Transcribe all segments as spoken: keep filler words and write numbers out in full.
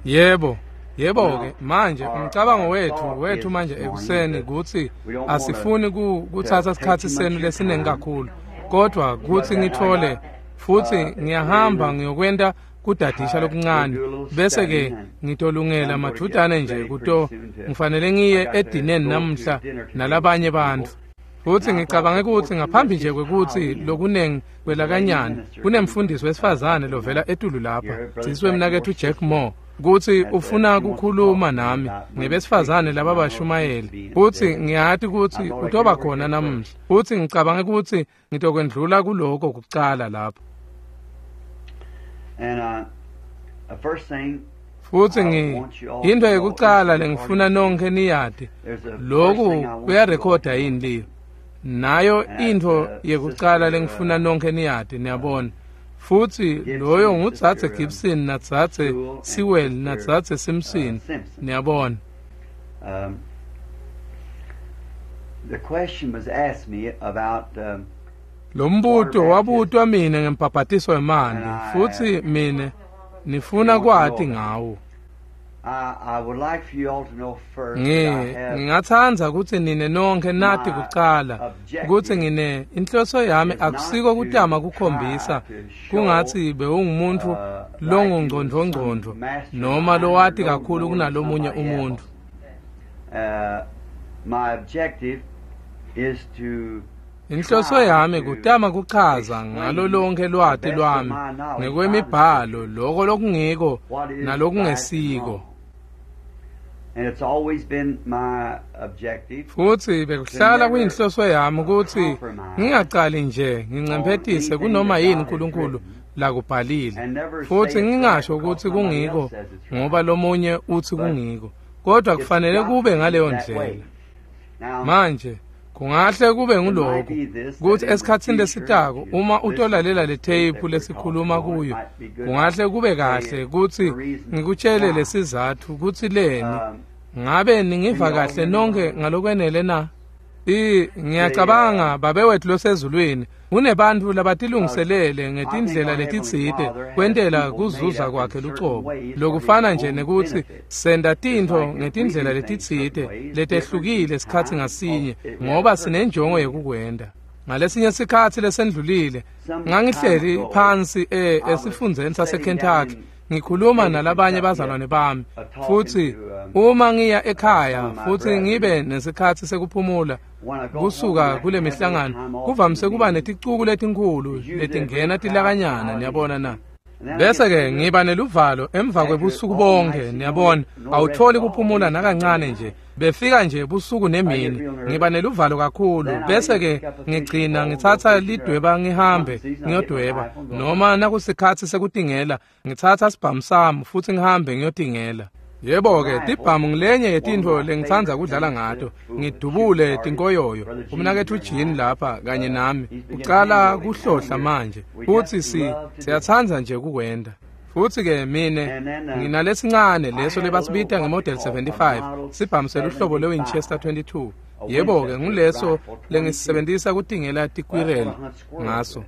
Yebo. Yebo-ke manje umcabango wethu wethu manje ekuseni kutsi asifuni kutsatsa sikhatsi senu lesiningi kakhulu, kodwa kutsi ngithole futsi ngiyahamba ngiyokwenta kudadisha lokuncane bese-ke ngitolungela madvutane nje kuto ngifanele ngiye edineni namuhla nalabanye bantfu. Futsi ngicabange kutsi ngaphambi nje kwekutsi lokunengi kwelakanyana kunemfundisi wesifazane lovela etulu lapha sisi wemnaketfu Jack Moore kutsi ufuna kukhuluma nami ngebesifazane laba bashumayeli, futsi ngiyati kutsi utoba khona namuhla, futsi ngicabange kutsi ngitokwendlula kuloko kucala lapho. Futsi ngi into yekucala lengifuna nonke niyati, loku kuyarekhoda yini liyo? Nayo intfo yekucala lengifuna nonke niyati, niyabona. Futsi loyo ngudzadze Gibson nadzadze Sewell nadzadze Simpson, niyabona. The question was asked me about um, Lombuto wabutwa mine ngembhabhatiso wemanti, futsi mine nifuna kwati ngawo. I would like for you all to know first ngingatsandza kutsi nine nonke nati kucala kutsi ngine inhloso yami akusiko kutama kukhombisa kungatsi bewungumuntfu longungcondvongcondvo noma lowati kakhulu kunalomunye umuntfu. My objective is to Inhloso yami kutama kuchaza ngalo lonke lwati lwami ngekwemibhalo loko lokungiko nalokungesiko. Futsi bekuhlala kuyinhloso yami kutsi ngingacali nje ngincemphetise kunoma yini uNkulunkulu lakubhalile, futsi ngingasho ukuthi kungiko ngoba lomunye uthi kungiko, kodwa kufanele kube ngaleyo ndlela. Manje kungahle kube nguloko kutsi esikhatsini lesitako uma utolalela le tape lesikhuluma kuyo, kungahle kube kahle kutsi ngikutshele lesizatfu kutsi leni. Ngabe ningiva kahle nonke ngalokwenele na? I ngiyacabanga babe wethu losezulwini unebantfu labatilungiselele ngetindlela letitsite kwentela kuzuza kwakhe lucobo, lokufana nje nekutsi senta tintfo ngetindlela letitsite letehlukile sikhatsi ngasinye ngoba sinenjongo yekukwenta. Ngalesinye sikhatsi lesendlulile ngangihleli phansi e esifundzeni saseKentucky ngikhuluma nalabanye bazalwane bami, futsi uma ngiya ekhaya futsi ngibe nesikhatsi sekuphumula kusuka kule mihlangano, kuvamise kuba neticuku letinkhulu letingena tilakanyana, niyabona na. Bese-ke ngiba neluvalo emva kwebusuku bonke, niyabona, awutholi kuphumula nakancane nje, befika nje busuku nemini, ngiba neluvalo kakhulu. Bese-ke ngigcina ngitsatsa lidweba ngihambe ngiyodweba, noma nakusikhatsi sekutingela ngitsatsa sibhamu sami futsi ngihambe ngiyotingela. Yebo-ke tibhamu ngilenye yetintfo lengitsandza kudlala ngato, ngidubule tinkoyoyo. Umnaketfu Jean lapha kanye nami ucala kuhlohla manje, futsi si siyatsandza nje kukwenta. Futsi-ke mine nginalesincane leso lebasibita nge-Model seventy-five, sibhamu seluhlobo lwe-Winchester twenty-two. Yebo-ke nguleso lengisisebentisa kutingela tikwireli ngaso.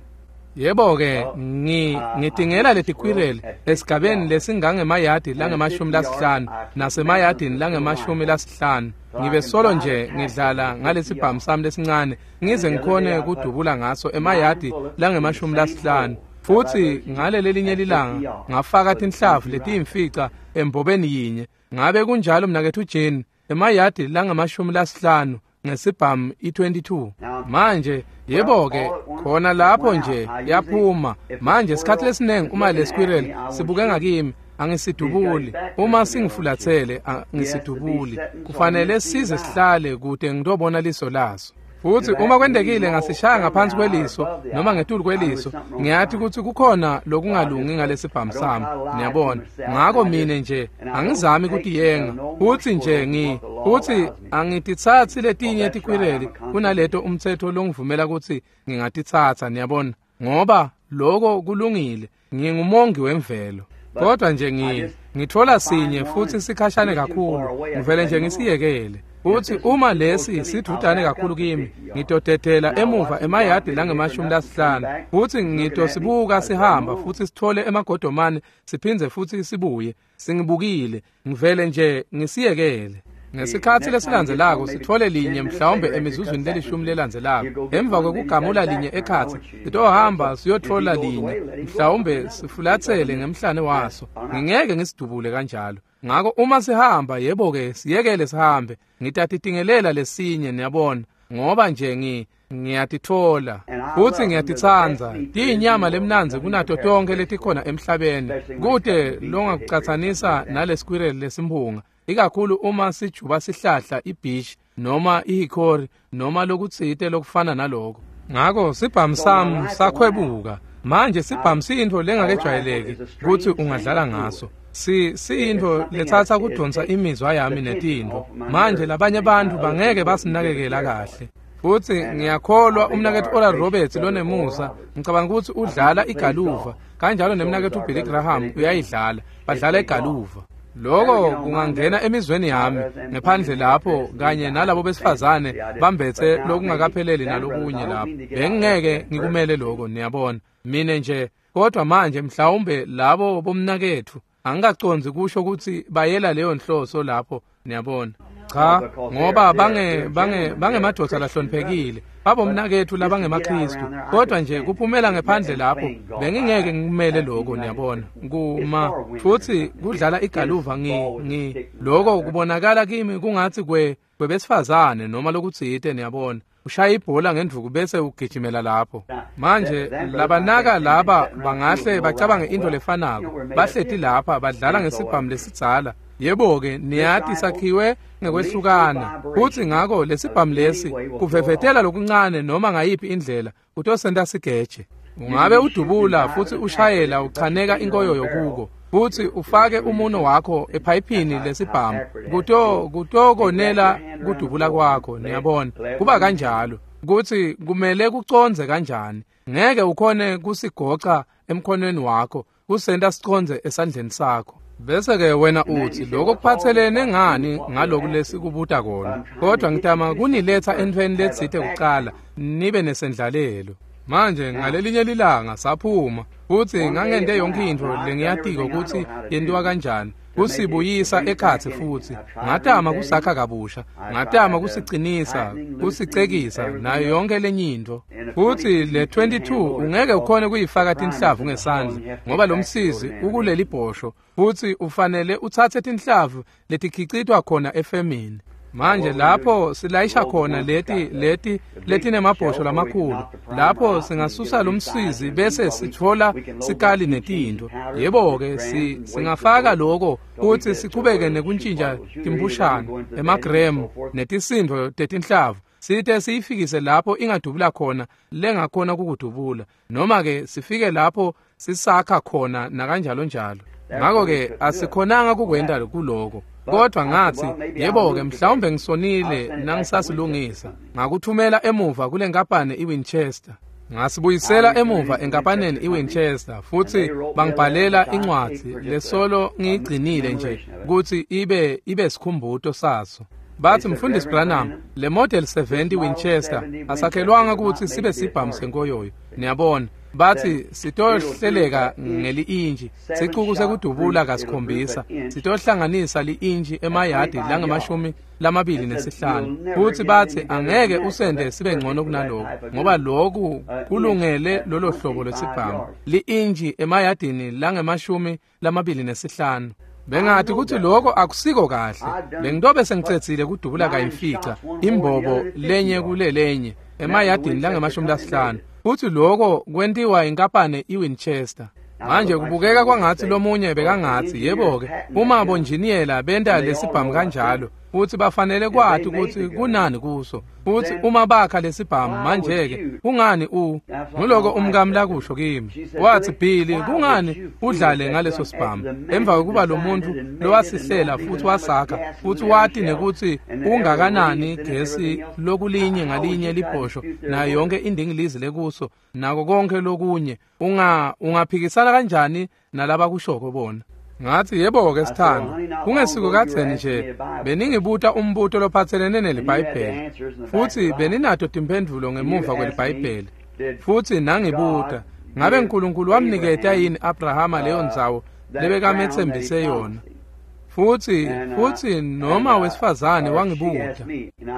Yebo-ke ngi ngitingela letikwireli esigabeni lesingangemayadi langemashumi lasihlanu nasemayadini langemashumi lasihlanu. Ngibe solo nje ngidlala ngalesibhamu sami lesincane ngize ngikhone kudubula ngaso emayadi langemashumi lasihlanu. Futsi ngale lelinye lilanga ngafaka tinhlavu letiyimfica embobeni yinye. Ngabe kunjalo mnaketfu Jane? Emayadi langemashumi lasihlanu ngesibhamu i twenty-two. Manje yebo-ke khona lapho nje yaphuma. Manje sikhathi lesiningi uma le squirrel sibuke ngakimi angisidubuli, uma singifulathele angisidubuli, kufanele size sihlale kude ngitobona liso laso. Futsi uma kwentekile ngasishaya ngaphansi kweliso noma ngetulu kweliso, ngiyathi kutsi kukhona lokungalungi ngalesibhamu sami, niyabona. Ngako mine nje angizami kutiyenga, futsi nje ngi futsi angititsatsi letinye tikwireli kunaleto umtsetfo longivumela kutsi ngingatitsatsa, niyabona, ngoba loko kulungile, ngingumongi wemvelo. Kodwa nje ngi ngithola sinye futsi sikhashane kakhulu, ngivele nje ngisiyekele. Futsi uma lesi sidvutane kakhulu kimi, ngitodedela emuva emayadi langemashumi lasihlanu, futsi ngitosibuka sihamba futsi sithole emagodomane siphindze futsi sibuye. Singibukile, ngivele nje ngisiyekele. Ngesikhatsi lesilandzelako sithole linye mhlawumbe emizuzwini lelishumi lelandzelako. Emva kwekugamula linye ekhatsi, sitohamba siyotfola linye, mhlawumbe sifulatsele ngemhlane waso. Ngingeke ngisidubule kanjalo. Ngako uma sihamba, yebo-ke, siyekele sihambe. Ngitatitingelela lesinye, niyabona, ngoba nje ngi ngiyatitfola futsi ngiyatitsandza. Tiyinyama lemnandzi kunato tonkhe letikhona emhlabeni. Kute longakucatsanisa nale squirrel lesimphunga, ikakhulu uma sijuba sihlahla ibhishi noma ihickory noma lokutsite lokufana naloko. Ngako sibhamu sami sakhwebuka. Manje sibhamu siyintfo lengakejwayeleki kutsi ungadlala ngaso. Si siyintfo letsatsa kudonsa imizwa yami netintfo. Manje labanye bantfu bangeke basinakekela kahle. Futsi ngiyakholwa umnaketfu Oral Roberts lonemusa, ngicabanga ukuthi udlala igaluva, kanjalo nemnaketfu Billy Graham uyayidlala, badlala igaluva. Loko kungangena emizweni yami ngephandle lapho kanye nalabo besifazane bambethe lokungakapheleli nalokunye lapho. Bengingeke ngikumele lokho, niyabona. Mine nje, kodwa manje mhlawumbe labo bomnaketfu angikacondzi kusho ukuthi bayela leyo nhloso lapho, niyabona. Cha, ngoba bange bange bangemadvodza lahloniphekile, babomnaketfu labangemaKristu, kodwa nje kuphumela ngephandle lapho bengingeke ngikumele lokho, niyabona. Kuma futsi kudlala igaluva ngi ngi lokho kubonakala kimi kungathi kwe kwebesifazane noma lokutsite, niyabona. Ushaya ibhola ngendvuku bese ugijimela lapho. Manje labanaka laba bangahle bacabange into lefanako, bahleti lapha badlala ngesibhamu lesidzala. Yebo-ke, niyati sakhiwe ngekwehlukana, futsi ngako lesibhamu lesi kuvevetela lokuncane noma ngayiphi indlela kutosenta sigeje. Ungabe udubula futsi ushayela uchaneka inkoyoyo kuko, futsi ufake umuno wakho ephayiphini lesibhamu, kuto kutokonela kudubula kwakho, niyabona. Kuba kanjalo kutsi kumele kucondze kanjani. Ngeke ukhone kusigoca emkhonweni wakho, kusenta sicondze esandleni sakho. Bese-ke wena uthi lokho kuphathelene ngani ngaloku lesikubuta kona, kodwa ngitama kuniletha entfweni letsite kucala nibe nesendlalelo. Manje ngalelinye lilanga saphuma, futsi ngangente yonke intfo lengiyatiko kutsi yentiwa kanjani, kusibuyisa ekhatsi futsi. Ngatama kusakha kabusha, ngatama kusicinisa, kusicekisa nayo yonke lenye intfo. Futsi le twenty-two ungeke ukhone kuyifaka tinhlavu ngesandla, ngoba lo msizi ukuleli bhosho, futsi ufanele utsatse tinhlavu letikhicitwa khona efemini. Manje lapho silayisha khona leti leti letinemabhosho lamakhulu, lapho singasusa lo msizi bese sitfola sikali netintfo. Yebo-ke, si singafaka lokho kutsi sichubeke nekuntjintja timpushana, emagremu netisindvo tetinhlavu, site siyifikise lapho ingadubula khona lengakhona kukudubula, noma-ke sifike lapho sisakha khona nakanjalo njalo. Ngako-ke asikhonanga kukwenta kuloko. Kodwa ngathi, yebo-ke, mhlawumbe ngisonile nangisasilungisa. Ngakuthumela emuva kule nkampani iWinchester. Ngasibuyisela emuva enkampaneni iWinchester, futsi bangibhalela incwadzi lesolo ngiyigcinile nje kutsi ibe ibe sikhumbuto saso. Bathi, Mfundisi Branham, le Model seventy Winchester asakhelwanga kutsi sibe sibhamu senkoyoyo. Niyabona, bathi sitohleleka ngeli-inji, sicuku sekudubula kasikhombisa, sitohlanganisa li-inji emayadi langemashumi lamabili nesihlanu. Futsi bathi angeke usende sibe ngcono kunaloko, ngoba loku kulungele lolo hlobo lwesibhamu, li-inji emayadini langemashumi lamabili nesihlanu. Bengathi ukuthi lokho akusiko kahle. Bengitobe sengicedzile kudubula kayimfica imbobo lenye kulelenye emayadini langemashumi lasihlanu. Futhi lokho kwentiwa inkampani iWinchester. Manje kubukeka kwangathi lomunye bekangathi, yebo-ke, uma bonjiniyela benta lesibhamu kanjalo, futhi bafanele kwati ukuthi kunani kuso. Futhi uma bakha lesibhamu manje-ke, kungani u nguloko umkami lakusho kimi. Wathi, Billy, kungani udlale ngaleso sibhamu emva kokuba lo muntu lowasihlela futhi wasakha futhi wati nekuthi ungakanani gesi lokulinye ngalinye libhosho nayo yonke indingilizi lekuso nako konke lokunye, unga ungaphikisana kanjani nalabakushoko bona? Ngathi yebo-ke sithando, kungesiko kadzeni nje beningibuta umbuto lophatselene neliBhayibheli, futsi beninato timphendvulo ngemuva kweliBhayibheli. Futsi nangibuta, ngabe uNkulunkulu wamniketa yini Abrahama leyo ndzawo lebekametsembise yona? Futsi futsi noma wesifazane wangibuta,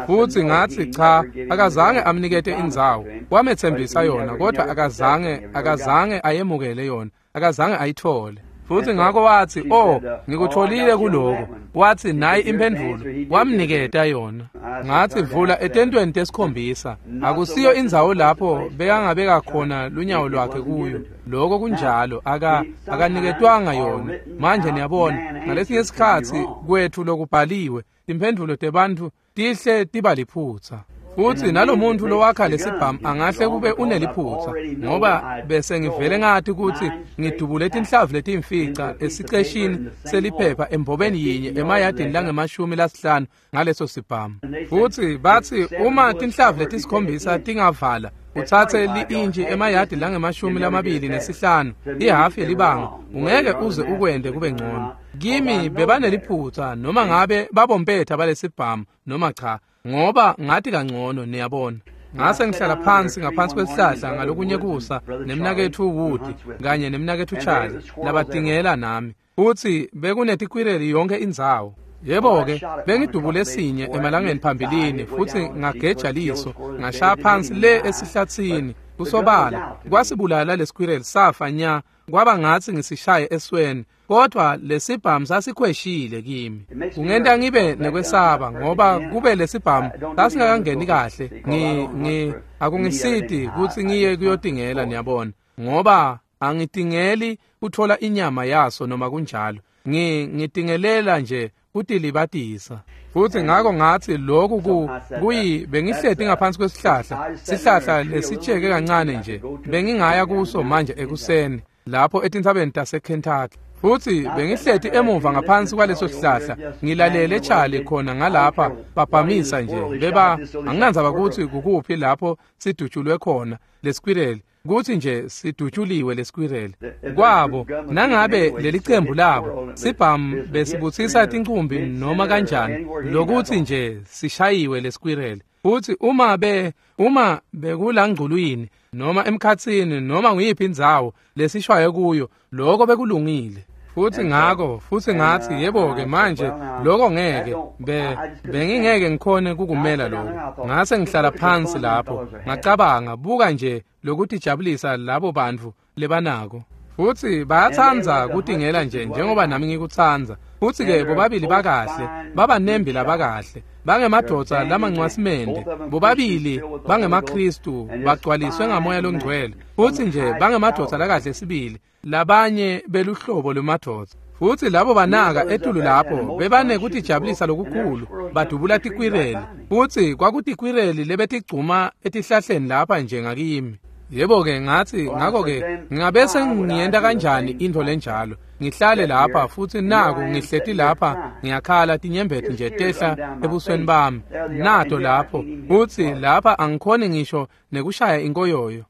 futsi ngathi cha, akazange amnikete indzawo, wametsembisa yona, kodwa akazange akazange ayemukele yona, akazange ayithole. Futsi ngako wathi, oh, ngikutholile kuloko. Wathi nayi imphendvulo, wamniketa yona. Ngathi vula etentweni tesikhombisa, akusiyo indzawo lapho bekangabeka khona lunyawo lwakhe kuyo. Lokho kunjalo, aka akaniketwanga yona. Manje niyabona, ngalesinye isikhatsi kwethu lokubhaliwe, timphendvulo tebantfu tihle tiba liphutsa. Futsi nalomuntu lowakha lesibhamu angahle kube uneliphutsa, ngoba bese ngivele ngathi ukuthi ngidubule tinhlavu letimfica esiceshini seliphepha embobeni yinye emayadini langemashumi lasihlanu ngaleso sibhamu. Futsi bathi uma tinhlavu letisikhombisa tingavala, utsatse li-intshi emayadi langemashumi lamabili nesihlanu, ihhafu yelibanga, ungeke uze ukwente kube ngcono. Kimi bebaneliphutsa noma ngabe babompetha balesibhamu noma cha, ngoba ngathi kangcono, niyabona. Ngase ngihlala phansi ngaphansi kwesihlahla ngalokunye kusa nemnaketfu Wood kanye nemnaketfu Charlie labatingela nami, futsi bekunetikwireli yonke indzawo. Yebo-ke, bengidubule sinye emalangeni phambilini, futsi ngageja liso, ngashaya phansi le esihlatsini. Kusobala kwasibulala lesikwireli, safa nya, kwaba ngathi ngisishaye esweni, kodwa lesibhamu sasikhweshile kimi. Kungenta ngibe nekwesaba, ngoba kube lesibhamu sasingakangeni kahle, ngi ngi akungisiti kutsi ngiye kuyotingela, niyabona, ngoba angitingeli kuthola inyama yaso noma kunjalo. Ngi ngitingelela nje kutilibatisa. Futsi ngako ngathi lokhu ku kuyi bengihleti ngaphansi kwesihlahla, sihlahla lesitsheke kancane nje, bengingaya kuso manje ekuseni lapho etintsabeni taseKentucky. Futsi bengihleti emuva ngaphansi kwaleso sihlahla, ngilalele Charlie khona ngalapha babhamisa nje, beba anginandzaba kutsi kukuphi lapho sidutshulwe khona lesikwireli, kutsi nje sidutshuliwe lesikwireli kwabo. Nangabe lelicembu labo sibhamu besibutsisa tincumbi noma kanjani, lokuthi nje sishayiwe lesikwireli. Futsi uma be uma bekulangculwini noma emkhatsini noma nguyiphi indzawo lesishwaye kuyo, lokho bekulungile. Futsi ngako futsi ngathi yebo-ke manje lokho ngeke be bengingeke ngikhone kukumela lokho. Ngase ngihlala phansi lapho, ngacabanga, buka nje lokutijabulisa labo bantfu lebanako. Futsi bayatsandza kutingela nje njengoba nami ngikutsandza. Futsi-ke bobabili bakahle, babanembi labakahle, bangemadvodza lamancwasimende, bobabili bangemaKhristu, bagcwaliswe ngamoya longcwele. Futsi nje bangemadvodza lakahle sibili, labanye beluhlobo lwemadvodza. Futsi labo banaka etulu lapho bebanekutijabulisa lokukhulu, badubula tikwireli. Futsi kwakutikwireli lebetigcuma etihlahleni lapha nje ngakimi. Yebo-ke ngathi, ngako-ke ngingabese ngiyenta kanjani intfo lenjalo? Ngihlale lapha futsi naku ngihleti lapha ngiyakhala, tinyembeti nje tehla ebusweni bami, nato lapho. Futsi lapha angikhoni ngisho nekushaya inkoyoyo.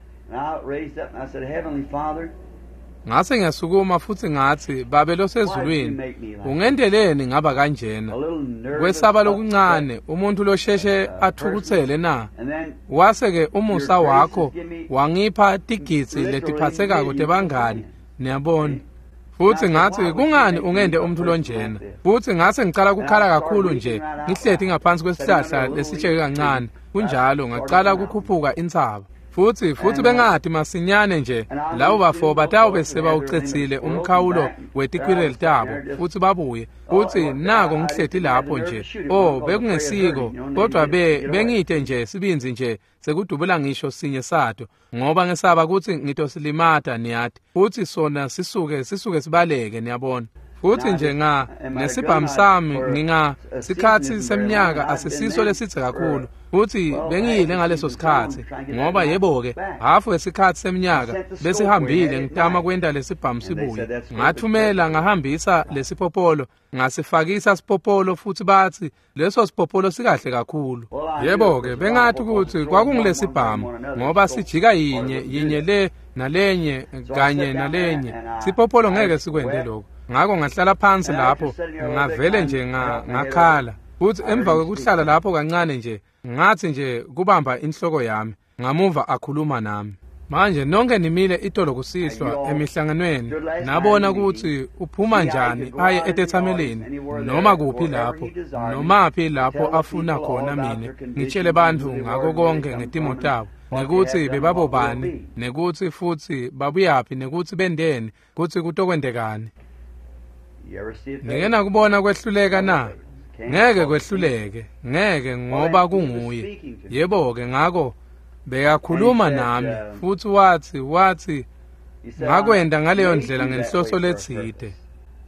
Ngase ngiyasukuma futsi ngathi, Babe losezulwini, ungenteleni ngaba kanjena? Kwesaba lokuncane, umuntu losheshe athukutsele na? Wase-ke umusa wakho wangipha tigidzi letiphatsekako tebangani, niyabona. Futsi ngathi, kungani ungente umuntu lonjena? Futsi ngase ngicala kukhala kakhulu nje, ngihleti ngaphansi kwesihlahla lesitsheke kancane. Kunjalo, ngacala kukhuphuka intsaba. Futsi futsi bengathi masinyane nje labo bafo batawube sebawucedzile umkhawulo wetikwireli tabo, futsi babuye. Futsi nako ngihleti lapho nje, oh, bekungesiko, kodwa be bengite nje sibindzi nje sekudubula ngisho sinye sato, ngoba ngesaba kutsi ngitosilimata, niyati. Futsi sona sisuke sisuke sibaleke, niyabona. Futsi nje nga nesibhamu sami nginga sikhatsi semnyaka asisiso lesidze kakhulu. Futsi bengiyile ngaleso sikhatsi, ngoba yebo-ke hafu wesikhatsi semnyaka besihambile ngitama kwenta lesibhamu sibuye. Ngathumela ngahambisa lesipopolo, ngasifakisa sipopolo, futsi batsi leso sipopolo sikahle kakhulu. Yebo-ke bengathi kutsi kwakungilesibhamu, ngoba sijika yinye yinye le nalenye kanye nalenye. Sipopolo ngeke sikwente lokho. Ngako ngahlala phansi lapho ngavele nje ngakhala. Futhi emva kwekuhlala lapho kancane nje ngathi nje kubamba inhloko yami ngamuva akhuluma nami. Manje nonke nimile itolo kusihlwa emihlanganweni nabona ukuthi uphuma njani aye etethameleni noma kuphi lapho nomaphi lapho afuna khona mina ngitshele bantfu ngako konke ngetimo tabo nekuthi bebabobani nekuthi futhi babuyaphi nekuthi bendeni kutsi kutokwendekani. Ngike nakubona kwehluleka na? Ngeke kwehluleke, ngeke ngoba kunguye. Yebo-ke ngako bekakhuluma nami futhi wathi wathi ngakwenda ngaleyo ndlela ngenhloso letsite.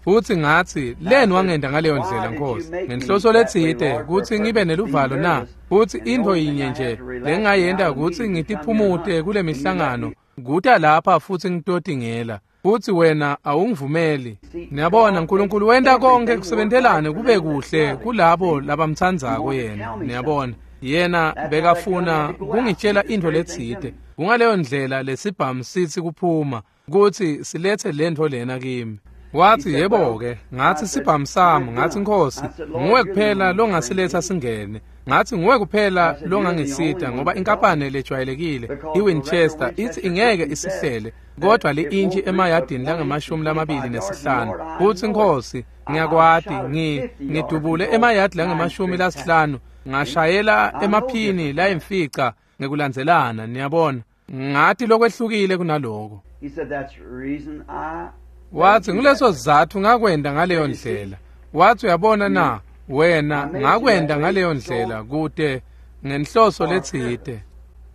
Futhi ngathi leni wangenda ngaleyo ndlela Nkosi ngenhloso letsite kutsi ngibe neluvalo na? Futhi intfo yinye nje lengayenta kutsi ngitiphumute kule mihlangano kuta lapha futhi ngitotingela. Futhi wena awungivumeli. Niyabona uNkulunkulu wenta konke kusebentelane kube kuhle kulabo labamtsandzako yena. Niyabona yena bekafuna kungitshela intfo letsite. Kungaleyo ndlela lesibhamu sithi kuphuma kutsi silethe lentfo lena kimi. Wathi yebo-ke, ngathi sibhamu sami, ngathi Nkosi, nguwe kuphela longasiletha singene. Ngathi nguwe kuphela longangisita ngoba inkampani lejwayelekile iWinchester ithi ingeke isihlele kodwa li-intshi emayadini langamashumi lamabili nesihlanu. Futhi Nkosi, ngiyakwati ngi ngidubule emayadi langamashumi lasihlanu ngashayela emaphini layimfica ngekulandzelana. Niyabona ngathi lokwehlukile kunaloko. Wathi nguleso sizatfu ngakwenda ngaleyo ndlela. Wathi uyabona na wena ngakwenda ngaleyo ndlela kute ngenhloso letsite.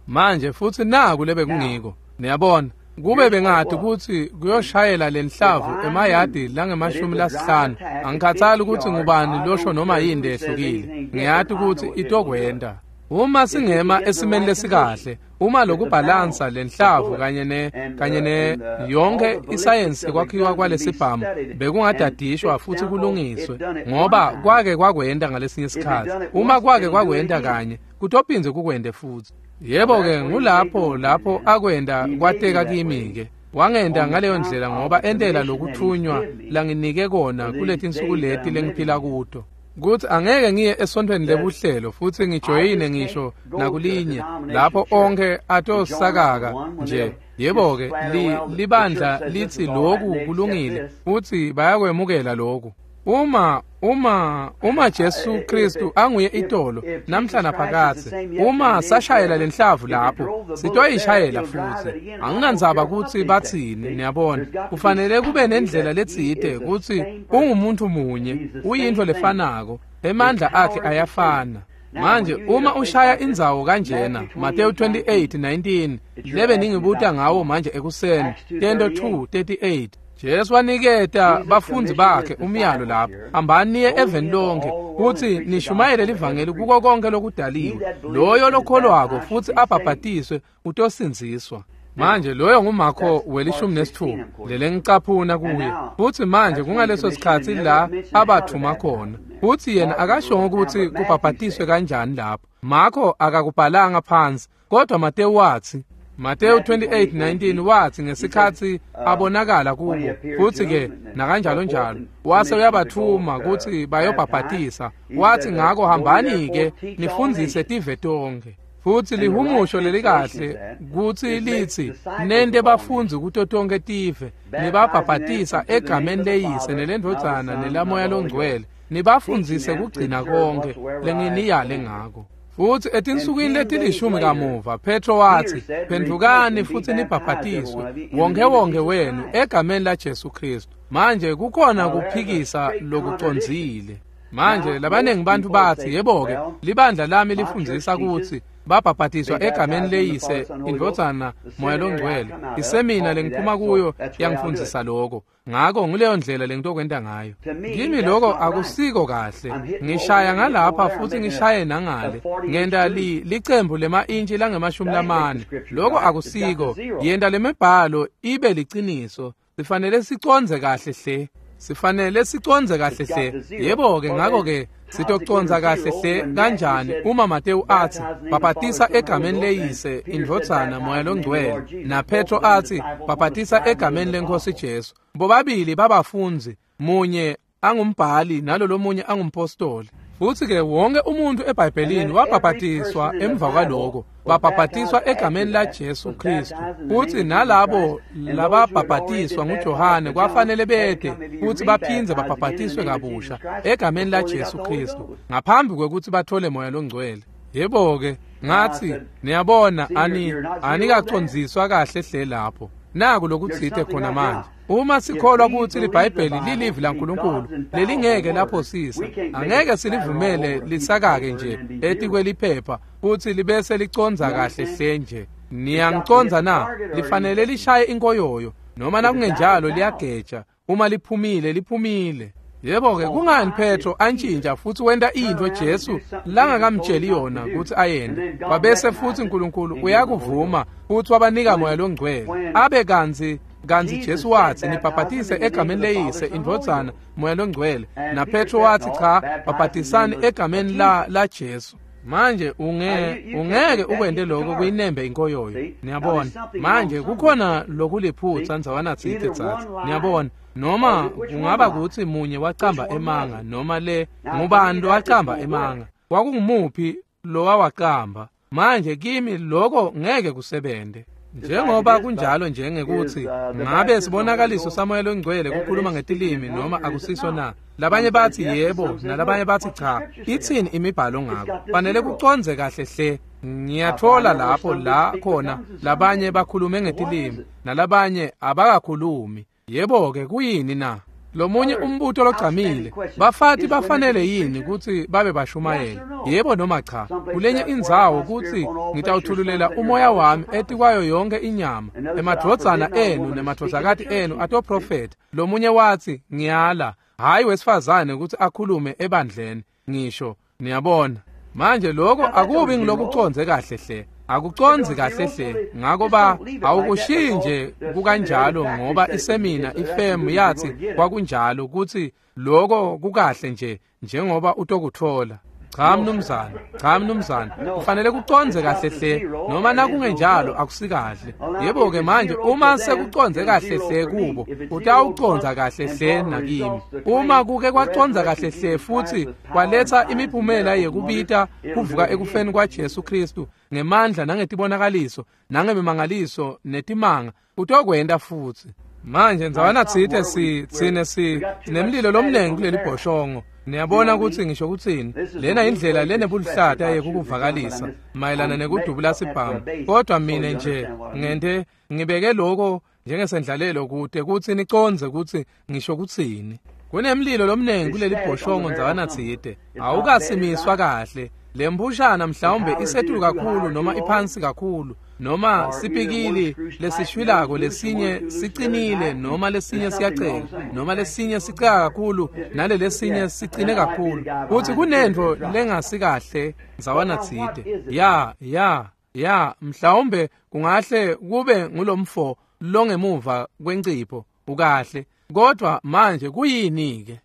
Manje futhi naku lebe kungiko. Niyabona kube bengathi kutsi kuyoshayela lenhlavu emayadi langemashumi lasihlanu angikhathali kutsi ngubani losho noma yini lehlukile. Ngiyati kutsi itokwenda. Uma singema esimeni lesikahle, uma lokubhalansa lenhlavu kanye ne kanye ne yonke isayensi kwakhiwa kwalesibhamu bekungadadishwa futhi kulungiswe ngoba kwake kwakwenda ngalesinye isikhathi. Uma kwake kwakwenda kanye kutophindze kukwende futhi. Yebo-ke ngulapho lapho akwenda kwateka kimi-ke. Wangenda ngaleyo ndlela ngoba entela lokuthunywa langinike kona kuletinsuku leti lengiphila kuto. Kuthi angeke ngiye esontweni lebuhlelo futhi ngijoyine ngisho nakulinye lapho onke atosakaka nje. Yebo-ke li, libandla lithi loku kulungile futhi bayakwemukela loku. Uma uma uma Jesu Kristu anguye itolo namhla naphakathe, uma sashayela lenhlavu lapho sitoyishayela futhi. Anginandzaba kutsi batsini. Niyabona kufanele kube nendlela letsite kutsi ungumuntu munye, uyintfo lefanako, emandla akhe ayafana. Manje uma ushaya indzawo kanjena Matthew twenty-eight nineteen lebe ningibuta ngawo manje ekuseni Tento two thirty-eight Jesu waniketa bafundzi bakhe umyalo lapho, hambani niye eveni lonke kutsi nishumayele livangeli kuko konke lokudaliwe. Loyo lokholwako futhi abhabhatiswe utosindziswa. Manje loyo nguMarko welishumi nesitfupha lelengicaphuna kuye. Futhi manje kungaleso sikhatsi la abathuma khona. Futhi yena akashongo kutsi kubhabhatiswe kanjani lapho. Marko akakubhalanga phansi kodwa Mateyu wathi Matthew twenty-eight nineteen wathi ngesikhatsi abonakala kubo futhi ke nakanjalo njalo wase uyabathuma kutsi bayobhabhatisa. Wathi ngako hambani ke nifundzise tive tonkhe. Futhi lihumusho lelikahle kutsi litsi nente bafundzi kuto tonkhe tive nibabhabhatisa egameni leyise nelendvodzana nelamoya longcwele nibafundzise kugcina konke lenginiyale ngako. Futhi etinsukwini letilishumi kamuva Petro wathi phendvukani futhi nibhabhatiswe wonke wonke wenu egameni la Jesu Kristu. Manje kukhona kuphikisa lokucondzile. Manje labaningi bantu bathi yebo-ke libandla lami lifundzisa kutsi babhabhatiswa egameni leyise indvodzana moya longcwele. Isemina lengiphuma kuyo yangifundzisa lokho. Ngako nguleyo ndlela lengitokwenta ngayo. Kimi lokho akusiko kahle. Ngishaya ngalapha futhi ngishaye nangale. Ngenta li licembu lema-intshi langemashumi lamane. Lokho akusiko. Yenta lemibhalo ibe liciniso. Sifanele sicondze kahle hle. Sifanele sicondze kahle hle. Yebo-ke ngako-ke Sitoconza kahle hle kanjani uma Matewu atsi bhabhatisa egameni leyise indvodzana moya longcwele na Petro atsi bhabhatisa egameni lenkosi Jesu. Bobabili babafundzi, munye angumbhali nalolomunye angumpostoli. Futsi ke wonke umuntu eBhayibhelini wabhabhatiswa emva kwaloko, babhabhatiswa egameni la Jesu Kristu. Futsi nalabo lababhabhatiswa nguJohane kwafanele bete futsi baphindze babhabhatiswe kabusha egameni la Jesu Kristu ngaphambi kwekutsi bathole moya longcwele. Yebo ke, ngatsi niyabona ani anikacondziswa kahle hle lapho. Naku lokutsite khona manje. Uma sikholwa kutsi liBhayibheli lilivi laNkulunkulu lelingeke laphosisa, angeke silivumele lisakake nje etikweliphepha futsi libese liconza kahle hle nje. Niyangiconza na? Lifanele lishaye inkoyoyo noma nakungenjalo liyageja. Uma liphumile liphumile. Yebo ke, kungani Petro antshintsha futhi wenta into Jesu langakamtsheli yona kutsi ayende? Wabese futhi uNkulunkulu uyakuvuma futhi wabanika moya longcwele. Abe kantsi kantsi Jesu watsi nibhabhatise egameni leyise indvodzana moya longcwele, na Petro watsi cha, bhabhatisani egameni la la Jesu. Manje unge ungeke ukwente lokho kuyinembe inkoyoyo. Niyabona? Manje kukhona lokuliphutsa ndzawana tsite tsatsi. Niyabona? Noma kungaba kutsi munye wacamba emanga noma le ngubani lowacamba emanga. Kwakungumuphi lowawacamba? Manje kimi lokho ngeke kusebente. Njengoba kunjalo njengekuthi ngabe sibonakaliso samoya longcwele kukhuluma ngetilimi noma akusiso na. Labanye bathi yebo nalabanye bathi cha. Itsini imibhalo ngako? Fanele kuconze kahle hle. Ngiyathola lapho la khona labanye bakhulume ngetilimi nalabanye abakakhulumi. Yebo ke, kuyini na? Lomunye umbuto logcamile, bafati bafanele yini kutsi babe bashumayeli? Yebo noma cha? Kulenye indzawo kutsi ngitawuthululela umoya wami etikwayo yonke inyama, emadvodzana enu nemadvodzakati enu atoprofetha. Lomunye watsi ngiyala, hayi wesifazane kutsi akhulume ebandleni. Ngisho, niyabona. Manje lokho akubi ngilokuconze kahle hle. Akuconzi kahle hle ngako ba awukushiyi nje kukanjalo ngoba isemina ifemu yathi kwakunjalo kutsi lokho kukahle nje njengoba utokuthola. Cha mnumzane, cha mnumzane, kufanele kuconze kahle hle noma nakungenjalo akusikahle. Yebo ke, manje uma sekuconze kahle hle kubo utawuconza kahle hle nakimi. Uma kuke kwaconza kahle hle futhi kwaletha imiphumela yekubita kuvuka ekufeni kwaJesu Kristu ngemandla nangetibonakaliso nangemimangaliso netimanga, utokwenta futhi. Manje ndzawana tsite si tsine si sinemlilo lomnengi kuleli bhoshongo. Niyabona kutsi ngisho kutsini? Lena indlela lenebuluhlata yekukuvakalisa mayelana nekudubula sibhamu. Kodwa mine nje ngente ngibeke lokho njengesendlalelo kude kutsi niconze kutsi ngisho kutsini. Kunemlilo lomnengi kuleli bhoshongo ndzawana tsite. Awukasimiswa kahle. Lembushana mhlawumbe isetulu kakhulu noma iphansi kakhulu, noma sipikili lesishwilako lesinye sicinile noma lesinye siyaceka, noma lesinye siceka kakhulu nalelesinye sicine kakhulu. Kuthi kunentfo lengasikahle ndzawana tsite. Ya ya ya, mhlawumbe kungahle kube ngulomfo longemuva kwencipho ukahle. Kodwa manje kuyini ke?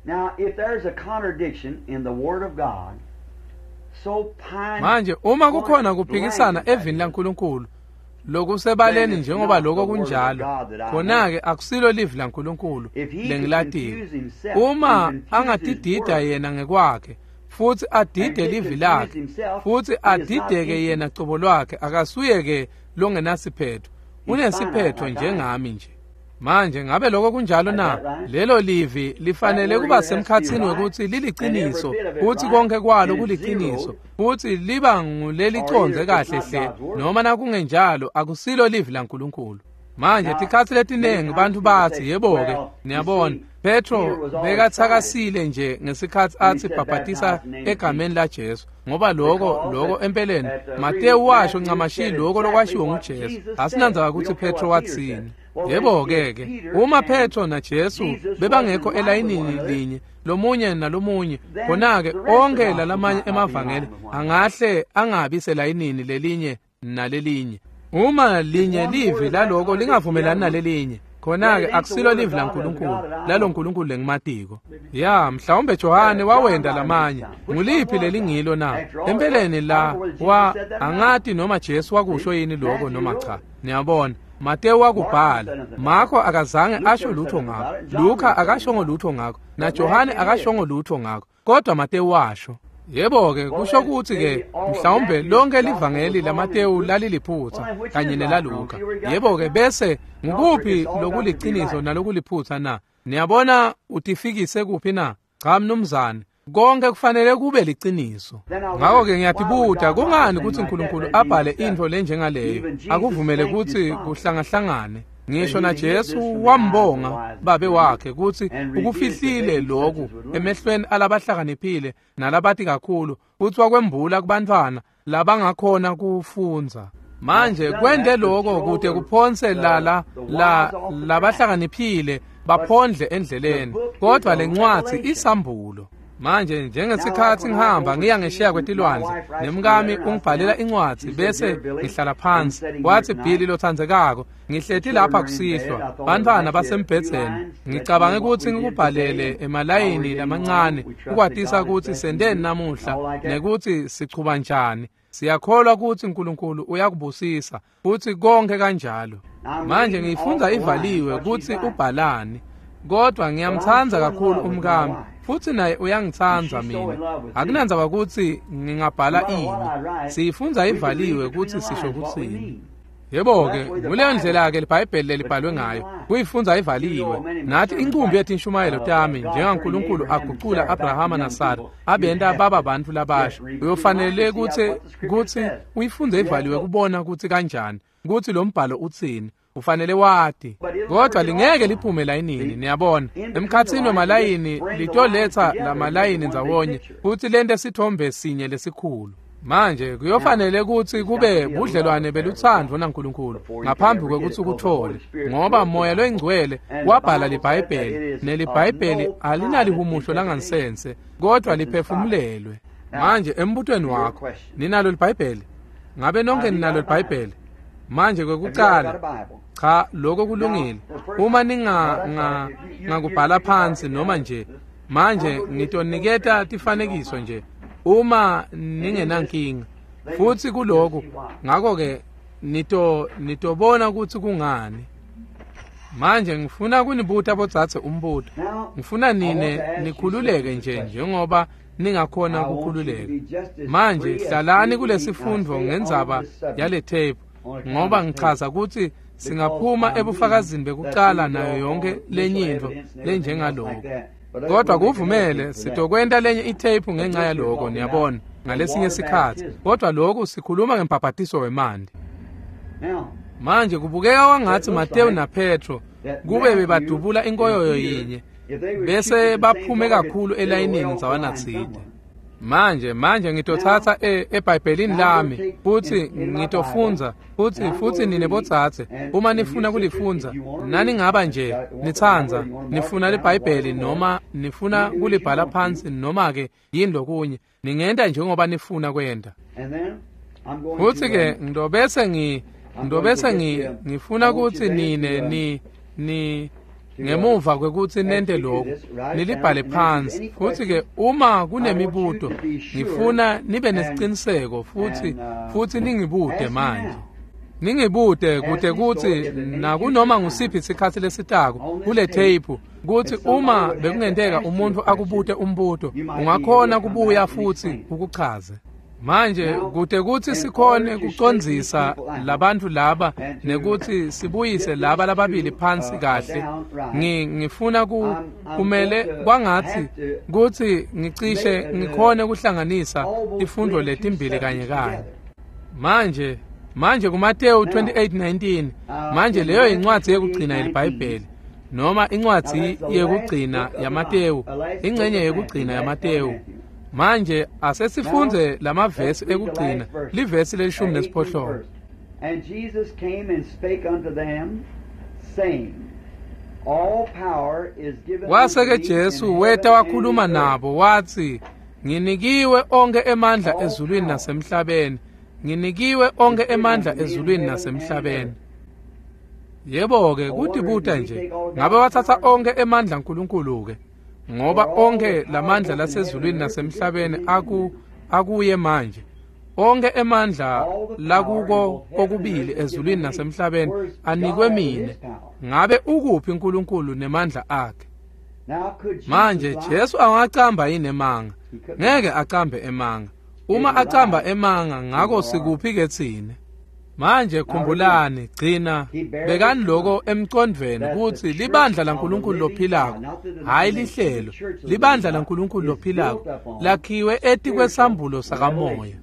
Now if there's a contradiction in the word of God, manje uma kukhona kuphikisana evini laNkulunkulu lokusebaleni njengoba lokho kunjalo, khona-ke akusilo livi laNkulunkulu lengilatiko. Uma angatidida yena ngekwakhe futhi adide livi lakhe futhi adideke yena cobo lwakhe, akasuye-ke longenasiphetho, unesiphetho njengami nje. Manje ngabe lokho kunjalo na? Lelo livi lifanele kuba semkhatsini wekutsi liliciniso futhi konke kwalo kuliciniso futhi liba nguleliconze kahle hle, noma nakungenjalo akusilo livi laNkulunkulu. Manje tikhatsi letinengi bantfu batsi yebo-ke, niyabona Petro bekatsakasile nje ngesikhatsi atsi bhabhatisa egameni la Jesu, ngoba lokho lokho empeleni Matewu washo ncamashi lokho lokwashiwo nguJesu. Asinandzaba kutsi Petro watsini. Yebo ke ke, uma Petro na Jesu bebangekho elayinini linye lomunye nalomunye, khona-ke onke lalamanye emavangeli angahle angabi selayinini lelinye nalelinye. Uma linye livi laloko lingavumelani nalelinye, Khona-ke akusilo livi laNkulunkulu lalo Nkulunkulu lengimatiko. Ya, mhlawumbe Johane wawenda lamanye. Nguliphi lelingilo na? Empeleni la wa angati noma Jesu wakusho yini lokho noma cha. Niyabona, Mateyu wakubhala, Marko akazange asho lutho ngakho, Luka akashongo lutho ngakho, na Johane akashongo lutho ngakho, kodwa Mateyu washo. Yebo-ke kusho ukuthi-ke mhlawumbe lonke livangeli laMateyu laliliphutha kanye nelaLuka. Yebo-ke bese ngukuphi lokuliciniso nalokuliphutha na? Niyabona utifikise kuphi na? Cha mnumzane, konke kufanele kube liciniso. Ngakho-ke ngiyatibuta kungani kutsi uNkulunkulu abhale intfo lenjengaleyo akuvumele kutsi kuhlangahlangane. Ngisho na Jesu wambonga babe wakhe kutsi ukufihlile lokhu emehlweni alabahlakaniphile nalabati kakhulu kutsi wakwembula kubantfwana labangakhona kufundza. Manje kwente lokho kute kuphonse lala la labahlakaniphile baphondle endleleni, kodwa lencwadzi isambulo. Manje njengesikhatsi ngihamba ngiya ngesheya kwetilwandle nemkami ungibhalela incwadzi bese ngihlala phansi. Wathi, Billy lothandzekako, ngihleti lapha kusihlwa, bantfwana basembhedzeni, ngicabange kutsi ngikubhalele emalayini lamancane ukwatisa kutsi senteni namuhla nekutsi sichuba njani. Siyakholwa kutsi uNkulunkulu uyakubusisa futsi konke kanjalo. Manje ngiyifundza ivaliwe kutsi ubhalani, kodwa ngiyamtsandza kakhulu umkami futsi naye uyangitsandza mina. Akunandzaba kutsi ngingabhala ini, siyifundza ivaliwe kutsi sisho kutsini. Yebo-ke nguleyo ndlela-ke liBhayibheli lelibhalwe ngayo, kuyifundza ivaliwe. Nathi inqumbi yetinshumayelo tami njengaNkulunkulu agucula Abrahama naSara abenta baba bantfu labasha, uyofanele kutsi kutsi uyifundze ivaliwe kubona kutsi kanjani kutsi lo mbhalo utsini. Ufanele wati, kodwa lingeke liphume layinini. Niyabona, emkhatsini wemalayini litoletsa lamalayini ndzawonye futsi lente sithombe sinye lesikhulu. Manje kuyofanele kutsi kube budlelwane belutsandvo naNkulunkulu ngaphambi kwekutsi ukuthole, ngoba Moya loyiNgcwele wabhala liBhayibheli, neliBhayibheli alinalihumusho langansense, kodwa liphefumulelwe. Manje embutweni wakho ninalo liBhayibheli? Ngabe nonke ninalo liBhayibheli? Manje kwekucala, cha, lokho kulungile. Uma ninga nga ngakubhala phansi noma nje, manje ngitoniketa tifanekiso nje uma ningenankinga futsi kuloko. Ngakho-ke nito nitobona kutsi kungani. Manje ngifuna kunibuta bodzadze umbuto. Ngifuna nine nikhululeke nje njengoba ningakhona ukukhululeka. Manje hlalani kulesifundvo ngendzaba yale tape, ngoba ngichaza kutsi singaphuma ebufakazini bekucala nayo yonke lenye intfo lenjengaloko. Kodwa kuvumele sitokwenta lenye itape ngenxa yaloko, niyabona, ngalesinye sikhatsi. Kodwa lokhu sikhuluma ngembhabhatiso wemanti. Manje kubukeka kwangatsi Mateyu naPetro kube bebadubula inkoyoyo yinye bese baphume kakhulu elayinini ndzawanatsite. Manje manje ngitotsatsa eBhayibhelini lami futsi ngitofundza futsi futsi nine botsatse uma nifuna kulifundza, naningaba nje nitsandza nifuna liBhayibheli noma nifuna kulibhala phansi noma ke yini lokunye, ningenta njengoba nifuna kwenta. Futsi ke ngitobese ngi ngitobese ngi ngifuna kutsi nine ni ni ngemuva kwekutsi nente lokhu nilibhale phansi. Futsi ke uma kunemibuto ngifuna nibe nesiciniseko futsi futsi ningibute manje. Ningibute kute kutsi nakunoma ngusiphi isikhatsi lesitako kule tape kutsi uma bekungenteka umuntu akubute umbuto ungakhona kubuya futsi ukuchaze. Manje kute kutsi sikhone kucondzisa labantfu laba nekutsi sibuyise laba lababili phansi kahle, ngi ngifuna ku kumele kwangatsi kutsi ngicishe ngikhone kuhlanganisa tifundvo letimbili kanye kanye. Manje manje kuMateyu twenty-eight nineteen, manje leyo incwadzi yekugcina yeliBhayibheli noma incwadzi yekugcina yaMateyu, ingcenye yekugcina yaMateyu. Manje asesifundze lamavesi ekugcina, livesi lelishumi nesiphohlongo. And Jesus came and spake unto them, saying, All power is given Wase ke Jesu weta wakhuluma nabo watsi, nginikiwe onke emandla ezulwini nasemhlabeni. Nginikiwe onke emandla ezulwini nasemhlabeni. Yebo-ke kutibuta nje, ngabe wathatha onkhe emandla aNkulunkulu-ke? Ngoba onkhe lamandla lasezulwini nasemhlabeni aku akuye manje. Onkhe emandla lakuko kokubili ezulwini nasemhlabeni anikwe mine. Ngabe ukuphi uNkulunkulu nemandla akhe? Manje Jesu angacamba yini emanga? Ngeke acambe emanga. Uma acamba emanga, ngako sikuphi ke tsine? Manje khumbulani, gcina bekani lokho emcondvweni kutsi libandla laNkulunkulu lophilako, hhayi lihlelo, libandla laNkulunkulu lophilako lakhiwe etikwesambulo sakamoya.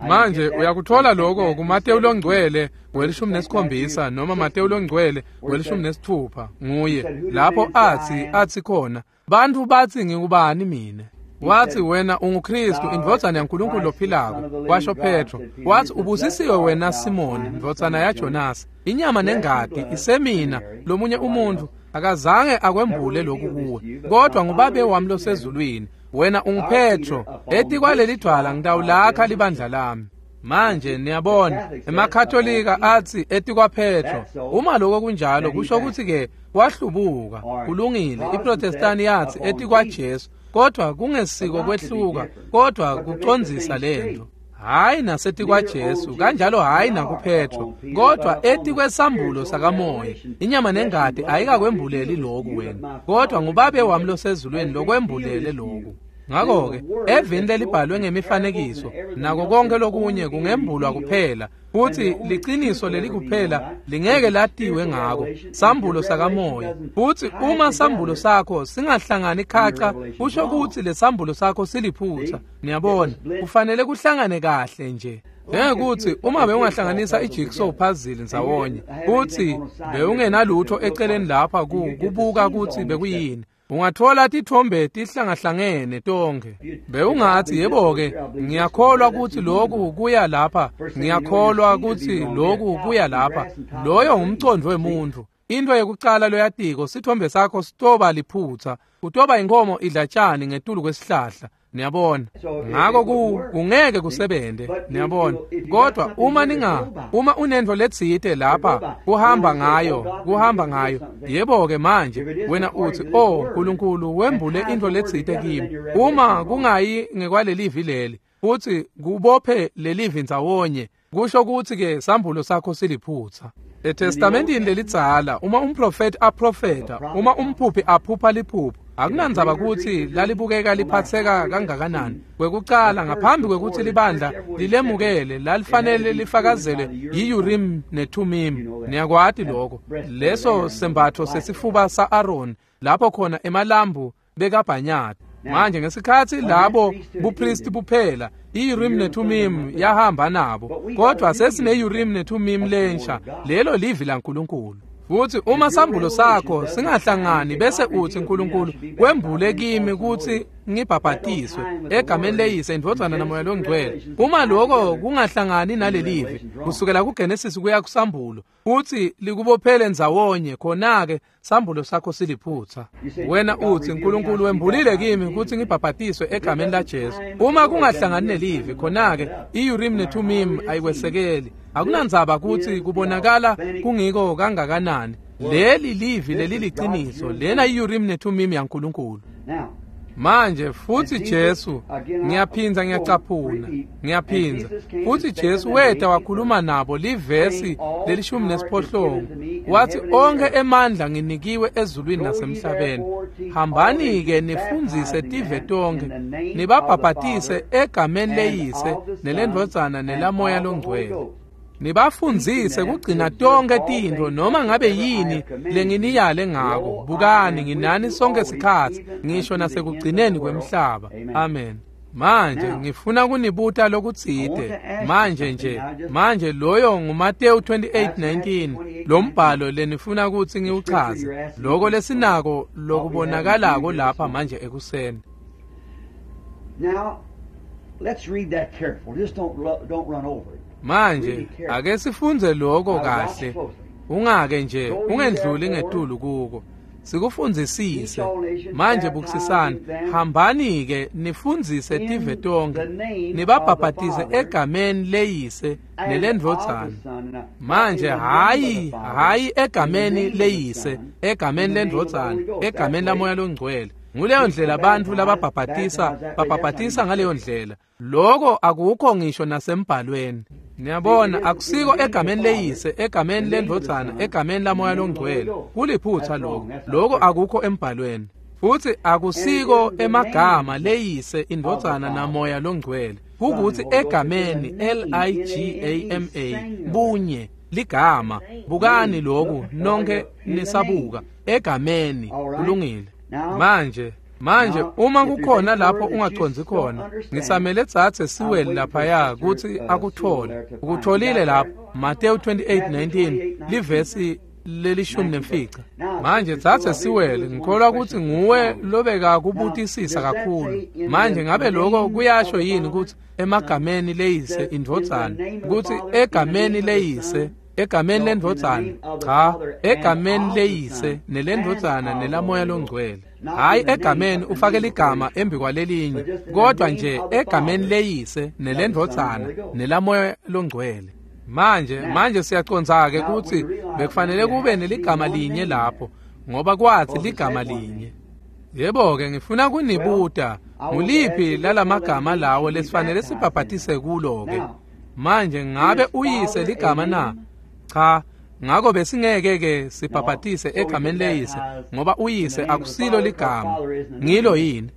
Manje uyakuthola lokho kuMateyu longcwele welishumi nesikhombisa noma Mateyu longcwele welishumi nesithupha nguye lapho athi athi khona, bantfu batsi ngikubani mine? Wathi wena unguKristu indvodzana yaNkulunkulu lophilako, washo Petro. Wathi ubusisiwe wena Simoni ndvodzana yaJonasi, inyama nengati isemina lomunye umuntfu akazange akwembule lokhu kuwe, kodwa ngubabe wami losezulwini. Wena unguPetro, etikwaleli dvwala ngitawulakha libandla lami. Manje niyabona emaKatolika athi etikwaPetro. Uma lokho kunjalo kusho ukuthi ke wahlubuka. Kulungile. IProtestani yathi etikwaJesu, kodwa kungesiko kwehluka, kodwa kucondzisa lento. Hayi nasetikwaJesu, kanjalo hayi nakuPetro, kodwa etikwesambulo sakamoya. Inyama nengati ayikakwembuleli lokhu wena, kodwa ngubabe wami losezulwini lokwembulele lokhu. Ngakho-ke evini lelibhalwe ngemifanekiso nako konke lokunye kungembulwa kuphela, futhi liciniso leli kuphela lingeke latiwe ngako, sambulo sakamoya. Futhi uma sambulo sakho singahlangani khaca, kusho ukuthi lesambulo sakho siliphutha. Niyabona, kufanele kuhlangane kahle nje. Njengekuthi uma bewungahlanganisa ijigsaw puzzle ndzawonye, futhi bewungenalutho eceleni lapha kubuka ukuthi bekuyini, ungathola tithombe tihlangahlangene tonke. Bewungathi yebo-ke ngiyakholwa ukuthi lokhu kuya lapha, ngiyakholwa ukuthi lokhu kuya lapha. Loyo ngumcondo wemuntu. Into yekucala loyatiko, sithombe sakho sitoba liphutha, kutoba inkomo idla tshani ngetulu kwesihlahla. Niyabona, ngako ku kungeke kusebente. Niyabona, kodwa uma ninga uma unento letsite lapha kuhamba ngayo, kuhamba ngayo. Yebo-ke manje wena uthi, oh Nkulunkulu wembule into letsite kimi. Uma kungayi ngekwalelivi leli, futhi kubophe lelivi ndzawonye, kusho ukuthi ke sambulo sakho siliphutha. ETestamentini lelidzala, uma umprofeti aprofeta, uma umphuphi aphupha liphupho, akunandzaba kutsi lalibukeka liphatseka kangakanani. Kwekucala, ngaphambi kwekutsi libandla lilemukele, lalifanele lifakazele yi-Urim neThumim. Niyakwati lokho. Leso sembatfo sesifuba sa-Aaron, lapho khona emalambu bekabhanyata. Manje ngesikhatsi labo bupristi buphela, i-Urim neThumim yahamba nabo, kodwa sesine-Urim neThumim lensha, lelo livi laNkulunkulu. Futhi uma sambulo sakho singahlangani bese uthi uNkulunkulu kwembule kimi ukuthi ngibhabhatiswe egameni leyise indvodzana namoya longcwele, uma lokho kungahlangani nalelivi kusukela kuGenesis kuya kusambulo, uthi likubophele ndzawonye, khona-ke sambulo sakho siliphutha. Wena uthi uNkulunkulu wembulile kimi ukuthi ngibhabhatiswe egameni laJesu. Uma kungahlangani nelivi, khona-ke i-Urim neThumim ayikwesekeli. Akunandzaba ukuthi kubonakala kungiko kangakanani, leli livi leli liciniso, lena i-Urim neThumim yaNkulunkulu. Manje futhi Jesu, ngiyaphinza ngiyacaphuna, ngiyaphinza futhi Jesu weta wakhuluma nabo livesi lelishumi nesiphohlongo, wathi onke emandla nginikiwe ezulwini nasemhlabeni, hambani-ke nifundzise tive tonke, nibabhabhatise egameni leyise nelendvodzana nelamoya longcwele, nibafundzise kugcina tonke tintfo noma ngabe yini lenginiyale ngako. Bukani, nginani sonke sikhatsi, ngisho nasekugcineni kwemhlaba. Amen. Manje ngifuna kunibuta lokutsite manje nje. Manje loyo nguMateyu twenty-eight nineteen, lo mbhalo lenifuna kutsi ngiwuchaze, loko lesinako lokubonakalako lapha manje ekuseni. Now let's read that careful. Just don't don't run over it. Manje ake sifundze lokho kahle, ungake nje ungendluli ngetulu kuko. Sikufundzisise. Manje bukisisani, hambani-ke nifundzise tive tonkhe, nibabhabhatise egameni leyise nelendvodzana. Manje hhayi hhayi egameni leyise, egameni lendvodzana, egameni laMoya loNgcwele. Nguleyo ndlela bantfu lababhabhatisa babhabhatisa ngaleyo ndlela. Loko akukho ngisho nasembhalweni. Niyabona, akusiko egameni leyise, egameni lendvodzana, egameni laMoya loNgcwele. Kuliphutha lokho. Lokho akukho embhalweni. Futhi akusiko emagama leyise, indvodzana naMoya loNgcwele. Kukuthi egameni L I G A M A, bunye, ligama. Bukani lokhu nonke nisabuka. Egameni, kulungile. Manje Manje uma kukhona lapho ungacondzi khona, ngisamele tsatse Siweli laphaya kutsi akuthole. Ukutholile lapho, Mateyu twenty-eight nineteen, livesi lelishumi nemfica. Manje tsatse Siweli, ngikholwa kutsi nguwe lobeka kubutisisa kakhulu. Manje ngabe lokho kuyasho yini kutsi emagameni leyise indvodzana, kutsi egameni leyise, egameni lendvodzana, cha, egameni leyise nelendvodzana nelaMoya loNgcwele. Hayi egameni ufake ligama embi kwalelinye, kodwa nje egameni leyise nelendvodzana nelaMoya loNgcwele. Manje manje siyacondza-ke kutsi bekufanele kube neligama linye lapho, ngoba kwathi ligama linye. Yebo-ke ngifuna kunibuta, nguliphi lalamagama lawo lesifanele sibhabhatise kulo-ke? Manje ngabe uyise ligama na? Cha, ngakho besingeke-ke sibhabhatise egameni leyise, ngoba uyise akusilo ligama. Ngilo yini?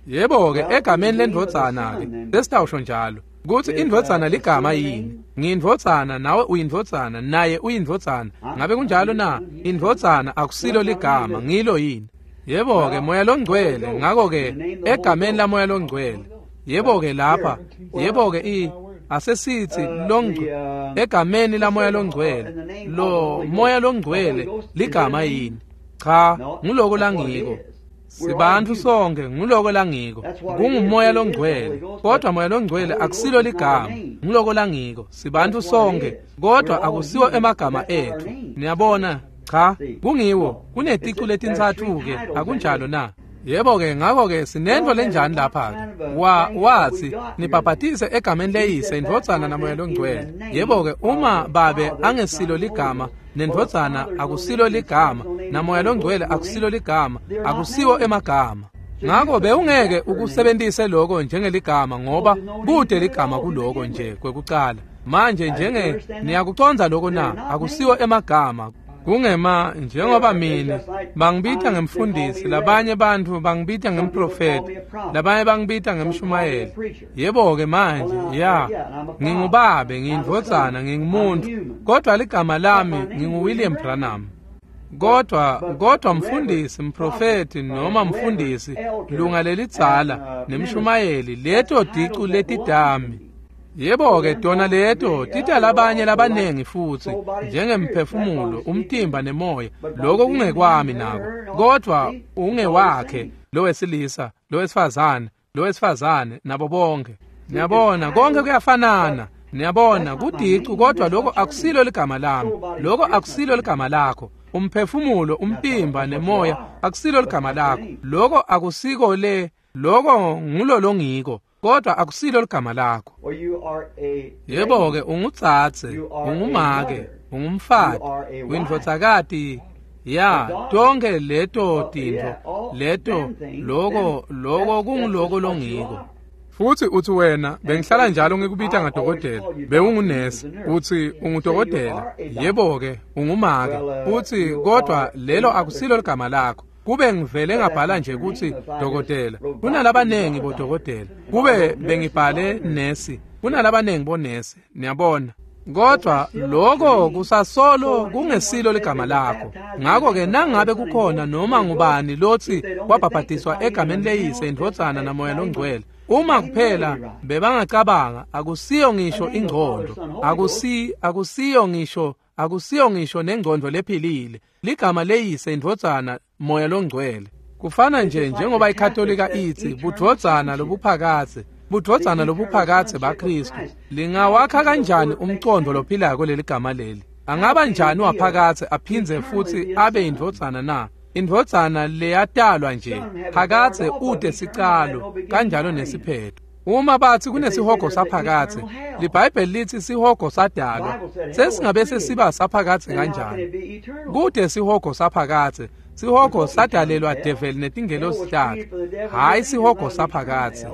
Yebo-ke egameni lendvodzana-ke sesitawusho njalo kutsi indvodzana ligama yini? Ngiyindvodzana, nawe uyindvodzana, naye uyindvodzana. Ngabe kunjalo na? Indvodzana akusilo ligama, ngilo yini? Yebo-ke Moya loNgcwele, ngakho-ke egameni laMoya loNgcwele. Yebo-ke lapha, yebo-ke i asesithi longcwele egameni laMoya loNgcwele. Lo Moya loNgcwele ligama yini? Cha, nguloko langiko. Sibantfu sonke, nguloko langiko. KunguMoya loNgcwele, kodwa Moya loNgcwele akusilo ligama, nguloko langiko. Sibantfu sonke, kodwa akusiwo emagama etfu. Niyabona? Cha, kungiwo. Kuneticu letintsatfu-ke, akunjalo na? Yebo-ke ngakho-ke sinento lenjani lapha-ke? Wa wathi nibhabhatise egameni leyise, indvodzana naMoya loNgcwele. Yebo-ke uma babe angesilo ligama, nendvodzana akusilo ligama, naMoya loNgcwele akusilo ligama, akusiwo emagama. Ngakho bewungeke ukusebentise lokho njengeligama, ngoba kude ligama kuloko nje kwekucala. Manje njenge niyakucondza lokho na? Akusiwo emagama. Kungema njengoba mina bangibita ngemfundisi, labanye bantfu bangibita ngemprofeti, labanye bangibita ngemshumayeli. Yebo-ke manje, ya, ngingubabe, ngiyindvodzana, ngingumuntu, kodwa ligama lami nginguWilliam Branham. Kodwa kodwa mfundisi, mprofeti noma mfundisi, lunga lelidzala nemshumayeli, leto dicu letidami. Yebo-ke tona leto tita labanye labanengi futsi, njengemphefumulo, umtimba nemoya, lokho kungekwami nako, kodwa ungewakhe lowesilisa, lowesifazane, lowesifazane nabo bonke. Niyabona, konke kuyafanana. Niyabona, kudicu, kodwa lokho akusilo ligama lami, lokho akusilo ligama lakho. Umphefumulo, umtimba nemoya akusilo ligama lakho, lokho akusiko le, lokho ngulo longiko, kodwa akusilo ligama lakho. Yebo-ke ungutsatse, ungumake, ungumfati, uyindvodzakati, ya, tonke leto tintfo, leto, loko, loko kunguloko longiko. Futhi uthi wena, bengihlala njalo ngikubita ngadokotela, bewungunesi, uthi ungudokotela, yebo-ke ungumake, uthi kodwa lelo akusilo ligama lakho. Kube ngivele ngabhala nje ukuthi dokotela, kunalabanengi bodokotela. Kube bengibhale nesi, kunalabanengi bonesi, niyabona. Kodwa lokho kusasolo kungesilo ligama lakho. Ngakho-ke nangabe kukhona noma ngubani lothi wabhabhadiswa egameni leyise, indvodzana naMoya loNgcwele, uma kuphela bebangacabanga, akusiyo ngisho ingcondo, akusi akusiyo ngisho akusiyo ngisho nengcondo lephilile. Ligama leyise, indvodzana, Moya loNgcwele. Kufana nje njengoba iKatolika ithi budvodzana lobuphakadze, budvodzana lobuphakadze baKristu. Lingawakha kanjani umcondo lophilako leli gama leli? Angaba njani waphakadze aphindze futhi abe indvodzana na? Indvodzana leyatalwa nje phakadze ute sicalo kanjalo nesiphetho. Uma bathi kunesihogo saphakadze, liBhayibheli lithi sihogo sadalwa, sesingabe sesiba saphakadze kanjani? Kude sihogo saphakadze, sihogo sadalelwa develi netingelosi takhe, hhayi sihogo saphakadze.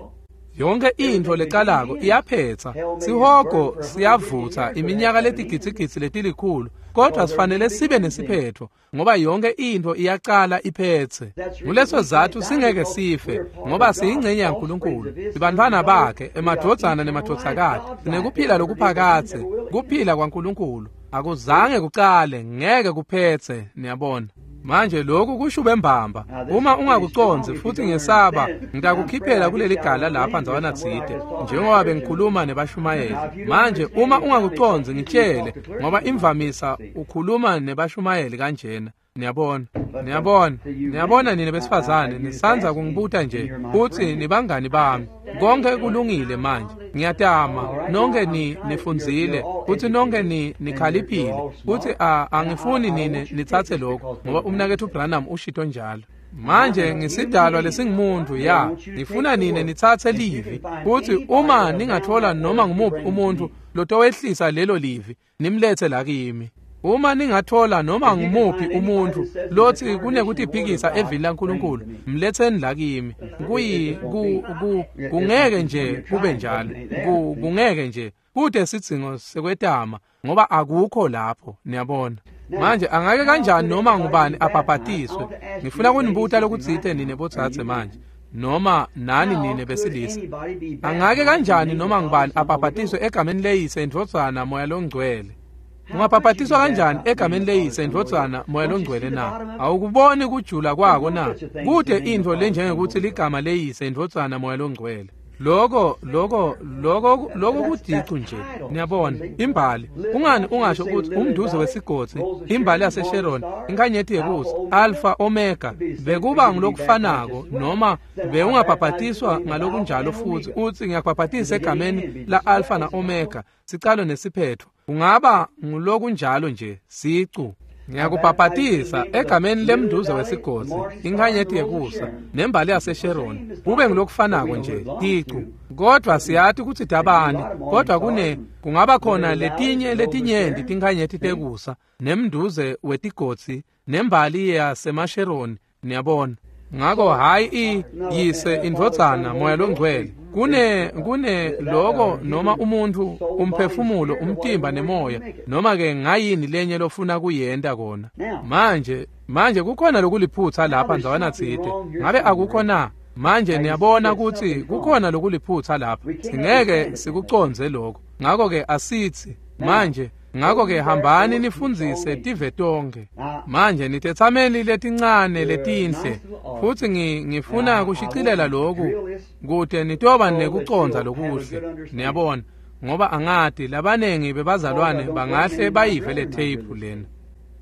Yonke intfo lecalako iyaphetsa, sihogo siyavutsa iminyaka letigidzigidzi letilikhulu, kodwa sifanele sibe nesiphetho ngoba yonke intfo iyacala iphetse. Nguleso zatfu singeke sife ngoba siyingcenye yaNkulunkulu, sibantfwana bakhe, emadvodzana nemadvodzakati, sinekuphila lokuphakadze, kuphila kwaNkulunkulu. Akuzange kucale, ngeke kuphetse, niyabona. Manje lokhu kushube mbamba. Uma ungakucondzi futhi ngesaba, ngitakukhiphela kuleli gala lapha ndzawana tsite, njengoba bengikhuluma nebashumayeli. Manje uma ungakucondzi ngitshele, ngoba imvamisa ukhuluma nebashumayeli kanjena. Niyabona, niyabona, niyabona nina besifazane, nisandza kungibuta nje futhi nibangani bami. Konke kulungile manje. Ngiyatama, nonke ni nifundzile, futhi nonke ni nikhaliphile. Futhi angifuni nine nitsatse lokho ngoba umnaketfu Branham ushito njalo. Manje ngisidalwa lesingumuntu ya, ngifuna nine nitsatse livi. Futhi uma ningathola noma ngumuphi umuntu lotowehlisa lelo livi, nimlethe la kimi. Uma ningathola noma ngumuphi umuntu lothi kunekutiphikisa evini laNkulunkulu, mletheni la kimi. Kuyi ku ku kungeke nje kube njalo. Ku kungeke nje kude sidzingo sekwetama ngoba akukho lapho, niyabona. Manje angake kanjani noma ngubani abhabhatiswe? Ngifuna kunibuta lokutsite nine botsatse manje, noma nani nine besilisa. Angake kanjani noma ngubani abhabhatiswe egameni leyise, indvodzana, Moya loNgcwele? Ungabhabhatiswa kanjani egameni leyise, indvodzana, Moya loNgcwele na? Awukuboni kujula kwako na? Kude intfo lenjengekuthi ligama leyise, indvodzana, Moya loNgcwele. Loko loko loko loko kudicu nje, niyabona. Imbali, kungani ungasho ukuthi umduze wesigodzi, imbali yaseSharon, inkanyeti yekusa, Alpha Omega, bekuba ngulokufanako noma bewungabhabhatiswa ngalokunjalo futhi uthi ngiyakubhabhatisa egameni la Alpha na Omega, sicalo nesiphetho. Kungaba ngulokunjalo nje, sicu. Ngiyakubhabhatisa egameni lemduze wesigodzi, inkanyeti yekusa, nembali yaseSharon, kube ngilokufanako nje, ticu. Kodwa siyati kutsi dabani, kodwa kune kungaba khona letinye letinyenti tinkanyeti tekusa, nemduze wetigodzi, nembali yaseMasheroni, niyabona. Ngako hayi i yise, indvodzana, Moya loNgcwele. Kune kune loko noma umuntu, umphefumulo, umtimba nemoya, noma ke ngayini lenye lofuna kuyenta kona. Manje manje kukhona lokuliphutsa lapha ndzawana tsite. Ngabe akukho na? Manje niyabona kutsi kukhona lokuliphutsa lapha. Singeke sikucondze lokho. Ngako ke asithi manje, ngako ke hambani nifundzise tive tonkhe. Manje nitetsameli letincane letinhle, futhi ngifuna kushicilela lokhu kute nitoba nekucondza lokuhle, niyabona, ngoba angati labanengi bebazalwane bangahle bayive le tape lena.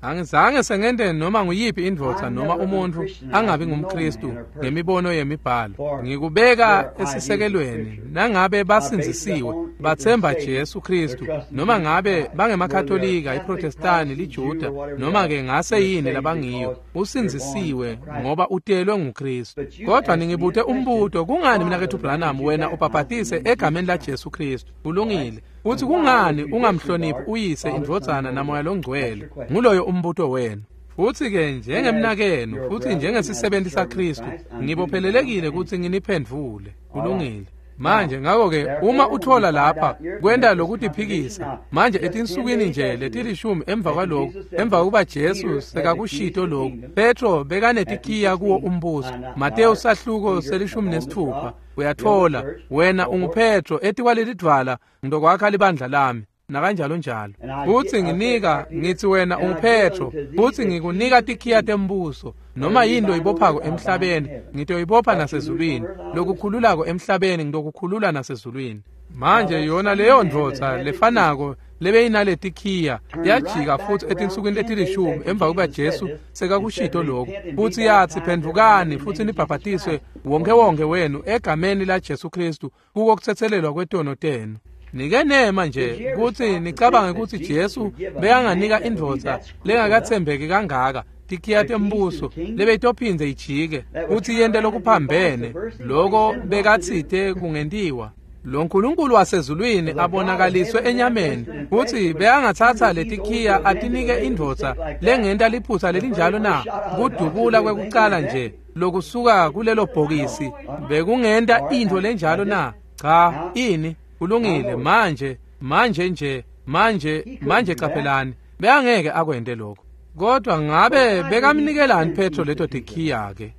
Angizange sengente noma nguyiphi indvodza noma umuntu angabi ngumKristu ngemibono yemibhalo. Ngikubeka esisekelweni nangabe basindzisiwe bathemba Jesu Kristu, noma ngabe bangemakatolika, iProtestani, liJuda, noma ke ngase yini labangiyo, usindzisiwe ngoba utelwe nguKristu. Kodwa ningibute umbuto, kungani mnaketfu Branham wena ubhabhatise egameni la Jesu Kristu? Kulungile. Uthi kungani ungamhloniphi uyise, indvodzana, naMoya loNgcwele? Nguloyo umbuto wenu. Futhi ke njengemnakenu futhi njengesisebenti saKristu, ngibophelelekile ukuthi nginiphendvule. Kulungile. Manje ngako ke uma uthola lapha kwenta lokutiphikisa, manje etinsukwini nje letilishumi emva kwalokho, emva kuba Jesu sekakushito lokhu, Petro bekanetikiya kuwo umbuso. Mateyu sahluko selishumi nesithupha, uyathola wena unguPetro, etikwalelidvwala ngizokwakha libandla lami, nakanjalo njalo. Futhi nginika ngithi wena unguPetro, futhi ngikunika tikhiya tembuso. Noma yini loyibophako emhlabeni ngitoyibopha nasezulwini, lokukhululako emhlabeni ngitokukhulula nasezulwini. Manje yona leyo ndvodza lefanako lebeyinaletikhiya yajika futhi etinsukwini letilishumi emva kuba Jesu sekakushito lokho, futhi yathi phendvukani futhi nibhabhatiswe wonke wonke wenu egameni la Jesu Kristu kuko kuthethelelwa kwetono tenu. Nike nema nje kutsi nicabange kutsi Jesu bekanganika indvodza lengakathembeki kangaka Tikhiya tembuso lebeyitophindze ijike kutsi yente lokuphambene loko bekatsite kungentiwa. Lo Nkulunkulu wasezulwini abonakaliswe enyameni kutsi bekangatsatsa letikhiya atinike indvodza lengenta liphutsa lelinjalo na? Kudubula kwekucala nje lokusuka kulelo bhokisi bekungenta intfo lenjalo na? Cha, ini kulungile. Manje manje nje manje manje caphelani, bekangeke akwente lokho. Kodwa ngabe bekamnikelani Petro leto tikhiya ke?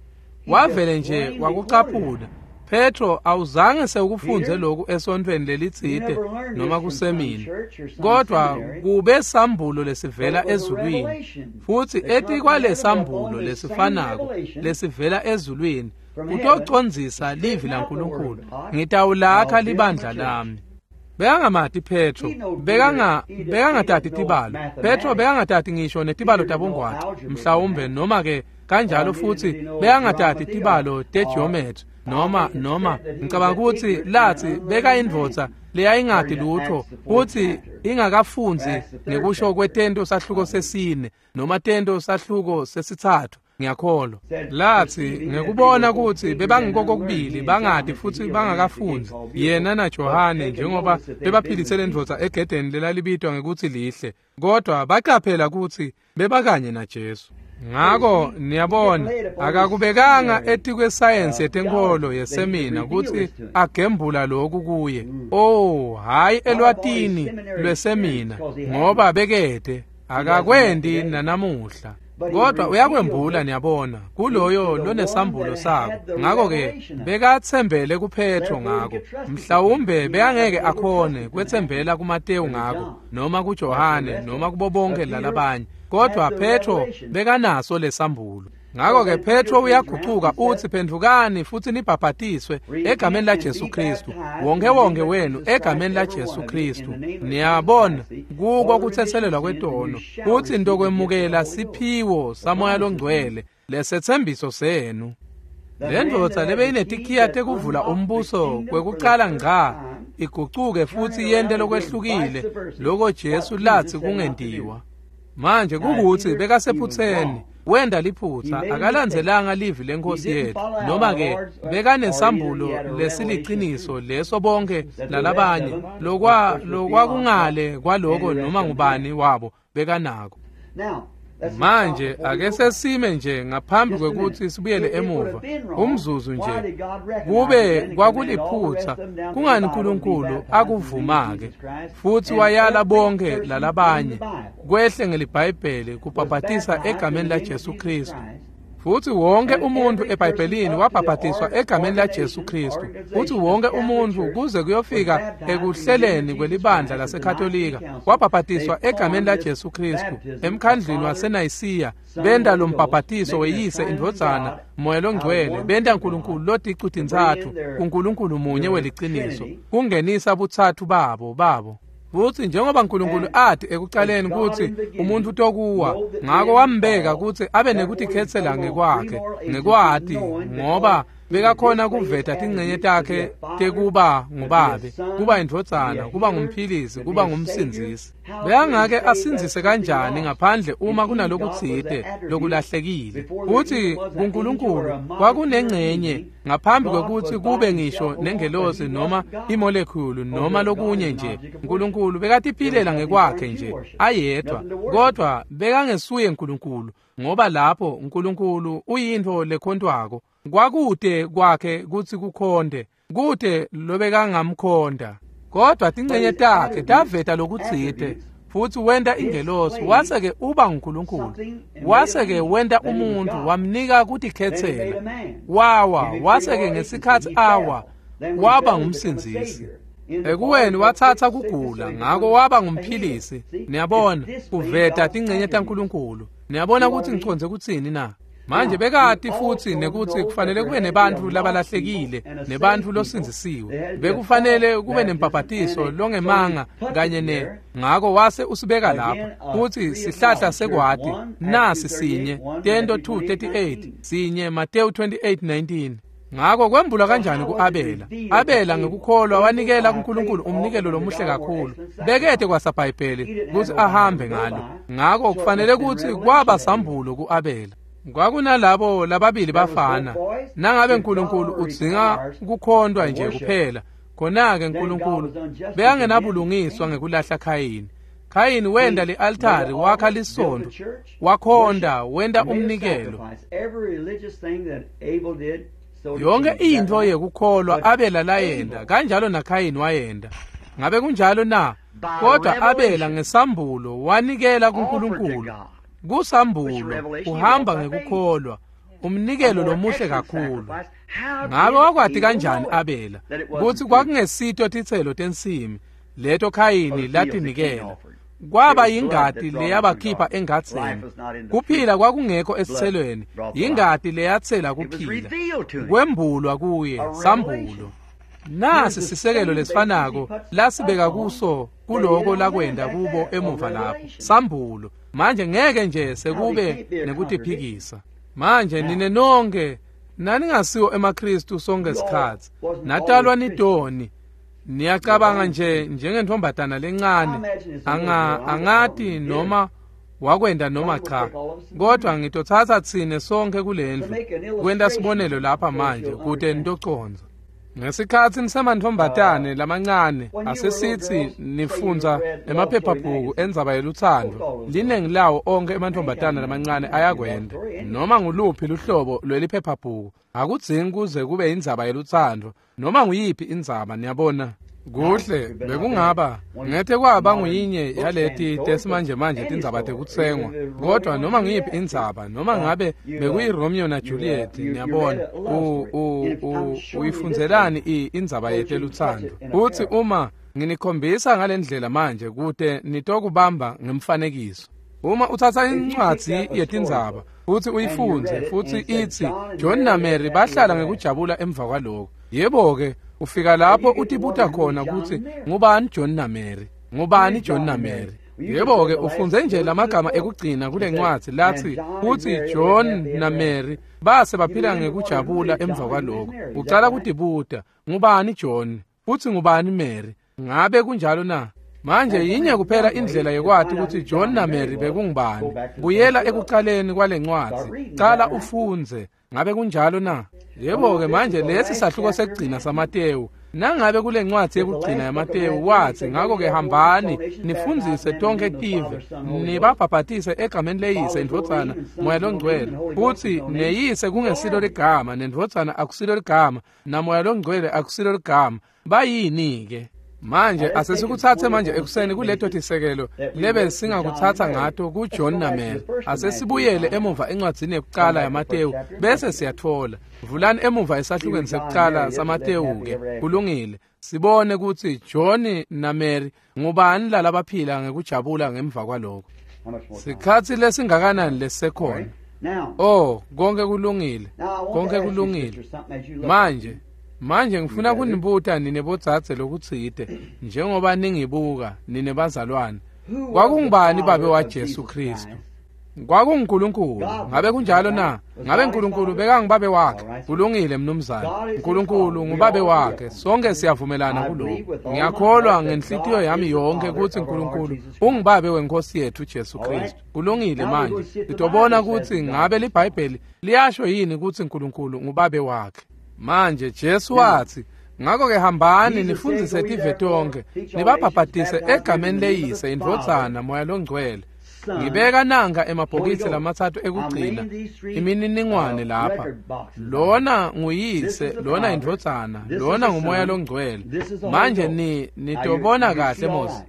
Wavele nje wakucaphuna. Petro awuzange sewukufunze lokhu esontfweni lelitsite noma kusemina, kodwa kube sambulo lesivela ezulwini, futsi etikwalesambulo lesifanako lesivela ezulwini kutocondzisa livi laNkulunkulu, ngitawulakha libandla lami. Bekangamati Petro, bekanga bekangatati tibalo. Petro bekangatati ngisho netibalo tabongwaca, mhlawumbe noma ke kanjalo, futsi bekangatati tibalo tegeometry noma noma ngicabanga ukuthi lathi bekayindvodza leyayingati lutho futhi ingakafundzi ngekusho kwetento sahluko sesine noma tento sahluko sesitsatfu, ngiyakholwa. Lathi ngekubona ukuthi bebangikokubili bangati futhi bangakafundzi, yena naJohane njengoba bebaphilise lendvodza egedeni lelalibitwa ngekuthi lihle, kodwa baqaphela ukuthi bebakanye naJesu. Ngako niyabona, akakubekanga etikwesayensi yetenkolo yesemina kutsi agembula lokhu kuye. Oh, hayi elwatini lwesemina, ngoba bekede akakwendi nanamuhla. Kodwa uyakwembula, niyabona, kuloyo lonesambulo sako. Ngako-ke bekatsembele kuPetro ngako. Mhlawumbe bekangeke akhone kwetsembela kuMatewu ngako, noma kuJohane, noma kubo bonke lalabanye. Kodwa Petro bekanaso lesambulo. Ngako-ke Petro uyagucuka utsi, phendvukani futhi nibhabhatiswe egameni laJesu Kristu, wonke wonke wenu egameni laJesu Kristu. Niyabona, kuko kutsetselelwa kwetono, kutsi ntokwemukela siphiwo saMoya loNgcwele lesetsembiso senu. Lendvodza lebeyinetikhiya tekuvula umbuso kwekucala ngca igucuke futsi yente lokwehlukile loko Jesu latsi kungentiwa. Manje kukuthi bekasephutseni, wenda liphutsa, akalandzelanga livi lenkosi yethu, noma ke bekanesambulo lesiliciniso leso bonke lalabanye lokwa lokwakungale kwaloko noma ngubani wabo bekanako. Manje ake sesime nje ngaphambi kwekuthi sibuyele emuva umzuzu nje. Kube kwakuliphutsa, kungani uNkulunkulu akuvuma-ke futhi wayala bonke lalabanye kwehle ngeliBhayibheli kubhabhatisa egameni laJesu Kristu? Futhi wonke umuntu eBhayibhelini wabhabhatiswa egameni laJesu Kristu. Futhi wonke umuntu kuze kuyofika ekuhleleni kwelibandla laseKatolika wabhabhatiswa egameni laJesu Kristu. Emkhandlwini waseNayisiya benta lo mbhabhatiso weyise, indvodzana, Moya loNgcwele, benta uNkulunkulu loticu tintsatfu kuNkulunkulu munye weliciniso, kungenisa butsatfu babo babo. Futsi njengoba uNkulunkulu athi ekucaleni kutsi umuntu utokuwa, ngako wambeka kutsi abe nekutikhetsela ngekwakhe, ngekwati, ngoba bekakhona kuveta tincenye takhe tekuba ngubabe, kuba indvodzana, kuba ngumphilisi, kuba ngumsindzisi. Bekangake asindzise kanjani ngaphandle uma kunalokutsite lokulahlekile? Futsi kuNkulunkulu kwakunengcenye ngaphambi kwekutsi kube ngisho nengelosi noma imolekhulu noma lokunye nje. uNkulunkulu bekatiphilela ngekwakhe nje ayedwa, kodwa bekangesuye uNkulunkulu, ngoba lapho uNkulunkulu uyintfo lekhontwako. Kwakute kwakhe kutsi kukhonde, kute lobekangamkhonda. Kodwa tincenye takhe taveta lokutsite, futsi wenta ingelosi, wase-ke uba nguNkulunkulu. Wase-ke wenta umuntfu, wamnika kutikhetsela. Wawa, wase-ke ngesikhatsi awa, waba ngumsindzisi. Ekuweni watsatsa kugula, ngako waba ngumphilisi. Niyabona, kuveta tincenye taNkulunkulu. Niyabona kutsi ngicondze kutsini na? Manje bekati futsi nekutsi kufanele kube nebantfu labalahlekile nebantfu losindzisiwe. Bekufanele kube nembhabhatiso longemanga kanye ne ngako wase usibeka lapha kutsi sihlahla sekwati nasi sinye Tento two thirty-eight sinye Mateyu twenty-eight nineteen. Ngako kwembulwa kanjani ku-Abela? Abela ngekukholwa wanikela kuNkulunkulu umnikelo lomuhle kakhulu. Bekete kwasaBhayibheli kutsi ahambe ngalo. Ngako kufanele kutsi kwaba sambulo ku-Abela. Kwakunalabo lababili bafana. Nangabe uNkulunkulu udzinga kukhondwa nje kuphela, khona-ke uNkulunkulu bekangenabulungiswa ngekulahla Khayini. Khayini wenda li-altari, wakha lisondo, wakhonda, wenda umnikelo. Yonke intfo yekukholwa Abela layenda, kanjalo naKhayini wayenda. Ngabe kunjalo na? Kodwa Abela ngesambulo wanikela kuNkulunkulu. Kusambulo uhamba ngekukholwa, umnikelo lomuhle kakhulu. Ngabe wakwati kanjani Abela kutsi kwakungesito titselo tensimi leto Khayini latinikela? Kwaba yingati leyabakhipha engadzeni. Kuphila kwakungekho esitselweni, yingati leyatsela kuphila. Kwembulwa kuye sambulo. Nasi sisekelo lesifanako lasibeka kuso kuloko lakwenda kubo emuva lapho, sambulo. Manje ngeke nje sekube nekutiphikisa. Manje nine nonke naningasiwo emaKristu sonke sikhatsi, natalwa nitoni. Niyacabanga nje njengentombazana lencane, anga angati noma wakwenda noma cha, kodwa ngitotsatsa tsine sonke kulendlu kwenta sibonelo lapha manje kute nitoconza. Ngesikhatsi nisemantombazane lamancane, asesitsi nifundza emaphephabhuku endzaba yelutsandvo, linengi lawo onke emantombazane lamancane ayakwenda. Noma nguluphi luhlobo lweliphephabhuku akudzingi kuze kube indzaba yelutsandvo, noma nguyiphi indzaba, niyabona. Kuhle bekungaba ngete kwaba nguyinye yaleti tesimanje manje tindzaba tekutsengwa, kodwa noma nguyiphi indzaba, noma ngabe bekuyi-Romeo na Juliet, niyabona, uyifundzelani indzaba yetelutsandvo. Futsi uma nginikhombisa ngalendlela manje kute nitokubamba ngemfanekiso. Uma uthatha incwadzi yetindzaba futsi uyifundze futsi itsi John na Mary bahlala ngekujabula emva kwaloko, yebo-ke ufika lapho utibuta khona kutsi ngubani John na Mary, ngubani John na Mary. Yebo-ke ufundze nje lamagama ekugcina kule ncwadzi latsi kutsi John na Mary base baphila ngekujabula emva kwaloko. Ucala kutibuta ngubani John futsi ngubani Mary. Ngabe kunjalo na? Manje yinye kuphela indlela yekwati kutsi John na Mary bekungubani. Buyela ekucaleni kwale ncwadzi, cala ufundze. Ngabe kunjalo na? Yebo-ke manje lesi sahluko sekugcina saMatewu. Nangabe kule ncwadzi yekugcina yaMatewu watsi, ngako-ke hambani nifundzise tonkhe tive, nibabhabhatise egameni leyise, indvodzana, Moya Longcwele. Futsi neyise kungesilo ligama, nendvodzana akusilo ligama, naMoya Longcwele akusilo ligama. Bayini-ke? Manje asesikutsatse manje ekuseni kuleto tisekelo lebe singakutsatsa ngato kuJohn na Mary. Asesibuyele emuva encwadzini yekucala yaMatewu bese siyatfola. Vulani emuva esahlukweni sekucala saMatewu-ke. Kulungile. Sibone kutsi John na Mary ngubani lalabaphila ngekujabula ngemva kwaloko. Sikhatsi lesingakanani lesisekhona? Oh, konke kulungile. Konke kulungile. Manje Manje ngifuna kunibuta nine bodzadze lokutsite, njengoba ningibuka nine bazalwane. Kwakungubani babe waJesu Kristu? KwakunguNkulunkulu. Ngabe kunjalo na? Ngabe uNkulunkulu bekangubabe wakhe? Kulungile mnumzane. uNkulunkulu ngubabe wakhe. Sonke siyavumelana kuloko. Ngiyakholwa ngenhlitiyo yami yonke kutsi uNkulunkulu ungubabe wenkosi yethu Jesu Kristu. Kulungile manje. Sitobona kutsi ngabe liBhayibheli liyasho yini kutsi uNkulunkulu ngubabe wakhe. Manje Jesu watsi, ngako-ke hambani nifundzise tive tonkhe, nibabhabhatise egameni leyise, indvodzana, Moya Longcwele. Ngibeka nanka emabhokisi lamatsatfu ekugcina imininingwane lapha. Lona nguyise, lona indvodzana, lona nguMoya Longcwele. Manje ni nitobona kahle Mose.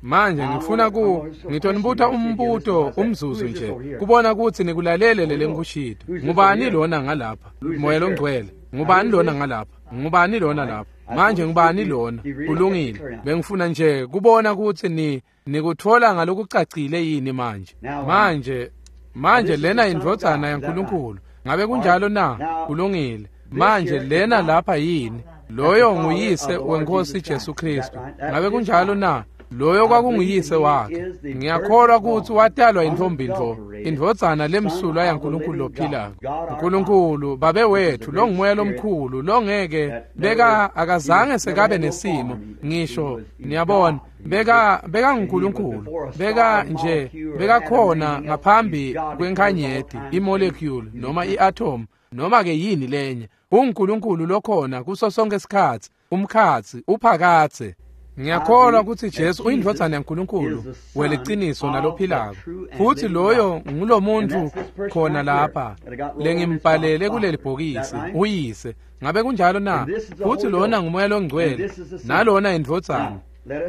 Manje ngifuna ku ngitonibuta umbuto umzuzu nje kubona kutsi nikulalele lele ngikushito. Ngubani lona ngalapha? Moya Longcwele. Ngubani lona ngalapha? Ngubani lona lapha? Manje ngubani lona? Kulungile. Bengifuna nje kubona kutsi ni nikutfola ngalokucacile yini manje. Manje manje lena indvodzana yaNkulunkulu. Ngabe kunjalo na? Kulungile. Manje lena lapha yini? Loyo nguyise wenkosi Jesu Kristu. Ngabe kunjalo na? Loyo kwakunguyise wakhe. Ngiyakholwa ukuthi watalwa intombi ntfo, indvodzana lemsulwa yaNkulunkulu lophilako. Nkulunkulu babe wethu longumoya lomkhulu longeke beka akazange sekabe nesimo ngisho, niyabona, beka beka nguNkulunkulu, beka nje bekakhona ngaphambi kwenkhanyeti, imolecule noma iatom noma ke yini lenye. UNkulunkulu lokhona kuso sonke isikhatsi, umkhatsi uphakatse. Ngiyakholwa ukuthi Jesu uyindvodzana yaNkulunkulu weliciniso nalophilako, futhi loyo ngulomuntu khona lapha lengimbhalele kuleli bhokisi, uyise. Ngabe kunjalo na? Futhi lona ngumoya longcwele nalona indvodzana.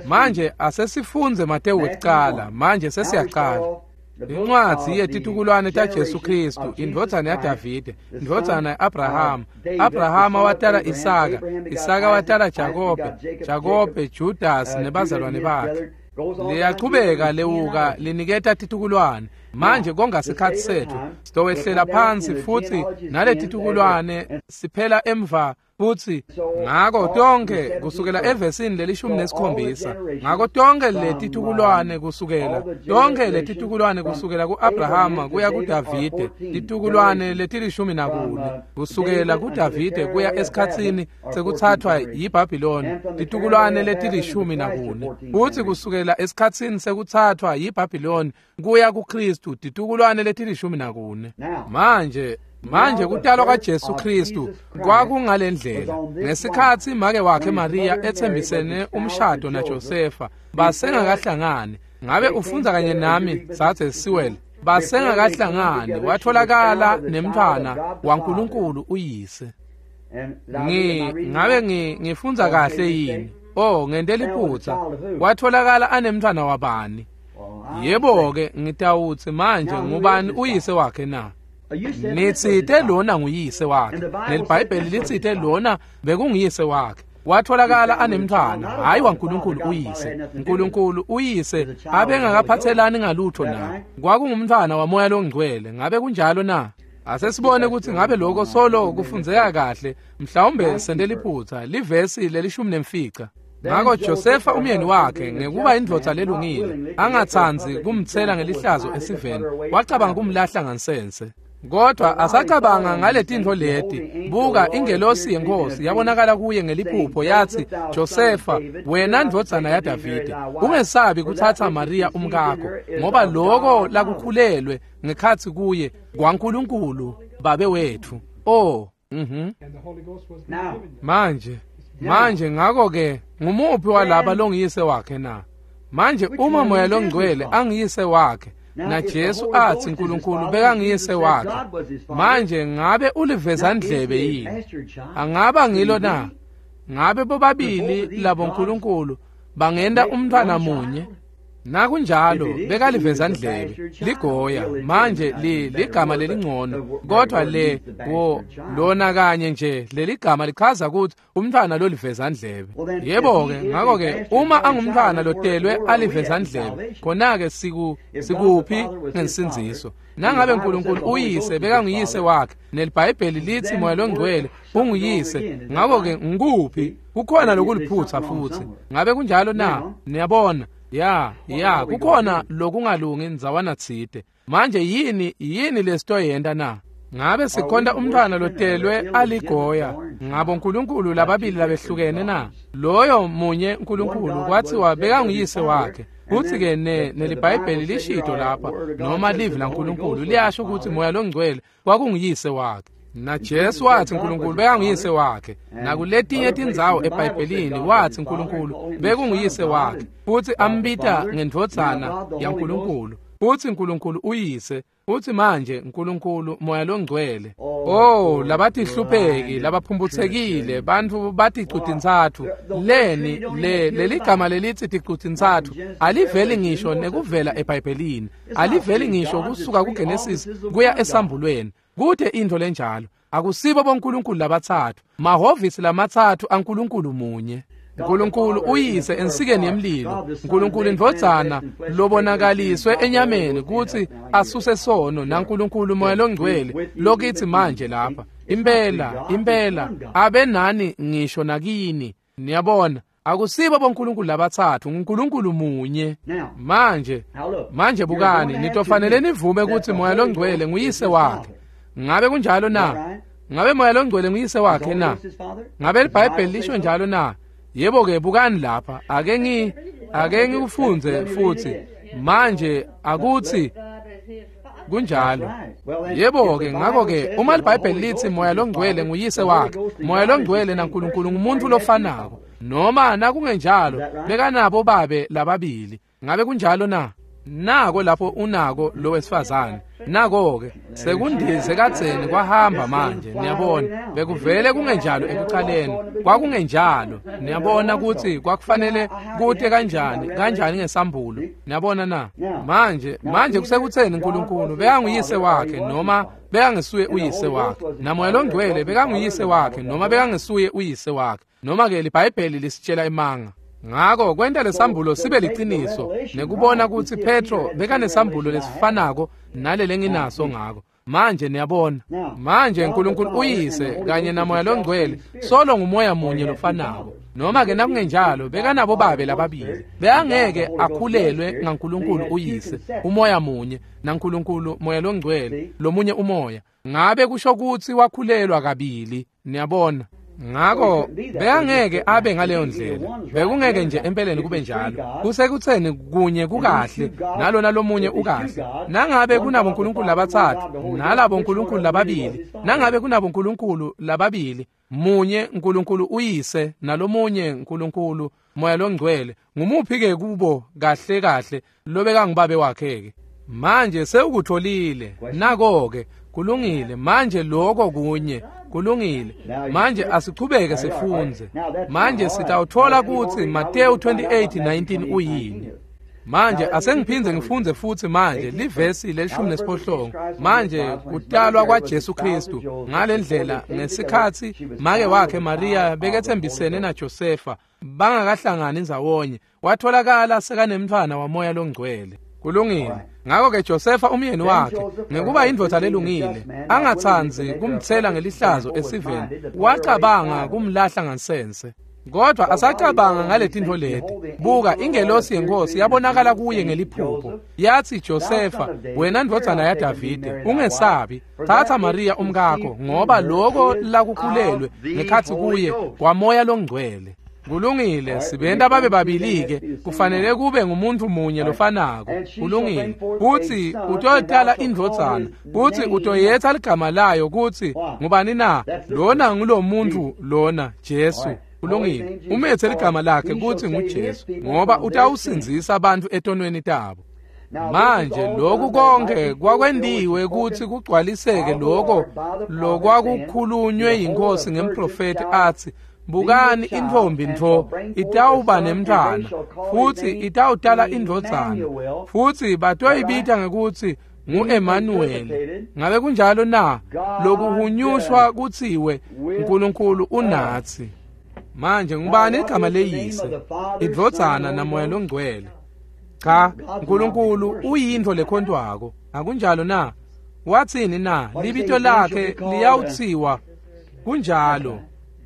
Manje asesifunze Matewu wekucala. Manje sesiyaqala. Incwadzi yetitukulwane taJesu Kristu, indvodzana yaDavide, indvodzana ya-Abrahama. Abrahama watala Isaka, Isaka watala Jakobe, Jakobe Judas nebazalwane bakhe. Liyachubeka lewuka liniketa titukulwane. Manje konga sikhatsi setfu, sitowehlela phansi futhi naletitukulwane siphela emva futhi ngako tonke kusukela evesini lelishumi nesikhombisa, ngako tonke letitukulwane kusukela tonke letitukulwane kusukela ku-Abrahama kuya kuDavide, titukulwane letilishumi nakune kusukela kuDavide kuya esikhatsini sekuthathwa yiBhabhiloni, titukulwane letilishumi nakune futhi kusukela esikhatsini sekuthathwa yiBhabhiloni kuya kuKristu, titukulwane letilishumi nakune. Manje Manje kutalwa kwaJesu Kristu kwakungalendlela. Ngesikhatsi make wakhe Maria etsembisene umshado naJosefa, basengakahlangani. Ngabe ufundza kanye nami, dzadze Sewell? Basengakahlangani, watholakala nemntfwana waNkulunkulu uyise. Ngi ngabe ngi ngifundza kahle yini? Oh, ngente liphutsa. Watholakala anemntfwana wabani? Yebo-ke, ngitawutsi manje ngubani uyise wakhe na? Nitsite lona nguyise wakhe, neliBhayibheli litsite lona bekunguyise wakhe. Watholakala anemntfwana, hayi waNkulunkulu uyise. Nkulunkulu uyise abengakaphathelani ngalutho na. Kwakungumntfwana wamoya longcwele. Ngabe kunjalo na? Asesibone ukuthi ngabe lokho solo kufundzeka kahle. Mhlawumbe sente liphutsa. Livesi lelishumi nemfica. Ngako Josefa umyeni wakhe ngekuba indvodza lelungile, angatsandzi kumtsela ngelihlazo esiveni, wacabanga kumlahla ngansense. Kodwa asacabanga ngaletintfo leti, buka ingelosi yenkosi yabonakala kuye ngeliphupho yathi, Josefa, wena ndvodzana yaDavide, ungesabi kuthatha Maria umkakho, ngoba loko lakukhulelwe ngekhatsi kuye kwaNkulunkulu babe wetfu. Oh, mhm. Manje Manje ngako ke ngumuphi walaba longiyise wakhe na? Manje uma moya longcwele angiyise wakhe, na Jesu athi uNkulunkulu bekangiyise wakhe, manje ngabe uliveza ndlebe yini? Angaba ngilo na? Ngabe bobabili labo nkulunkulu bangenda umntfwana munye? Nakunjalo bekaliveza ndlebe ligoya. Manje li ligama lelingcono, kodwa le wo lona kanye nje leligama lichaza ukuthi umntfwana loliveza ndlebe. Yebo ke, ngako ke uma angumntfwana lotelwe aliveza ndlebe, khona ke siku sikuphi ngensindziso? Nangabe uNkulunkulu uyise bekanguyise wakhe, neliBhayibheli lithi moya longcwele unguyise, ngako ke ngikuphi? Kukhona lokuliphutsa futhi. Ngabe kunjalo na? Niyabona? Ya, ya, kukhona lokungalungi ndzawana tsite. Manje yini yini lesitoyenta na? Ngabe sikhonta umntfwana lotelwe aligoya ngabo uNkulunkulu lababili labehlukene na? Loyo munye uNkulunkulu kwathiwa bekanguyise wakhe. Kuthi ke ne neliBhayibheli lishito lapha, noma livi laNkulunkulu liyasho ukuthi moya longcwele kwakunguyise wakhe. Na Jesu wathi uNkulunkulu bekanguyise wakhe. Nakuletinye tindzawo eBhayibhelini wathi uNkulunkulu bekunguyise wakhe, futhi ambita ngendvodzana yaNkulunkulu. Futhi uNkulunkulu uyise, futhi manje uNkulunkulu moya longcwele. Oh, labatihlupheki, labaphumphutsekile, bantfu baticutintsatfu. Leni le leligama lelithi ticutintsatfu aliveli ngisho nekuvela eBhayibhelini, aliveli ngisho kusuka kuGenesis kuya esambulweni. Kude intfo lenjalo. Akusibo bonkulunkulu labatsatfu, mahhovisi lamatsatfu aNkulunkulu munye. uNkulunkulu uyise ensikeni yemlilo, uNkulunkulu indvodzana lobonakaliswe enyameni kutsi asuse sono, naNkulunkulu moya longcwele lokithi manje lapha. Impela, impela abe nani ngisho nakini. Niyabona, Akusibo bonkulunkulu labatsatfu, nguNkulunkulu munye. Manje, manje bukani, nitofanele nivume ukuthi Moya loNgcwele nguyise wakhe. Ngabe kunjalo na? Ngabe Moya loNgcwele nguyise wakhe na? Ngabe iBhayibheli lisho njalo na? Yebo ke, bukani lapha. Ake ngi ake ngikufunze futhi. Manje akuthi kunjalo. Yebo ke, ngakho ke uma iBhayibheli lithi Moya loNgcwele nguyise wakhe, Moya loNgcwele naNkulunkulu ngumuntu lofanako. Noma nakungenjalo bekanabo babe lababili. Ngabe kunjalo na? Nako lapho unako lo wesifazane. Nako ke sekundize kadzeni kwahamba manje, niyabona. Bekuvele kungenjalo ekuqaleni, kwakungenjalo. Niyabona ukuthi kwakufanele kute kanjani, kanjani ngesambulo. Niyabona na? Manje, manje kusekutheni uNkulunkulu bekanguyise wakhe noma bekangesuye uyise wakhe. NaMoya loNgcwele bekanguyise wakhe noma bekangesuye uyise wakhe. Noma ke iBhayibheli lisitshela imanga. Ngako kwenta lesambulo sibe liqiniso nekubona ukuthi Petro bekanesambulo lesifanako nalele nginaso ngako. Manje niyabona. Manje uNkulunkulu uyise kanye naMoya loNgcwele solo ngumoya munye lofanako. Noma ke nakungenjalo bekanabo babe lababili. Bekangeke akhulelwe ngaNkulunkulu uyise, umoya munye, naNkulunkulu Moya loNgcwele, lomunye umoya. Ngabe kusho ukuthi wakhulelwa kabili, niyabona. Ngako bekangeke abe ngaleyo ndlela. Bekungeke nje empeleni kube njalo. Kusekutheni kunye kukahle nalona lomunye ukahle. Nangabe kunabo nkulunkulu labatsatfu nalabo nkulunkulu lababili, nangabe kunabo nkulunkulu lababili, munye uNkulunkulu uyise nalomunye uNkulunkulu Moya loNgcwele, ngumuphi ke kubo kahle kahle lobeka ngibabe wakhe ke? Manje sewukutholile. Nako ke kulungile. Manje lokho kunye kulungile. Manje asichubeke sifunze. Manje sitawuthola ukuthi Matthew twenty-eight nineteen uyini. Manje asengiphindze ngifunze futhi manje livesi lelishumi nesiphohlongo. Manje kutalwa kwaJesu Kristu ngalendlela ngesikhatsi make wakhe Maria bekethembisene naJosefa bangakahlangani ndzawonye, watholakala sekanemntfwana waMoya loNgcwele. Kulungile. Ngakho ke Josefa umyeni wakhe ngekuba indvodza lelungile angatsandzi kumtsela ngelihlazo esiveni, wacabanga kumlahla ngansense. Kodwa asacabanga ngaletintfo leti, buka ingelosi yenkosi yabonakala kuye ngeliphupho. Yathi, Josefa, wena ndvodzana yaDavide, ungesabi, thatha Maria umkakho, ngoba lokho lakukhulelwe ngekhatsi kuye kwaMoya loNgcwele. Kulungile, sibenta babe babili-ke, kufanele kube ngumuntu munye lofanako. Kulungile. Kuthi utotala indvodzana, kuthi utoyetha ligama layo kuthi ngubani na? Lona ngulomuntu lona, Jesu. Kulungile. Umethe ligama lakhe kuthi nguJesu, ngoba utawusindzisa abantu etonweni tabo. Manje lokhu konke kwakwentiwe kuthi kugcwaliseke lokho lokwakukhulunywe yinkosi ngemprofeti athi, bukani intfombi ntfo itawuba nemntfwana futhi itawutala indvodzana futhi batoyibita ngekuthi ngu-Emmanuel. Ngabe kunjalo na? Lokuhunyushwa kutsiwe uNkulunkulu unatsi. Manje ngubani igama leyise, indvodzana naMoya loNgcwele? Cha, uNkulunkulu uyintfo lekhontwako. Akunjalo na? Watsini na? Libito lakhe liyawutsiwa kunjalo.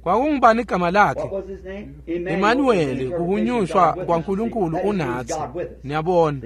Kwakungubani igama lakhe? Emmanuel, kuhunyushwa kwaNkulunkulu unatsi. Niyabona.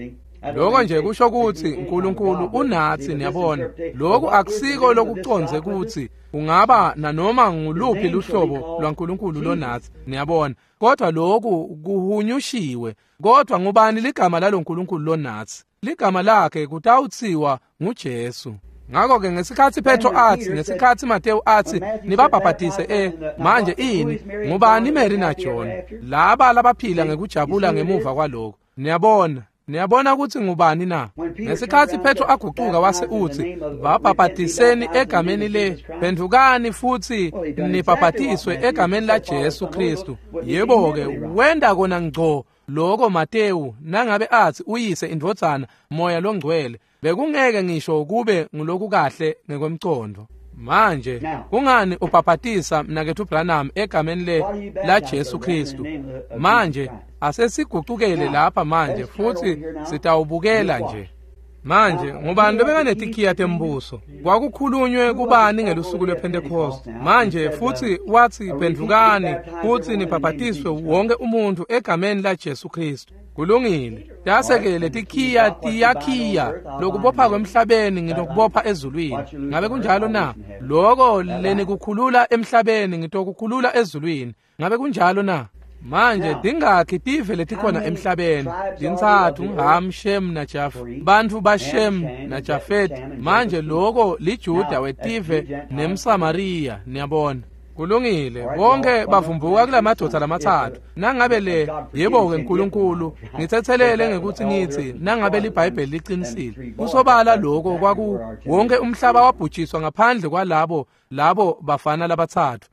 Lokho nje kusho ukuthi uNkulunkulu unatsi, niyabona. Lokhu akusiko lokuconze ukuthi ungaba nanoma nguluphi luhlobo lwaNkulunkulu lonatsi, niyabona. Kodwa lokhu kuhunyushiwe. Kodwa ngubani ligama laloNkulunkulu lonatsi? Ligama lakhe kutawutsiwa nguJesu. Ngakho ke ngesikhatsi Petro athi, ngesikhatsi Matthew athi nibabhabhatise eh manje ini ngubani Mary naJohn laba labaphila ngekujabula ngemuva kwalokho? Niyabona, niyabona ukuthi ngubani na? Ngesikhatsi Petro agucuka wase uthi babhabhatiseni egameni le, phendukani futhi nibhabhatiswe egameni la Jesu Kristu. Yebo ke wenda kona ngco lokho Matthew nangabe athi uyise indvodzana Moya loNgcwele, bekungeke ngisho kube nguloku kahle ngekwemcondo. Manje kungani ubhabhatisa mnaketfu Branham egameni le la Jesu Kristu? Manje asesigucukele lapha manje futhi sitawubukela nje. Manje ngubani lobekanetikiya tembuso? Kwakukhulunywe kubani ngelusuku lwePhentekoste? Manje futsi watsi phendvukani futsi nibhabhatiswe wonke umuntu egameni laJesu Kristu. Kulungile. Tase-ke letikhiya tiyakhiya lokubopha kwemhlabeni ngitokubopha ezulwini. Ngabe kunjalo na? Loko lenikukhulula emhlabeni ngitokukhulula ezulwini. Ngabe kunjalo na? Manje tingakhi tive letikhona emhlabeni? Tintsatfu, Ham, Shem naJafet. Bantfu baShem naJafet. Manje loko liJuda wetive nemSamariya, niyabona. Kulungile, bonke bavumbuka kulamadvodza lamatsatfu. Nangabe le yebo-ke Nkulunkulu, ngitsetselele ngekutsi ngitsi nangabe liBhayibheli liqinisile. Kusobala lokho kwaku wonke umhlaba wabhujiswa ngaphandle kwalabo labo bafana labatsatfu.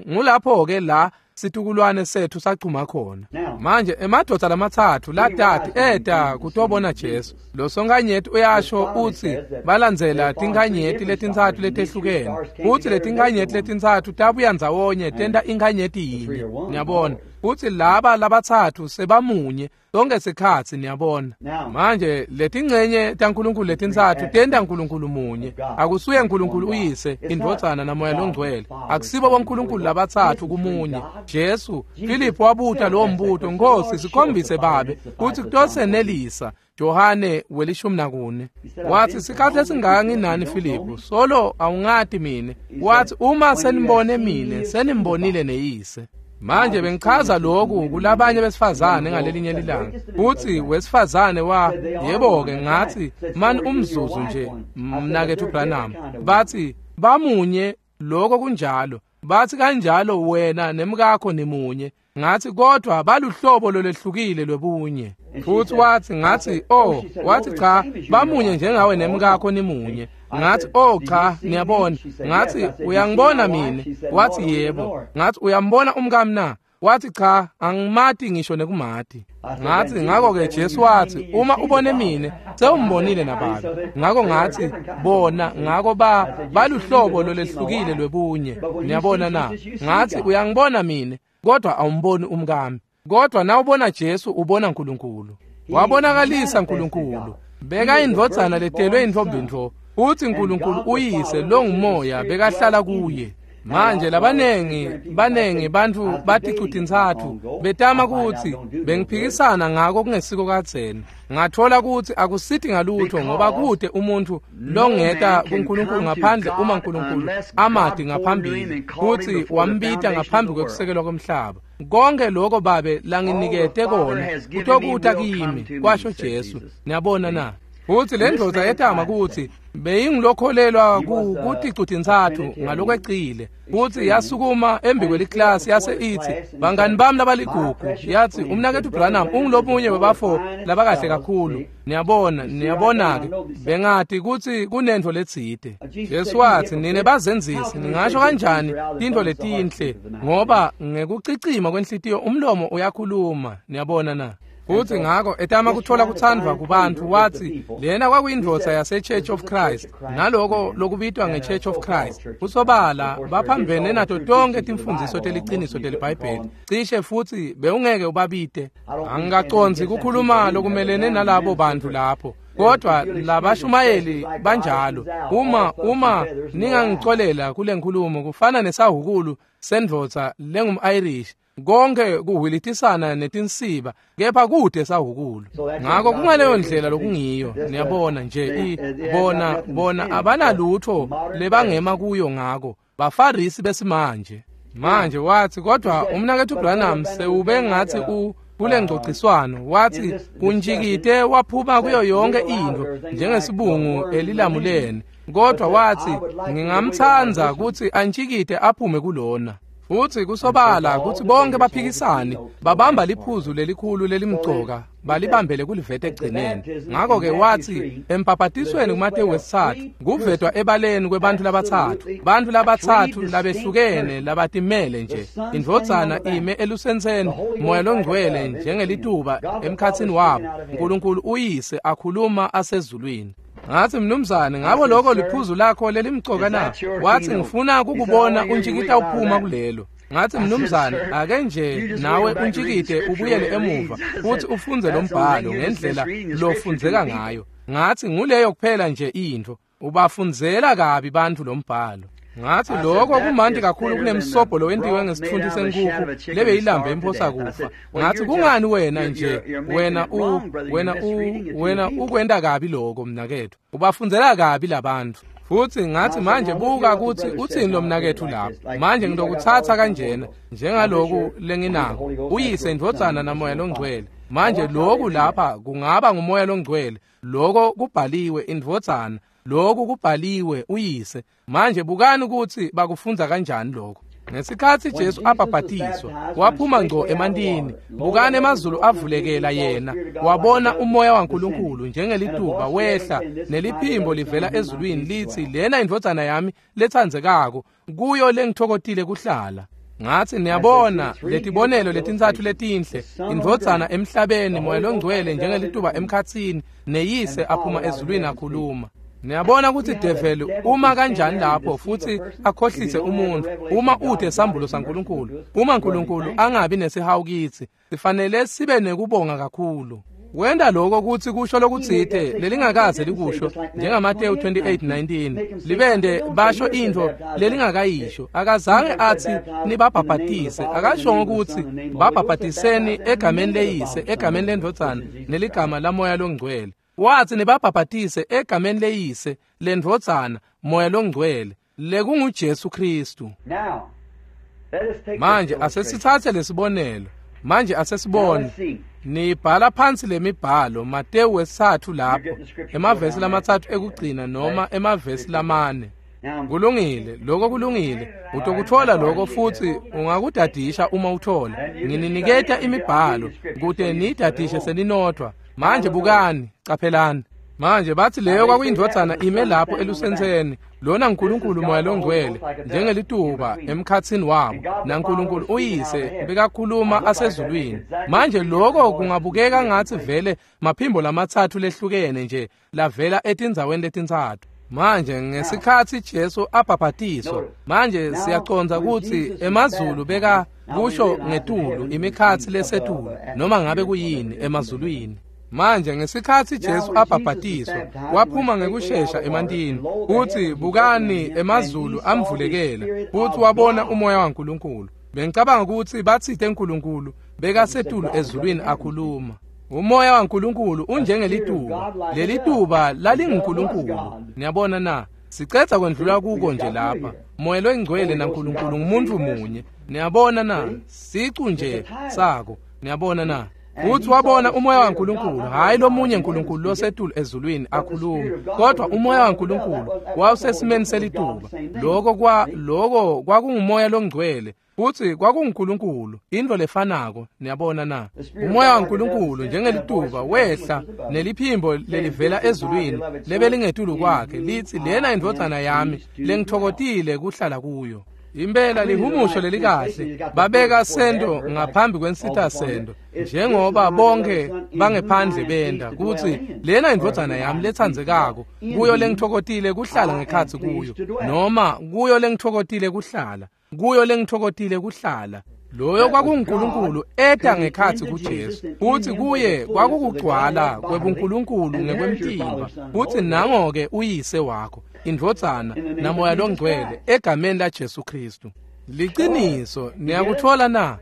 Ngulapho-ke la situkulwane sethu sachuma khona. Manje emadvodza lamatsatfu latati eta kutobona Jesu. Lo sonkanyeti uyasho utsi balandzela tinkanyeti letintsatfu letehlukene. Futsi letinkanyeti letintsatfu tabuya ndzawonye tenta inkanyeti yinye. Niyabona? Futsi laba labatsatfu sebamunye sonke sikhatsi, niyabona. Manje letingcenye taNkulunkulu letintsatfu tenta Nkulunkulu munye. Akusuye Nkulunkulu uyise, indvodzana naMoya loNgcwele. Akusibo boNkulunkulu labatsatfu kumunye. Jesu, Filiphu wabuta lowo mbuto, Nkosi sikhombise Babe kutsi kutosenelisa. Johane welishumi nakune watsi sikhathi lesingaka nginani Filiphu, solo awungati mine. Watsi uma senibone mine senimbonile neyise. Manje bengichaza lokhu kulabanye besifazane ngalelinye lilanga. Uthi wesifazane wa yebo-ke ngathi mani umzuzu nje mnaketfu Branham. Bathi bamunye, lokho kunjalo. Bathi kanjalo wena nemkakho nimunye. Ngathi kodwa baluhlobo lolwehlukile lwebunye. Futhi wathi ngathi oh, wathi cha bamunye njengawe nemkakho nimunye. Ngathi oh cha, niyabona. Ngathi uyangibona mina? Wathi yebo. Ngathi uyambona umkami na? Wathi cha, angimati ngisho nekumati. Ngathi ngakho-ke Jesu wathi uma ubone mine sewumbonile naBabe. Ngakho ngathi bona, ngakho ba baluhlobo lolwehlukile lwebunye. Niyabona na? Ngathi uyangibona mine kodwa awumboni umkami. Kodwa nawubona Jesu ubona Nkulunkulu. Wabonakalisa Nkulunkulu. Beka indvodzana letelwe intfombi-ntfo. Uthi Nkulunkulu uyise longumoya bekahlala kuye. Manje labanengi banengi bantfu baticu-tintsatfu betama kutsi bengiphikisana ngako kungesiko kadzeni. Ngathola kutsi akusithi ngalutho ngoba kute umuntfu longeta kuNkulunkulu ngaphandle uma Nkulunkulu amati ngaphambili kutsi wambita ngaphambi kwekusekelwa komhlaba. Konke lokho Babe langinikete kona kutokuta kimi, kwasho Jesu. Niyabona na? Futsi le ndvodza yetama kutsi beyingilokholelwa kuticu-tintsatfu ngalokwecile. Futsi yasukuma embi kweliklasi yase itsi bangani bami labaligugu, yathi umnaketfu Branham ungulomunye webafo labakahle kakhulu. Niyabona, niyabona-ke bengati kutsi kunentfo letsite. Jesu watsi nine bazenzisi ningasho kanjani tintfo letinhle, ngoba ngekucicima kwenhlitiyo umlomo uyakhuluma. Niyabona na? Futsi ngako etama kuthola kutsandvwa kubantfu wathi lena kwakuyindvodza yase-Church of Christ, naloko lokubitwa nge-Church of Christ. Kusobala baphambene nato tonke timfundziso teliciniso teliBhayibheli. Cishe futsi bewungeke ubabite. Angikacondzi kukhuluma lokumelene nalabo bantfu lapho. Kodwa labashumayeli banjalo. Uma uma ningangicolela kule nkhulumo, kufana nesahukulu sendvodza lengum-Irish. Konke kuhwilitisana netinsiba kepha kude sahukulu. Ngakho kungaleyo ndlela lokungiyo. Niyabona nje i bona bona abanalutho lebangema kuyo ngako. Bafarisi besimanje. Manje wathi kodwa umnaketfu Branham sewube ngathi u kule ngcociswano wathi kunjikite waphuma kuyo yonke into njengesibungu elilamuleni. Kodwa wathi ngingamtsandza kutsi antjikite aphume kulona. Futsi kusobala kutsi bonke baphikisani babamba liphuzu lelikhulu lelimcoka balibambele kulivete egcineni. Ngakho-ke wathi empaphatisweni kuMatewu wesitsatfu kuvetwa ebaleni kwebantfu labatsatfu, bantfu labatsatfu labehlukene labatimele nje. Indvodzana ime elusentseni, Moya loNgcwele njengelituba emkhatsini wabo, Nkulunkulu uyise akhuluma asezulwini. Ngathi mnumzane, ngabo lokho liphuzu lakho lelimcoka na? Wathi ngifuna kukubona untjikita uphuma kulelo. Ngathi mnumzane ake nje nawe untshikide ubuyele emuva futhi ufunze lo mbhalo ngendlela lofundzeka ngayo. Ngathi nguleyo kuphela nje into ubafundzela kabi bantu lo mbhalo. Ngathi lokho kumandi kakhulu kunemsobho lowentiwe ngesithunzi senkukhu lebe ilambe imphosa kufa. Ngathi kungani wena nje wena u wena u wena ukwenda kabi lokho mnakethu ubafundzela kabi labantu. Futhi ngathi manje buka ukuthi uthini lo mnakethu lapho. Manje ngidokuthatha kanjena njengaloku lenginako uyise indvodzana namoya longcwele. Manje lokhu lapha kungaba ngumoya longcwele, lokho kubhaliwe indvodzana, lokhu kubhaliwe uyise. Manje bukani ukuthi bakufundza kanjani lokho. Ngesikhathi Jesu abhabhatiswa waphuma ngco emantini, bukani emazulu avulekela yena, wabona umoya waNkulunkulu njengelituba wehla neliphimbo livela ezulwini lithi lena indvodzana yami letsandzekako kuyo lengithokotile kuhlala. Ngathi niyabona letibonelo letintsatfu letinhle, indvodzana emhlabeni, moya longcwele njengelituba emkhatsini, neyise aphuma ezulwini akhuluma. Niyabona ukuthi develi uma kanjani lapho futhi akhohlise umuntu uma ude sambulo saNkulunkulu. Uma uNkulunkulu angabi nesihawu kithi sifanele sibe nekubonga kakhulu. Wenda lokho ukuthi kusho lokutsite lelingakaze likusho njengaMateyu twenty-eight nineteen libende basho into lelingakayisho. Akazange athi nibabhabhatise, akashongo ukuthi babhabhatiseni egameni leyise, egameni lendvodzana neligama lamoya longcwele. Wathi nibabhabhatise egameni leyise, lendvodzana, moya longcwele, lekunguJesu Kristu. Manje asesithathe lesibonelo. Manje asesibone. Nibhala phansi lemibhalo Mateyu wesithathu lapho emavesi lamatsatfu ekugcina noma emavesi lamane. Kulungile, lokho kulungile. Utokuthola lokho futhi ungakudadisha uma uthola. Ngininiketa imibhalo kute nidadishe seninodwa. Manje bukani, caphelani. Manje bathi leyo kwakuyindvodzana ime lapho elusentseni, lona uNkulunkulu moya longcwele njengelituba emkhatsini wabo, naNkulunkulu uyise bekakhuluma asezulwini. Manje lokho kungabukeka ngathi vele maphimbo lamatsatfu lehlukene nje lavela etindzaweni letintsatfu. Manje ngesikhathi Jesu abhabhatiswa, manje siyacondza ukuthi emazulu beka kusho ngetulu imikhatsi lesetulu noma ngabe kuyini emazulwini. Manje ngesikhathi Jesu abhabhatiswa waphuma ngekushesha emantini, uthi bukani emazulu amvulekela futhi wabona umoya waNkulunkulu. Bengicabanga ukuthi bathite uNkulunkulu bekasetulu ezulwini akhuluma. Umoya waNkulunkulu unjengelituba, lelituba lalinguNkulunkulu. Niyabona na? Sicetha kwendlula kuko nje lapha. Moya longcwele naNkulunkulu ngumuntu munye. Niyabona na? Sicu nje sako. Niyabona na? Uthi wabona umoya waNkulunkulu, hayi lomunye uNkulunkulu losetulu ezulwini akhuluma, kodwa umoya waNkulunkulu wawusesimeni selituba. Lokho kwa lokho kwakungumoya longcwele futhi kwakunguNkulunkulu, into lefanako. Niyabona na? Umoya waNkulunkulu njengelituba wehla neliphimbo lelivela ezulwini lebelingetulu kwakhe lithi lena indvodzana yami lengithokotile kuhlala kuyo. Impela lihumusho lelikahle babeka sento ngaphambi kwensitha sento njengoba bonke bangephandle benda kuthi lena indvodzana yami letsandzekako kuyo lengithokotile kuhlala ngekhatsi kuyo, noma kuyo lengithokotile kuhlala, kuyo lengithokotile kuhlala. Loyo kwakunguNkulunkulu eta ngekhatsi kuJesu, futhi kuye kwakukugcwala kwebuNkulunkulu ngekwemtimba. Futhi nango-ke uyise wakho, indvodzana namoya longcwele egameni laJesu Kristu. Liqiniso, niyakuthola na?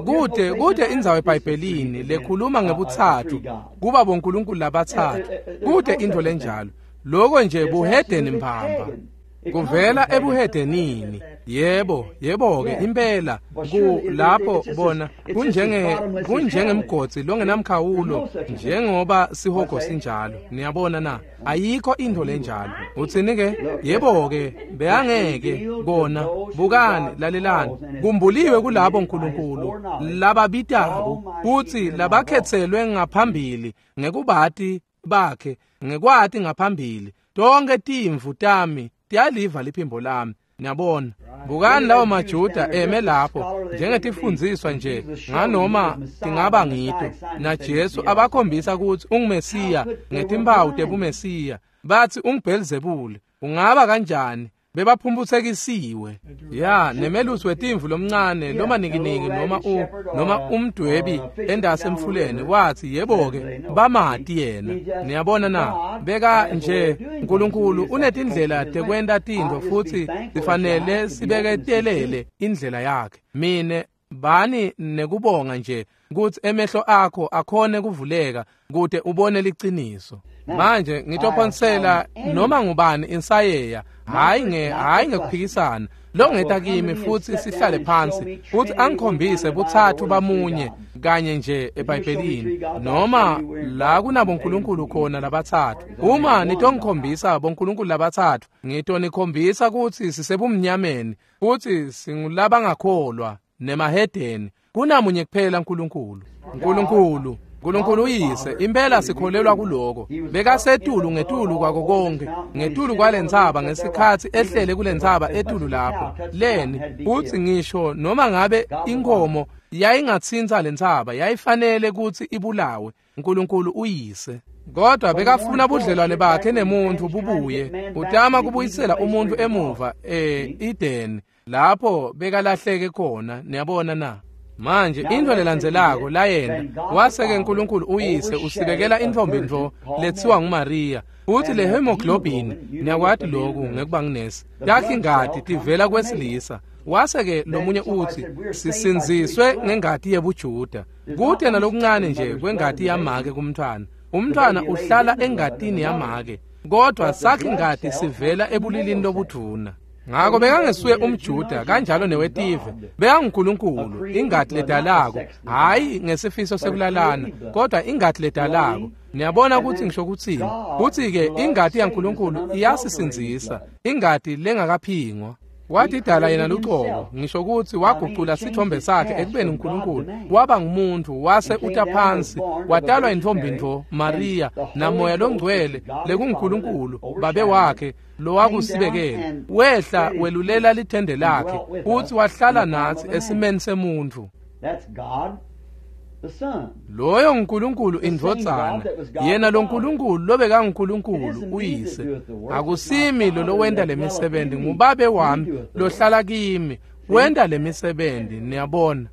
Kude kude indzawo eBhayibhelini lekhuluma ngebutsatfu kuba boNkulunkulu labatsatfu. Kude into lenjalo. Lokho nje buhedeni mbamba. Kuvela ebuhedenini. Yebo, yebo ke impela ku lapho bona kunjenge kunjengemgotsi longenamkhawulo njengoba sihogo sinjalo. Niyabona na? Ayikho into lenjalo. Utsini ke? Yebo ke, beyangeke kona. Bukani, lalelani. Kumbuliwe kulabo uNkulunkulu lababitako futhi labakhetselwe ngaphambili ngekubati bakhe, ngekwati ngaphambili. Tonke timvu tami tiyaliva liphimbo lami. Niyabona? Bukani lawo maJuda eme lapho njengetifundziswa nje nganoma tingaba ngito, naJesu abakhombisa ukuthi unguMesiya ngetimpawu tebuMesiya. Bathi unguBhelzebule. Ungaba kanjani Bebaphumphutsekisiwe. Ya, nemelusi wetimvu lomncane noma nikiniki noma u noma umdwebi endase emfuleni wathi yebo-ke bamati yena. Niyabona na? Beka nje uNkulunkulu unetindlela tekwenta tintfo futsi sifanele sibeketelele indlela yakhe. Mine bani nekubonga nje kutsi emehlo akho akhone kuvuleka kute ubone liciniso. Manje ngitophonsela noma ngubani insayeya, hayi nge hayi ngekuphikisana longeta kimi futsi sihlale phansi futsi angikhombise butsatfu bamunye kanye nje eBhayibhelini noma la kunabo nkulunkulu khona labatsatfu. Uma nitongikhombisa bonkulunkulu labatsatfu, ngitonikhombisa kutsi sisebumnyameni futsi singulabangakholwa nemahedeni. Kunamunye kuphela uNkulunkulu. uNkulunkulu uNkulunkulu uyise, impela sikholelwa kuloko. Bekasetulu ngetulu kwako konke, ngetulu kwalentsaba ngesikhatsi ehlele kulentsaba etulu lapho. Leni futsi ngisho noma ngabe inkomo yayingatsintsa lentsaba, yayifanele kutsi ibulawe. uNkulunkulu uyise. Kodwa bekafuna budlelwane bakhe nemuntu bubuye. Utama kubuyisela umuntu emuva e-Eden lapho bekalahleke khona. Niyabona na? Manje into lelandzelako layena waseke uNkulunkulu uyise usibekela intfombi ntfo letsiwa nguMaria. Uthi le hemoglobin, niyakwati lokhu ngekuba nginesi, takhe ingati tivela kwesilisa. Waseke lomunye uthi sisinziswe ngengati yebuJuda. Kute nalokuncane nje kwengati yamake kumntfwana. Umntfwana uhlala engatini yamake, kodwa sakhe ingati sivela ebulilini lobudvuna. Ngako bekangesuye umJuda kanjalo newetive, bekanguNkulunkulu, ingati ledalako, hayi ngesifiso sekulalana, kodwa ingati ledalako. Niyabona ukuthi ngisho kutsini? Kutsi-ke ingati yaNkulunkulu iyasisindzisa, ingati lengakaphingwa. Watidala yena lucobo, ngisho kutsi wagucula sithombe sakhe ekubeni uNkulunkulu, waba ngumuntu, wase uta phansi, watalwa intfombi ntfo Maria, namoya longcwele lekunguNkulunkulu babe wakhe lowakusibekela. Wehla welulela lithende lakhe, futsi wahlala natsi esimeni semuntfu. Loyo nguNkulunkulu indvodzana, yena lo Nkulunkulu lobekanguNkulunkulu uyise. Akusimi lo lowenta lemisebenti, ngubabe wami lohlala kimi wenta lemisebenti. Niyabona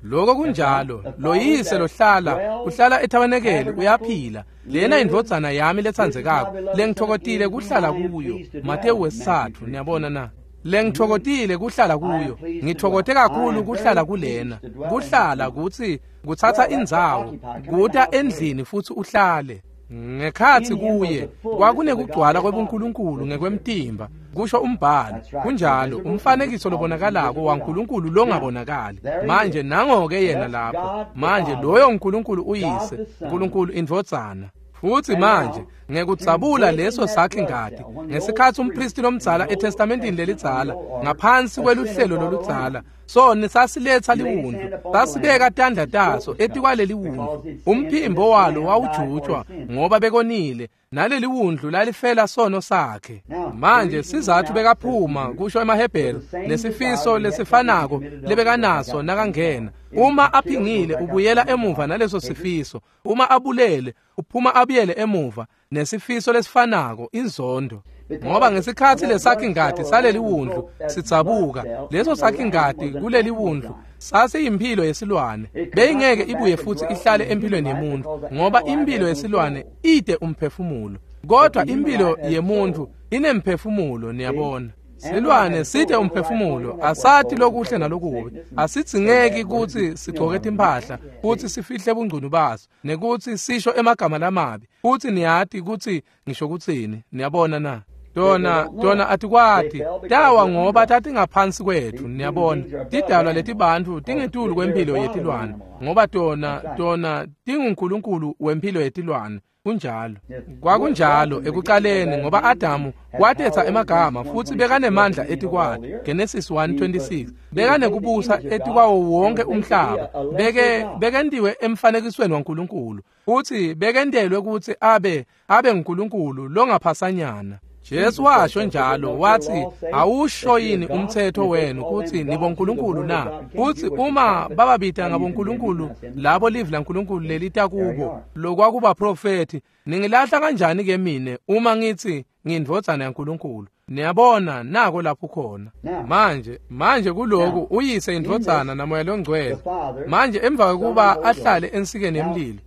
lokho kunjalo. Lo yise lohlala uhlala ethabanekeli uyaphila. Lena indvodzana yami letsandzekako lengitfokotile kuhlala kuyo. Matewu wesitsatfu. Niyabona na? Lengitfokotile kuhlala kuyo, ngitfokote kakhulu kuhlala kulena. Kuhlala kutsi kutsatsa indzawo, kuta endlini futsi uhlale. Ngekhatsi kuye kwakunekugcwala kwebuNkulunkulu ngekwemtimba, kusho umbhalo. Kunjalo, umfanekiso lobonakalako waNkulunkulu longabonakali. Manje nango-ke yena lapho. Manje loyo uNkulunkulu uyise, uNkulunkulu indvodzana. Futsi manje ngekudzabula leso sakhe ngati ngesikhatsi umpristi lomdzala eTestamentini lelidzala ngaphansi kweluhlelo loludzala, soni sasiletsa liwundlu, sasibeka tandla taso etikwaleli wundlu. Umphimbo walo wawujutshwa ngoba bekonile, naleli wundlu lalifela sono sakhe. Manje sizathu bekaphuma, kusho emaHebheru, nesifiso lesifanako lebekanaso nakangena. Uma aphingile ubuyela emuva naleso sifiso, uma abulele uphuma abuyele emuva nesifiso lesifanako, inzondo. Ngoba ngesikhatsi lesakhe ingati saleli wundlu sidzabuka, leso sakhe ingati kuleli wundlu sasiyimphilo yesilwane, beyingeke ibuye futsi ihlale empilweni yemuntu, ngoba impilo yesilwane ide umphefumulo, kodwa impilo yemuntu inemphefumulo. Niyabona, silwane side umphefumulo, asati lokuhle nalokubi, asidzingeki kutsi sigcoke timphahla futsi sifihle bungcunu baso nekutsi sisho emagama lamabi, futsi niyati kutsi ngisho kutsini. Niyabona na? Tona tona atikwati tawa ngoba tatingaphansi kwetfu. Niyabona, tidalwa letibantfu tingetulu kwemphilo yetilwane, ngoba tona tona tinguNkulunkulu wemphilo yetilwane. Kunjalo, kwakunjalo ekucaleni, ngoba Adamu watetsa emagama futsi bekanemandla etikwakhe. Genesis one twenty-six. Bekanekubusa etikwawo wonke umhlaba, beke bekentiwe emfanekisweni waNkulunkulu, futsi bekentelwe kutsi abe abe nguNkulunkulu longaphasanyana. Jesu washo njalo, wathi awusho yini umthetho wenu kutsi nibonkulunkulu na? Futsi uma bababita ngabonkulunkulu labo livi laNkulunkulu lelita kubo lokwakubaprofethi, ningilahla kanjani ke mine uma ngithi ngindvodzana yaNkulunkulu? Niyabona nako lapho khona. Manje, manje kuloku uyise indvodzana naMoya loNgcwele. Manje emva kokuba ahlale ensikeni yemlilo,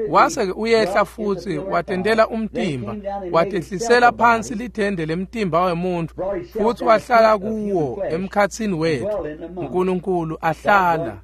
wase uyehla futhi watendela umtimba, watehlisela phansi lithende lemtimba wemuntu futhi wahlala kuwo emkhatsini wethu. uNkulunkulu ahlala.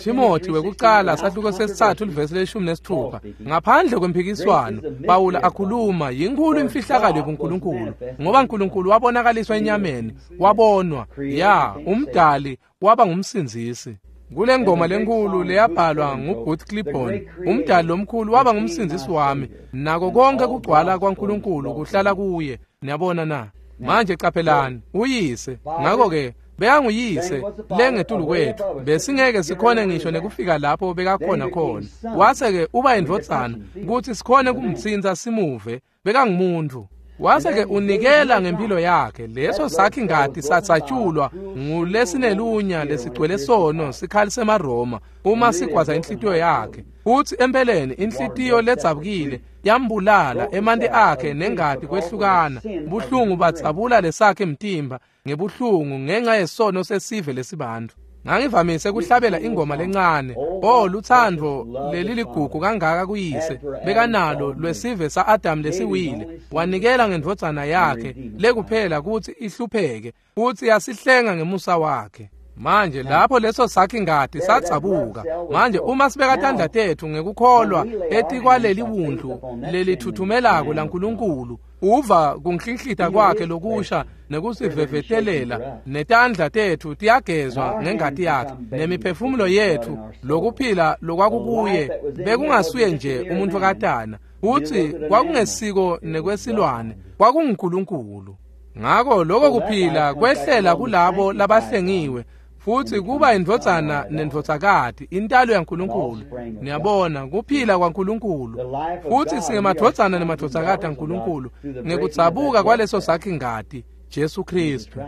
Timothy wekucala sahluko sesithathu livesi leshumi nesithupha. Ngaphandle kwemphikiswano Pawula akhuluma yinkulu imfihlakalo yobuNkulunkulu, ngoba uNkulunkulu wabonakaliswa enyameni, wabonwa ya umdali waba ngumsindzisi. Kule ngoma lenkulu leyabhalwa nguBooth Clibborn, umdali lomkhulu waba ngumsindzisi wami, nako konke kugcwala kwaNkulunkulu kuhlala kuye. Niyabona na? Manje qaphelani uyise. Ngakho-ke bekanguyise lengetulu kwethu, besingeke sikhone ngisho nekufika lapho bekakhona khona. Wase-ke uba indvodzana kutsi sikhone kumtsintsa simuve, bekangumuntu. Wase-ke unikela ngempilo yakhe, leso sakhi ngati satsatshulwa ngulesinelunya lesigcwele sono sikhali semaRoma uma sigwaza inhlitiyo yakhe. Futsi empeleni inhlitiyo ledzabukile yambulala, emanti akhe nengati kwehlukana, buhlungu badzabula lesakhe mtimba ngebuhlungu ngenxa yesono sesive lesibantfu. Ngangivamise kuhlabela ingoma lencane, oh lutsandvo leliligugu kangaka kuyise bekanalo lwesive sa-Adamu lesiwile, wanikela ngendvodzana yakhe lekuphela kutsi ihlupheke futsi yasihlenga ngemusa wakhe. Manje lapho leso sakhi ngati satsabuka. Manje uma sibeka tandla tetfu ngekukholwa etikwaleli wundlu lelithuthumelako laNkulunkulu, uva kunhlinhlita kwakhe lokusha nekusivevetelela, netandla tetfu tiyagezwa ngengati yakhe, nemiphefumulo yetfu lokuphila lokwakukuye bekungasuye nje umuntu katana, futsi kwakungesiko nekwesilwane, kwakunguNkulunkulu. Ngako lokho kuphila kwehlela kulabo labahlengiwe futhi kuba indvodzana nendvodzakati, intalo yaNkulunkulu. Niyabona, kuphila kwaNkulunkulu, futhi singemadvodzana nemadvodzakati aNkulunkulu ngekudzabuka kwaleso sakhi ngati, Jesu Kristu.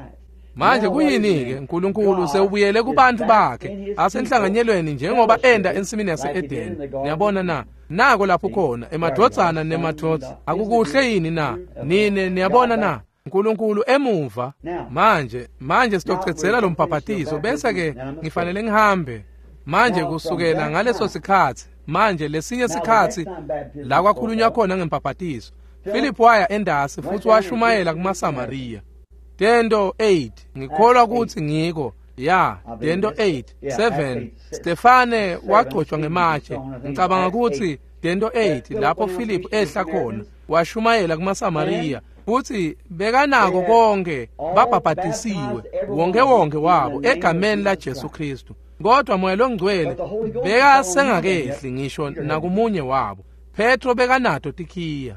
Manje kuyini-ke? uNkulunkulu sewubuyele kubantu bakhe asenhlanganyelweni njengoba enda ensimini yase-Edeni. Niyabona na? Nako lapho khona emadvodzana nemadvodza. Akukuhle yini na? Nine niyabona na? uNkulunkulu emuva. Manje manje sitocedzela lo mbhaphathiso bese ke ngifanele ngihambe. Manje kusukela ngaleso sikhatsi, manje lesinye sikhatsi la kwakhulunywa khona ngembhaphathiso, Philip waya endasi futhi washumayela kumaSamariya. Tento eight, ngikholwa ukuthi ngiko ya Tento eight seven. Stefane wagcotshwa ngematshe. Ngicabanga ukuthi Tento eight lapho Philip ehla khona washumayela kumaSamariya futhi bekanako konke, babhabhatisiwe wonke wonke wabo egameni la Jesu Kristu. Kodwa Moya loNgcwele bekasengakehli ngisho nakumunye wabo. Petro bekanato tikhiya.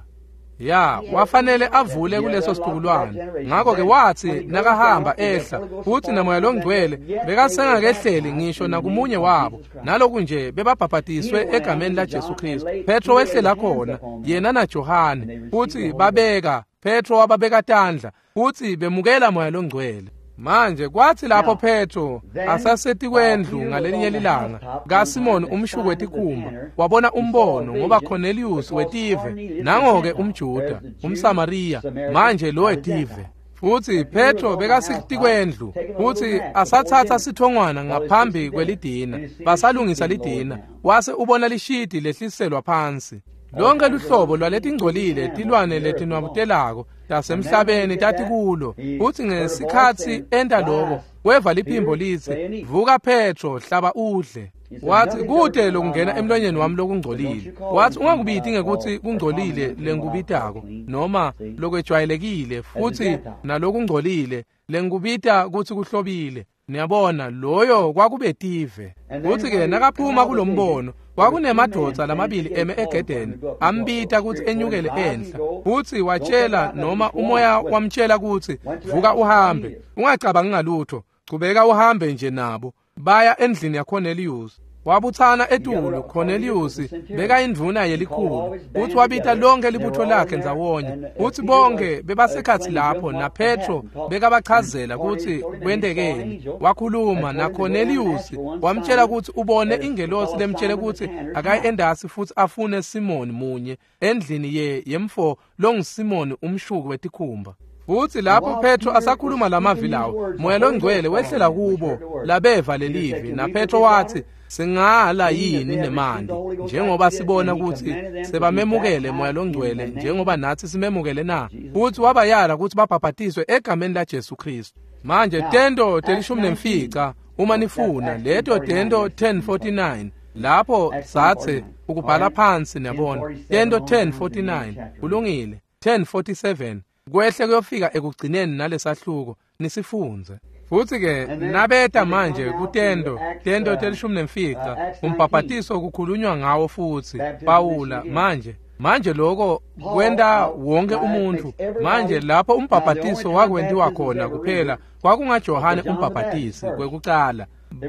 Ya, wafanele avule kuleso situkulwane. Ngakho-ke wathi nakahamba ehla futhi naMoya loNgcwele bekasengakehleli ngisho nakumunye wabo, naloku nje bebabhabhatiswe egameni la Jesu Kristu. Petro wehlela khona yena naJohane futhi babeka Petro wababeka tandla futhi bemukela Moya loNgcwele. Manje kwathi lapho Petro asasetikwendlu ngalelinye lilanga kaSimoni umshuki wetikhumba, wabona umbono ngoba Cornelius wetive, nangoke umJuda, umSamariya, manje lo wetive. Futhi Petro bekasetikwendlu futhi asathatha sithongwana ngaphambi kwelidina, basalungisa lidina, wase ubona lishidi lehliselwa phansi. Lonke luhlobo lwaletingcolile tilwane letinwabutelako tasemhlabeni tatikulo. Futhi ngesikhatsi enta loko, weva liphimbo litsi, "Vuka Petro, hlaba udle." Wathi, "Kute lokungena emlonyeni wami lokungcolile." Wathi, "Ungakubiti ngekuthi kungcolile lengikubitako noma lokwejwayelekile futhi nalokungcolile lengikubita kutsi kuhlobile." Niyabona, loyo kwakubetive. Futhi-ke nakaphuma kulombono, kwakunemadvodza lamabili eme egedeni, ambita kutsi enyukele enhla. Futhi watshela noma umoya wamtshela kutsi, "Vuka uhambe, ungacabangi ngalutho, chubeka uhambe nje nabo." Baya endlini yaCornelius. Wabuthana etulu. Cornelius bekayindvuna yelikhulu, futhi wabita lonke libutho lakhe ndzawonye. Futhi bonke bebasekhatsi lapho, naPetro bekabachazela kutsi kwentekeni. Wakhuluma naCornelius, wamtshela kutsi ubone ingelosi lemtshele kutsi akaye endasi futhi afune Simoni munye endlini ye yemfo longuSimoni umshuki wetikhumba. Futsi lapho Petro asakhuluma lamavi lawo, Moya loNgcwele wehlela kubo labeva lelivi, na Petro watsi, singala yini nemandi njengoba sibona kutsi sebamemukele Moya loNgcwele njengoba natsi simemukele na? Futsi wabayala kutsi babhabhatiswe egameni la Jesu Kristu. Manje tento telishumi nemfica uma nifuna leto tento ten forty-nine lapho sathe ukubhala phansi niyabona tento ten forty-nine kulungile ten forty-seven kwehle kuyofika ekugcineni nalesahluko nisifundze. Futsi ke nabeta manje kutento tento telishumi nemfica umbhabhatiso kukhulunywa ngawo futsi Pawula manje manje lokho kwenta wonke umuntu. Manje lapho umbhabhatiso wakwentiwa khona kuphela kwakungaJohane umbhabhatisi kwekucala,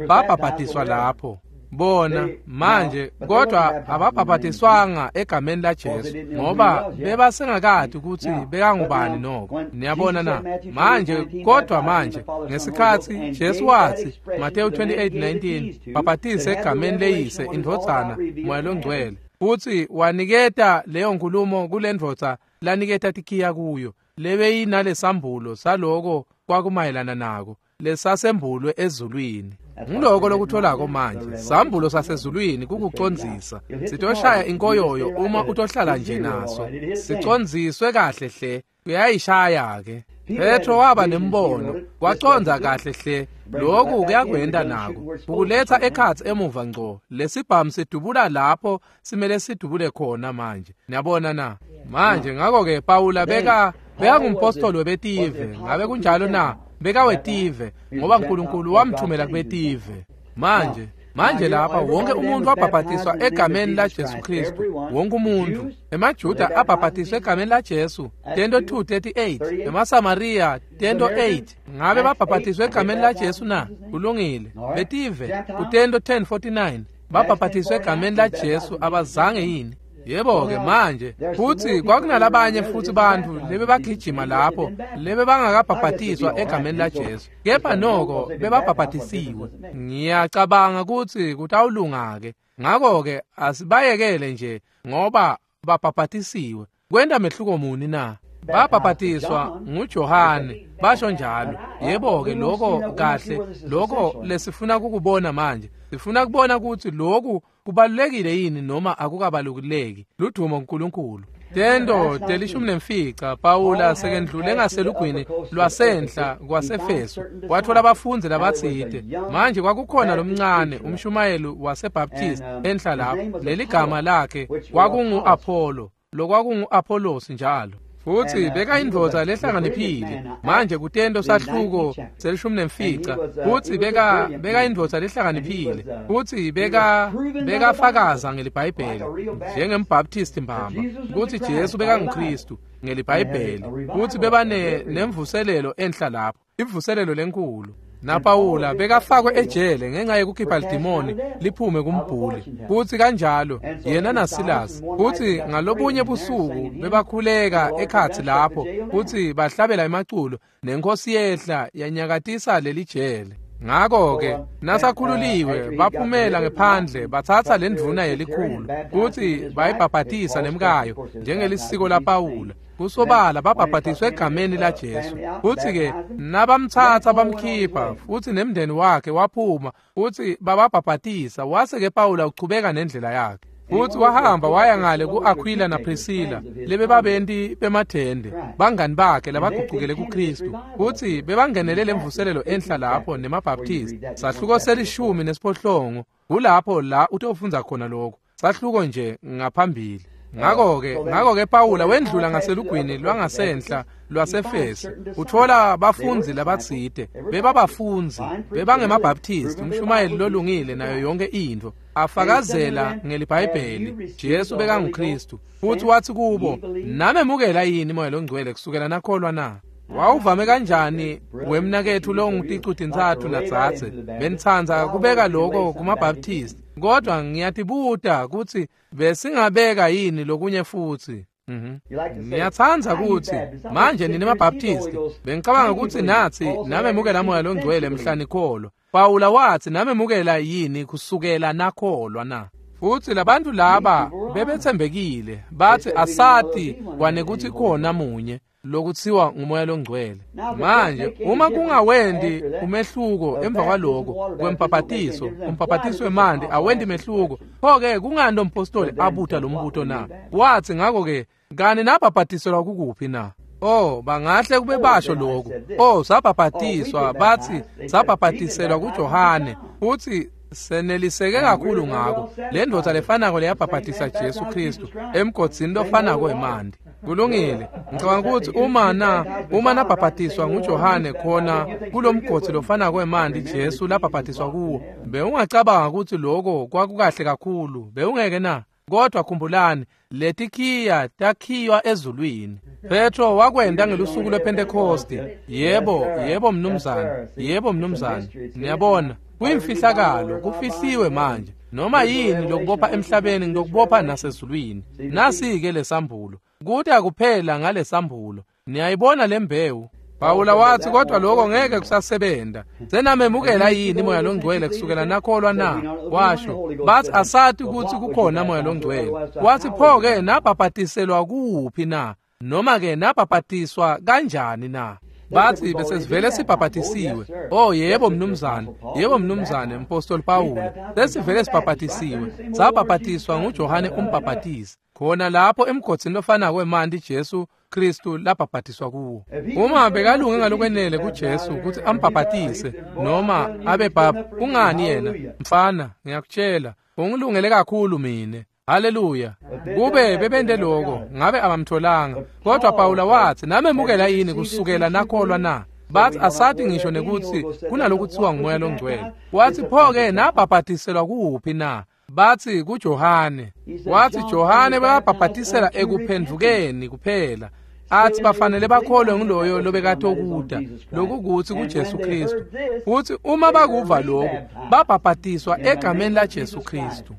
babhabhatiswa lapho bona manje, kodwa ababhabhatiswanga egameni la Jesu ngoba bebasengakati ukuthi bekangubani noko. Niyabona na? Manje kodwa manje ngesikhatsi Jesu watsi Mateyu twenty-eight nineteen bhabhatise egameni leyise indvodzana Moya loNgcwele, futsi waniketa leyo nkulumo kulendvodza laniketa tikhiya kuyo lebeyinalesambulo saloko kwakumayelana nako lesasembulwe ezulwini. Ngiloko lokutholako manje, sambulo sasezulwini kukucondzisa. Sitoshaya inkoyoyo uma utohlala nje naso. Sicondziswe kahle hle, kuyayishaya ke. Petro waba nembono, wacondza kahle hle. Lokhu kuyakwenda nako, ukuletha ekhatsi emuva ngco. Lesibhamu sidubula lapho simele sidubule khona manje. Niyabona na? Manje ngakho ke Pawula beka bekangumpostoli webetive, ngabe kunjalo na? Bekawetive ngoba uNkulunkulu wamthumela kubetive. Manje manje lapha wonke umuntu wabhabhatiswa egameni la Jesu Kristu, wonke umuntu. EmaJuda abhabhatiswa egameni la Jesu, tento two thirty-eight, emaSamaria tento eight. Ngabe babhabhatiswa egameni la Jesu na? Kulungile. Betive kutento ten forty-nine babhabhatiswa egameni la Jesu, abazange yini? Yebo ke manje futsi kwakunalabanye futsi bantfu lebebagijima lapho lebebangakabhabhatiswa egameni la Jesu, kepha noko bebabhabhatisiwe. Ngiyacabanga kutsi kutawulunga ke. Ngakho ke asibayekele nje ngoba babhabhatisiwe. Kwenta mehluko muni na? Babhabhatiswa nguJohane, basho njalo. Yebo ke lokho kahle, lokho lesifuna kukubona manje. Sifuna kubona ukuthi lokhu kubalulekile yini noma akukabaluleki. Ludumo kuNkulunkulu. Tento telishumi nemfica Pawula sekendlule ngaselugwini lwasenhla kwaseFesu, wathola abafundzi labatsite. Manje kwakukhona lomncane umshumayeli waseBaptist enhla lapho, leligama lakhe kwakungu-Apollo, lokwakungu-Apollos njalo. Futsi bekayindvodza lehlakaniphile. Manje kutento sahluko selishumi nemfica, futsi beka bekayindvodza lehlakaniphile, futsi beka bekafakaza ngeliBhayibheli njengembaptist mbamba kutsi Jesu bekanguKristu ngeliBhayibheli. Futsi bebane nemvuselelo enhla lapho, imvuselelo lenkulu. NaPawula bekafakwe ejele ngenxa yekukhipha lidimoni liphume kumbhuli, futsi kanjalo yena naSilas. Futsi ngalobunye busuku bebakhuleka ekhatsi lapho, futsi bahlabela emaculo, nenkosi yehla yanyakatisa lelijele. Ngakho ke nasakhululiwe baphumela ngephandle batsatsa lendvuna yelikhulu futsi bayibhabhatisa nemkayo njengelisiko laPawula. Kusobala babhabhatiswe egameni la Jesu. Futsi ke nabamtsatsa bamkhipha, futsi nemndeni wakhe waphuma futsi bababhabhatisa. Wase ke Pawula uchubeka nendlela yakhe. Futsi wahamba waya ngale ku-Aquila naPriscilla lebebabenti bemathende, bangani bakhe labagucukele kuKristu. Futsi bebangenele lemvuselelo enhla lapho nemaBaptist. Sahluko selishumi nesiphohlongo kulapho la utofundza khona lokho, sahluko nje ngaphambili. Ngakho ke ngakho ke Pawula wendlula ngaselugwini lwangasenhla lwaseFesu, uthola bafundzi labatsite. Bebabafundzi bebangemabaptist, umshumayeli lolungile nayo yonke intfo, afakazela ngeliBhayibheli Jesu bekanguKristu. Futsi watsi kubo, namemukela yini Moya loNgcwele kusukela nakholwa na? Wawuvame kanjani wemnaketfu longuTicu-tintsatfu nadzadze? Benitsandza kubeka lokho kumaBaptist, kodwa ngiyatibuta kutsi besingabeka yini lokunye futsi. Mhm. Ngiyatsandza kutsi manje nine maBaptist, bengicabanga kutsi natsi namemukela Moya loNgcwele mhla nikholwa. Pawula watsi namemukela yini kusukela nakholwa na? Futsi labantu laba bebetsembekile, batsi asati kwanekuthi khona munye. lokutsiwa ngumoya longcwele. Manje uma kungawendi umehluko emva kwaloko kwembhabhatiso, umbhabhatiso wemanti awendi mehluko, pho-ke kungani lo mpostoli abuta lo mbuto na? Wathi ngakho-ke kani nabhabhatiselwa kukuphi na? Oh, bangahle kube basho lokhu. Oh, sabhabhatiswa, bathi sabhabhatiselwa kuJohane. Futhi seneliseke kakhulu ngako. Le ndoda lefanako leyabhabhatisa Jesu Kristu emgodzini lofanako emanti. Kulungile. Ngicabanga ukuthi uma na uma nabhabhatiswa nguJohane khona kulomgodzi lofanako emanti Jesu labhabhatiswa kuwo, bewungacabanga ukuthi lokho kwakukahle kakhulu, bewungeke na? Kodwa khumbulani, letikhiya takhiywa ezulwini. Petro wakwenda ngelusuku lwePentecost. Yebo, yebo mnumzane, yebo mnumzane. Niyabona, kuyimfihlakalo, kufihliwe manje. Noma yini lokubopha emhlabeni ngokubopha nasezulwini. Nasi-ke lesambulo. Kuthi akuphela ngalesambulo. Niyayibona lembewu. Pawula wathi kodwa lokho ngeke kusasebenta. Senamemukela yini moya longcwele kusukela nakholwa na? Washo, bathi asathi ukuthi kukhona moya longcwele. Wathi pho-ke nabhabhatiselwa kuphi na? Noma-ke nabhabhatiswa kanjani na? Bathi besesivele sibhabhatisiwe. Oh yebo mnumzane, yebo mnumzane mpostoli Pawula. Sesivele sibhabhatisiwe. Sabhabhatiswa nguJohane umbhabhatisi. Khona lapho emgodzini lofanako wemanti Jesu Kristu labhabhatiswa kuwo. Uma bekalunge ngalokwenele kuJesu ukuthi ambhabhatise noma abe bab, kungani yena? Mfana, ngiyakutshela, ungilungele kakhulu mina. Haleluya. Kube bebende lokho, ngabe abamtholanga. Kodwa Pawula wathi, namemukela yini kusukela nakholwa na? Bathi asathi ngisho nekuthi kunalokuthiwa ngumoya longcwele. Wathi pho-ke nabhabhatiselwa kuphi na? Bathi kuJohane. Wathi Johane bayabhabhatisela ekuphendvukeni kuphela. Athi bafanele bakholwe nguloyo lobekatokuda, lokukuthi kuJesu Kristu. Futhi uma bakuva lokho, babhabhatiswa egameni laJesu Kristu.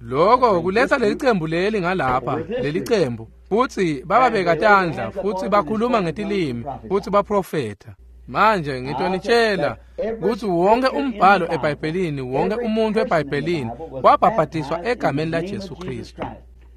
Lokho kuletha leli cembu leli ngalapha, leli cembu. Futhi bababeka tandla, futhi bakhuluma ngetilimi, futhi baprofetha. Manje ngitonitshela ukuthi wonke umbhalo eBhayibhelini, wonke umuntu eBhayibhelini wabhabhatiswa egameni laJesu Kristu.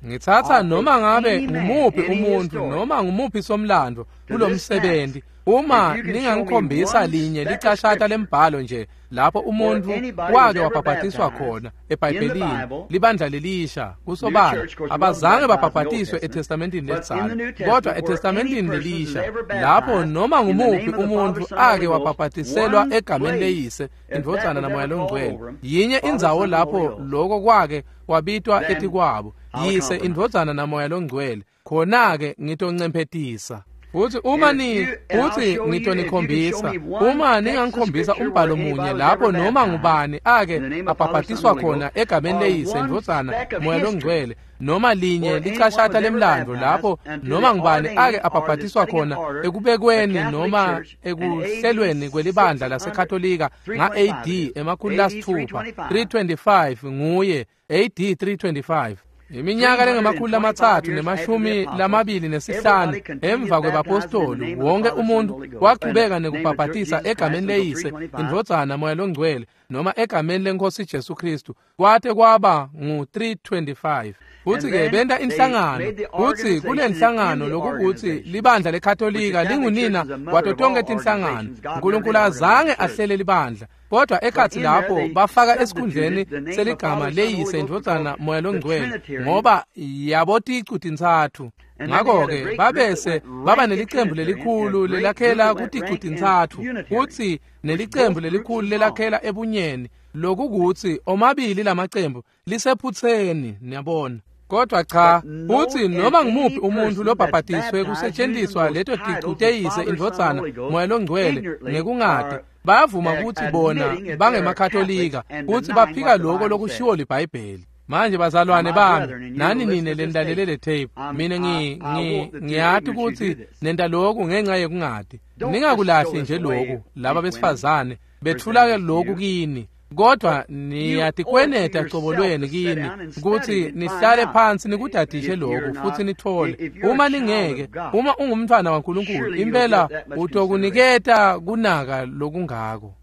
Ngithatha noma ngabe ngumuphi umuntu noma ngumuphi somlando kulomsebenzi, uma ningangikhombisa linye licashata lembhalo nje lapho umuntu wake wabhabhatiswa khona eBhayibhelini, libandla lelisha kusobala abazange babhabhatiswe eTestamentini lelidzala, kodwa eTestamentini lelisha lapho noma ngumuphi umuntu ake wabhabhatiselwa egameni leyise, indvodzana namoya longcwele, yinye indzawo lapho lokho kwake wabitwa etikwabo, yise, indvodzana namoya longcwele, khona-ke ngitoncemphetisa. Futhi uma ni futhi ngitonikhombisa, uma ningangikhombisa umbhalo munye lapho noma ngubani ake abhabhatiswa khona egameni leyise, indvodzana, moya longcwele, noma linye licashata lemlando lapho noma ngubani ake abhabhatiswa khona ekubekweni noma ekuhlelweni kwelibandla laseKatolika nga-A D emakhulu lasithupha three twenty-five nguye A D three twenty-five. Iminyaka lengamakhulu amathathu nemashumi lamabili nesihlanu emva kwebapostoli, wonke umuntu waqhubeka nekubhabhatisa egameni leyise, indvodzana, moya longcwele, noma egameni lenkosi Jesu Kristu, kwate kwaba ngu three twenty-five. Futhi-ke benta inhlangano, futhi kule nhlangano lokukuthi libandla leKatolika lingunina kwato tonke tinhlangano. uNkulunkulu azange ahlele libandla, kodwa ekhathi lapho bafaka esikhundleni seligama leyise, indvodzana, moya longcwele, ngoba yaboticu tintsatfu. Ngakho-ke babese baba nelicembu lelikhulu lelakhela kuticu tintsatfu, futhi nelicembu lelikhulu lelakhela ebunyeni, lokukuthi omabili lamacembu lisephutseni, niyabona. Kodwa cha, futhi noma ngumuphi umuntu lobhabhatiswe kusetshenziswa leto ticu teyise, indvodzana, moya longcwele ngekungati, bayavuma ukuthi bona bangemakatolika futhi baphika lokho lokushiwo liBhayibheli. Manje bazalwane bami, nani nine lenilalele le tape, mina ngi ngiyati ukuthi nenta lokhu ngenxa yekungati. Ningakulahli nje lokhu, laba besifazane bethula lokhu kini, kodwa niyatikweneta cobolweni kini ukuthi nihlale phansi nikudadishe lokhu futhi nithole. Uma ningeke, uma ungumntwana waNkulunkulu, impela utokuniketa kunaka lokungako.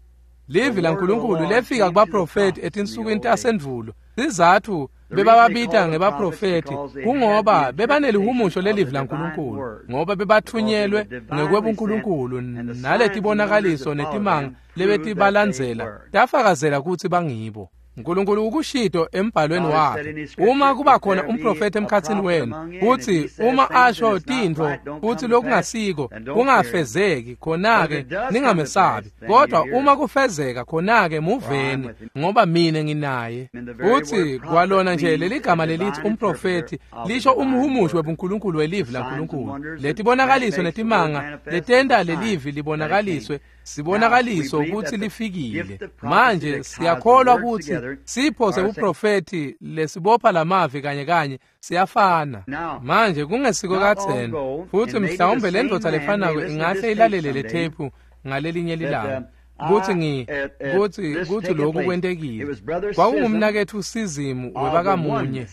Livi laNkulunkulu lefika kubaprofeti etinsukwini tasendvulo. Sizathu bebababita ngebaprofethi kungoba bebanelihumusho lelivi laNkulunkulu, ngoba bebathunyelwe ngekwebuNkulunkulu naletibonakaliso netimanga lebetibalandzela tafakazela kutsi bangibo. uNkulunkulu ukushito embhalweni wakhe, uma kuba khona umprofeti emkhatsini wenu, kutsi uma asho tintfo kutsi lokungasiko kungafezeki, khona-ke ningamesabi, kodwa uma kufezeka khona-ke muveni, ngoba mine nginaye. Kutsi kwalona nje leligama lelithi umprofeti lisho umhumushi webuNkulunkulu welivi laNkulunkulu. Letibonakaliso netimanga letenta lelivi libonakaliswe sibonakaliso kutsi lifikile. Manje siyakholwa kutsi sipho sebuprofeti lesibopha lamavi kanye kanye siyafana. Manje kungesiko katheni, futhi mhlawumbe le ndvodza lefanako ingahle ilalele le tape ngalelinye lilanga kutsi ngi kutsi kutsi lokhu kwentekile. Kwakungumnaketfu Sizimu webakamunye.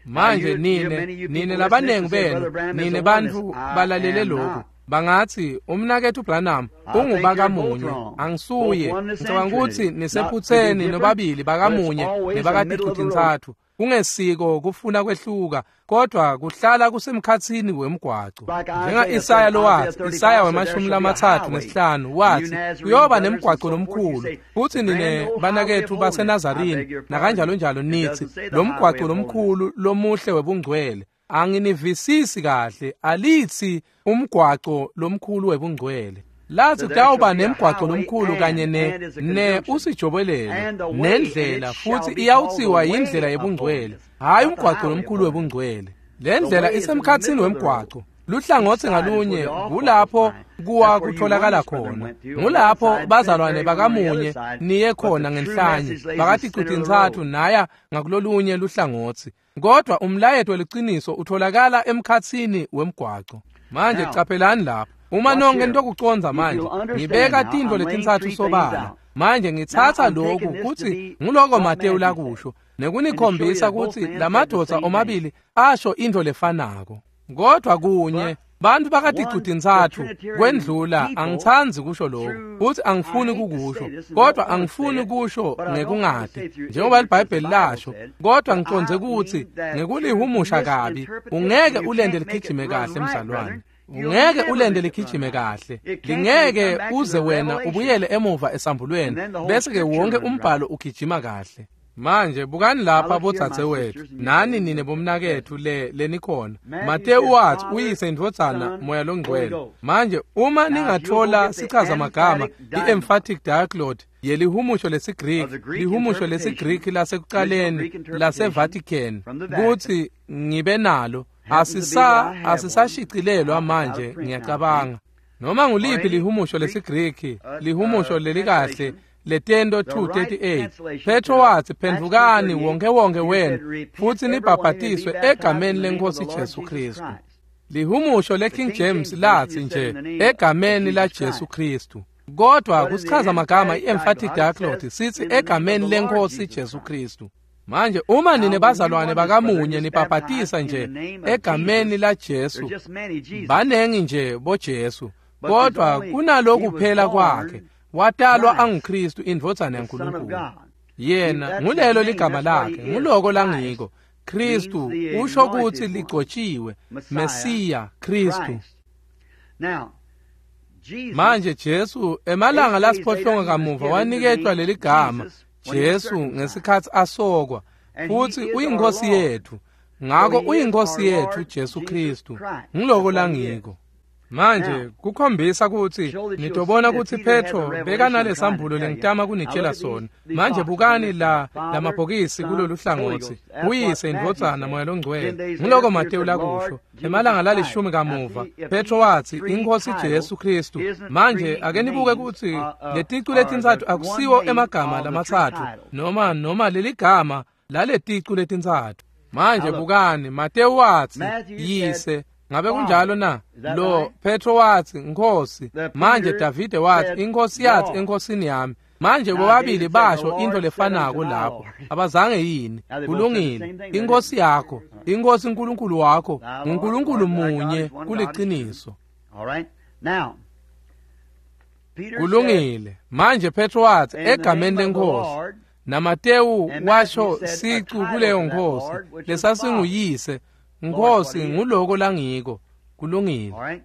Manje nine nine labanengi benu nine bantfu balalele lokhu bangathi umnaketfu Branham ungubakamunye, angisuye. Ngicabanga ukuthi nisephutheni nobabili bakamunye nebakaticu-tintsatfu. Kungesiko kufuna kwehluka, kodwa kuhlala kusemkhatsini wemgwaco. Njenga Isaya lowathi, Isaya wemashumi lamatsatfu nesihlanu wathi kuyoba nemgwaco lomkhulu, futhi nine banaketfu baseNazarini nakanjalo njalo nithi lo mgwaco lomkhulu lomuhle webungcwele. Anginivisisi kahle, alithi umgwaco lomkhulu webungcwele. Lathi kutawuba nemgwaco lomkhulu kanye ne ne usijobelelo nendlela, futhi iyawuthiwa yindlela yebungcwele, hhayi umgwaco lomkhulu webungcwele. Le ndlela isemkhatsini wemgwaco, luhlangotsi ngalunye kulapho kuwa kutholakala khona. Ngulapho bazalwane bakamunye niye khona ngenhlanye, bakaticu-tintsatfu naya ngakulolunye luhlangotsi. Kodwa umlayeto weliciniso utholakala emkhatsini wemgwaco. Manje caphelani lapha. Uma nonke nitokucondza manje, ngibeka tintfo letintsatfu sobala. Manje ngitsatsa lokhu kutsi nguloko Matewu lakusho, nekunikhombisa kutsi lamadvodza omabili asho intfo lefanako. Kodwa kunye bantfu bakaticu-tintsatfu kwendlula, angitsandzi kusho lokhu, futhi angifuni kukusho, kodwa angifuni kusho ngekungati njengoba liBhayibheli lasho, kodwa ngicondze kutsi ngekulihumusha kabi ungeke ulende ligijime kahle mzalwane. Ungeke ulende ligijime kahle, lingeke uze wena ubuyele emuva esambulweni, bese-ke wonke umbhalo ugijima kahle. Manje bukani lapha bodzadzewethu nani nine bomnaketfu le lenikhona. Matewu wathi uyise indvodzana Moya loNgcwele. Manje uma ningathola sichazamagama i-emphatic diaglott yelihumusho lesiGriki, lihumusho lesiGriki lasekucaleni laseVatican, kutsi ngibe nalo, asisa asisashicilelwa manje ngiyacabanga. Noma nguliphi lihumusho lesiGriki, lihumusho lelikahle letento two thirty-eight, Petro wathi phendvukani wonke wonke wenu futhi nibhabhatiswe egameni lenkosi Jesu Kristu. Lihumusho leKing James lathi nje egameni la Jesu Kristu, kodwa kusichaza magama i-emphatic diaglott sithi egameni lenkosi Jesu Kristu. Manje uma nine bazalwane bakamunye nibhabhatisa nje egameni la Jesu, banengi nje boJesu, kodwa kunaloku kuphela kwakhe. Watalwa anguKristu indvodzana yaNkulunkulu. Yena ngulelo ligama lakhe, nguloko langiko. Kristu usho kutsi ligcotshiwe, Mesiya Kristu. Manje Jesu emalanga lasiphohlongo kamuva waniketwa leligama Jesu ngesikhatsi asokwa, futhi uyinkosi yethu. Ngako uyinkosi yethu Jesu Kristu, nguloko langiko. Manje kukhombisa kutsi nitobona kutsi Petro bekanalesambulo lengitama kunitshela sona. Manje bukani la lamabhokisi kulolu hlangotsi, uyise indvodzana Moya loNgcwele. Nguloko Matewu lakusho. Emalanga lalishumi kamuva Petro wathi inkosi Jesu Kristu. Manje ake nibuke kutsi leticu letintsatfu akusiwo emagama lamatsatfu noma noma leligama laleticu letintsatfu. Manje bukani, Matewu wathi yise. Ngabe kunjalo na? Lo Petro wathi Nkosi. Manje Davide wathi inkosi yathi enkosini yami. Manje bobabili basho into lefanako lapho. Abazange yini? Kulungile. Inkosi yakho, inkosi uNkulunkulu wakho, uNkulunkulu munye kuliqiniso. Kulungile. Manje Petro wathi egameni lenkosi. NaMatewu washo sicu kuleyo Nkhosi lesasinguyise. Nkhosi nguloko langiko. Kulungile.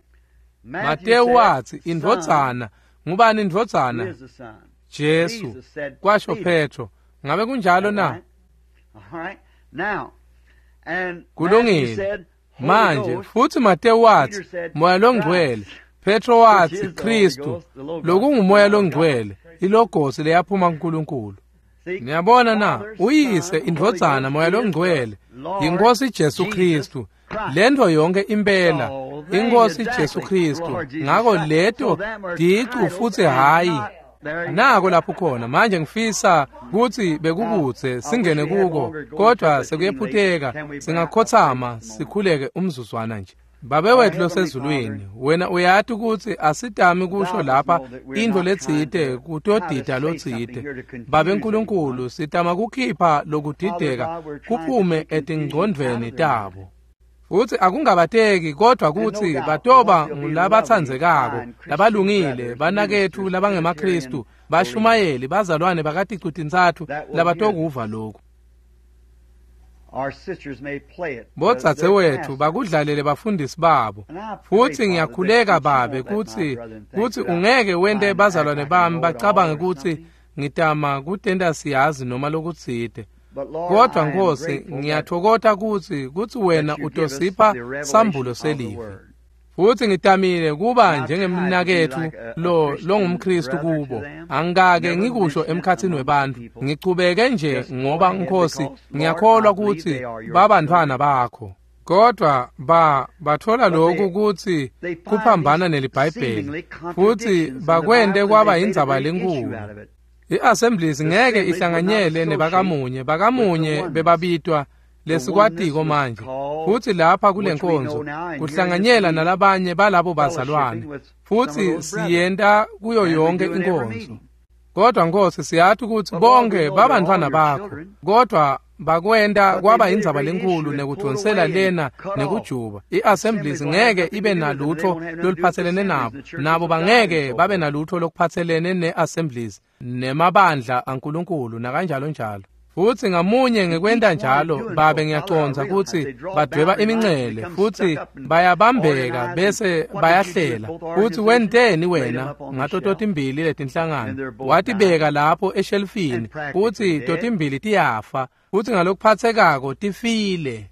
Matewu watsi indvodzana. Ngubani indvodzana? Jesu, kwasho Petro. Ngabe kunjalo na? Kulungile. Manje futhi Matewu watsi Moya loNgcwele. Petro watsi Kristu, lokungumoya loNgcwele, ilogosi leyaphuma kuNkulunkulu. Niyabona na? Uyise, indvodzana, Moya loNgcwele, yiNkhosi Jesu Kristu. Lento yonke impela iNkhosi Jesu Kristu. Ngako leto ticu futsi hayi nako lapho khona. Manje ngifisa kutsi bekukutse singene kuko, kodwa sekuyephuteka. Singakhothama sikhuleke umzuzwana nje. Babe wethu losezulwini, wena uyati kutsi asitami kusho lapha intfo letsite kutodida lotsite. Babe Nkulunkulu, sitama kukhipha lokudideka kuphume etingcondvweni tabo. Futsi akungabateki kodwa kutsi batoba ngulabatsandzekako, labalungile, banaketfu labangemaKhristu, bashumayeli, bazalwane bakaticu-tintsatfu labatokuva lokhu. Bodzadzewetfu bakudlalele bafundisi babo. Futsi ngiyakhuleka Babe kutsi kutsi ungeke wente bazalwane bami bacabange kutsi ngitama kutenta siyazi noma lokutsite. Kodwa Nkhosi, ngiyatfokota kutsi kutsi wena utosipha sambulo selivi. Futsi ngitamile kuba njengemnaketfu lo longumKhristu kubo. Angikake ngikusho emkhatsini webantfu. Ngichubeke nje ngoba Nkhosi ngiyakholwa kutsi babantfwana bakho. Kodwa ba bathola lokhu kutsi kuphambana neliBhayibheli, futsi bakwente kwaba indzaba lenkulu. I-Assemblies ngeke ihlanganyele nebakamunye, bakamunye bebabitwa lesikwatiko manje. Futsi lapha kule nkonzo kuhlanganyela nalabanye balabo bazalwane, futsi siyenta kuyo yonke inkonzo. Kodwa Nkhosi, siyati kutsi bonke babantfwana bakho, kodwa bakwenta kwaba indzaba lenkulu nekudvonsela lena nekujuba. I-Assemblies ngeke ibe nalutho loluphatselene nabo, nabo bangeke babe nalutho lokuphatselene ne-Assemblies nemabandla aNkulunkulu nakanjalo njalo. Futsi ngamunye ngekwenta njalo, Babe, ngiyacondza kutsi badweba imincele futsi bayabambeka bese bayahlela. Futsi wenteni wena ngato totimbili letinhlangano? Watibeka lapho eshelfini, futsi totimbili tiyafa, futsi ngalokuphatsekako tifile.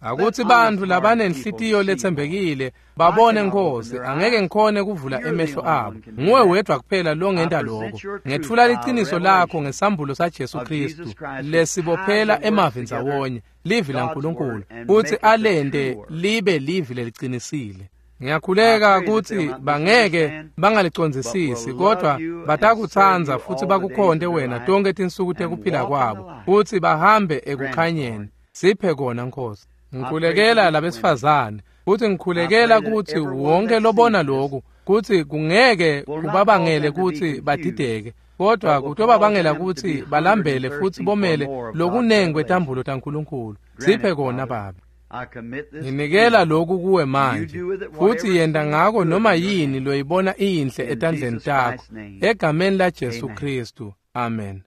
Akutsi bantfu labanenhlitiyo letsembekile babone Nkhosi, angeke ngikhone kuvula emehlo abo. Nguwe wedwa kuphela longenta lokho. Ngetfula liciniso lakho ngesambulo saJesu Kristu lesibophela emavi ndzawonye, livi laNkulunkulu, futsi alente libe livi lelicinisile. Ngiyakhuleka kutsi bangeke bangalicondzisisi, kodwa batakutsandza futsi bakukhonte wena tonkhe tinsuku tekuphila kwabo, futsi bahambe ekukhanyeni. Siphe kona Nkhosi. Ngikhulekela labesifazane, futsi ngikhulekela kutsi wonke lobona lokhu kutsi kungeke kubabangele kutsi badideke, kodwa kutobabangela kutsi balambele futsi bomele lokunengi kwetambulo taNkulunkulu. Siphe kona Babe. Nginikela lokhu kuwe manje, futsi yenta ngako noma yini loyibona iyinhle etandleni takho, egameni laJesu Kristu. Amen.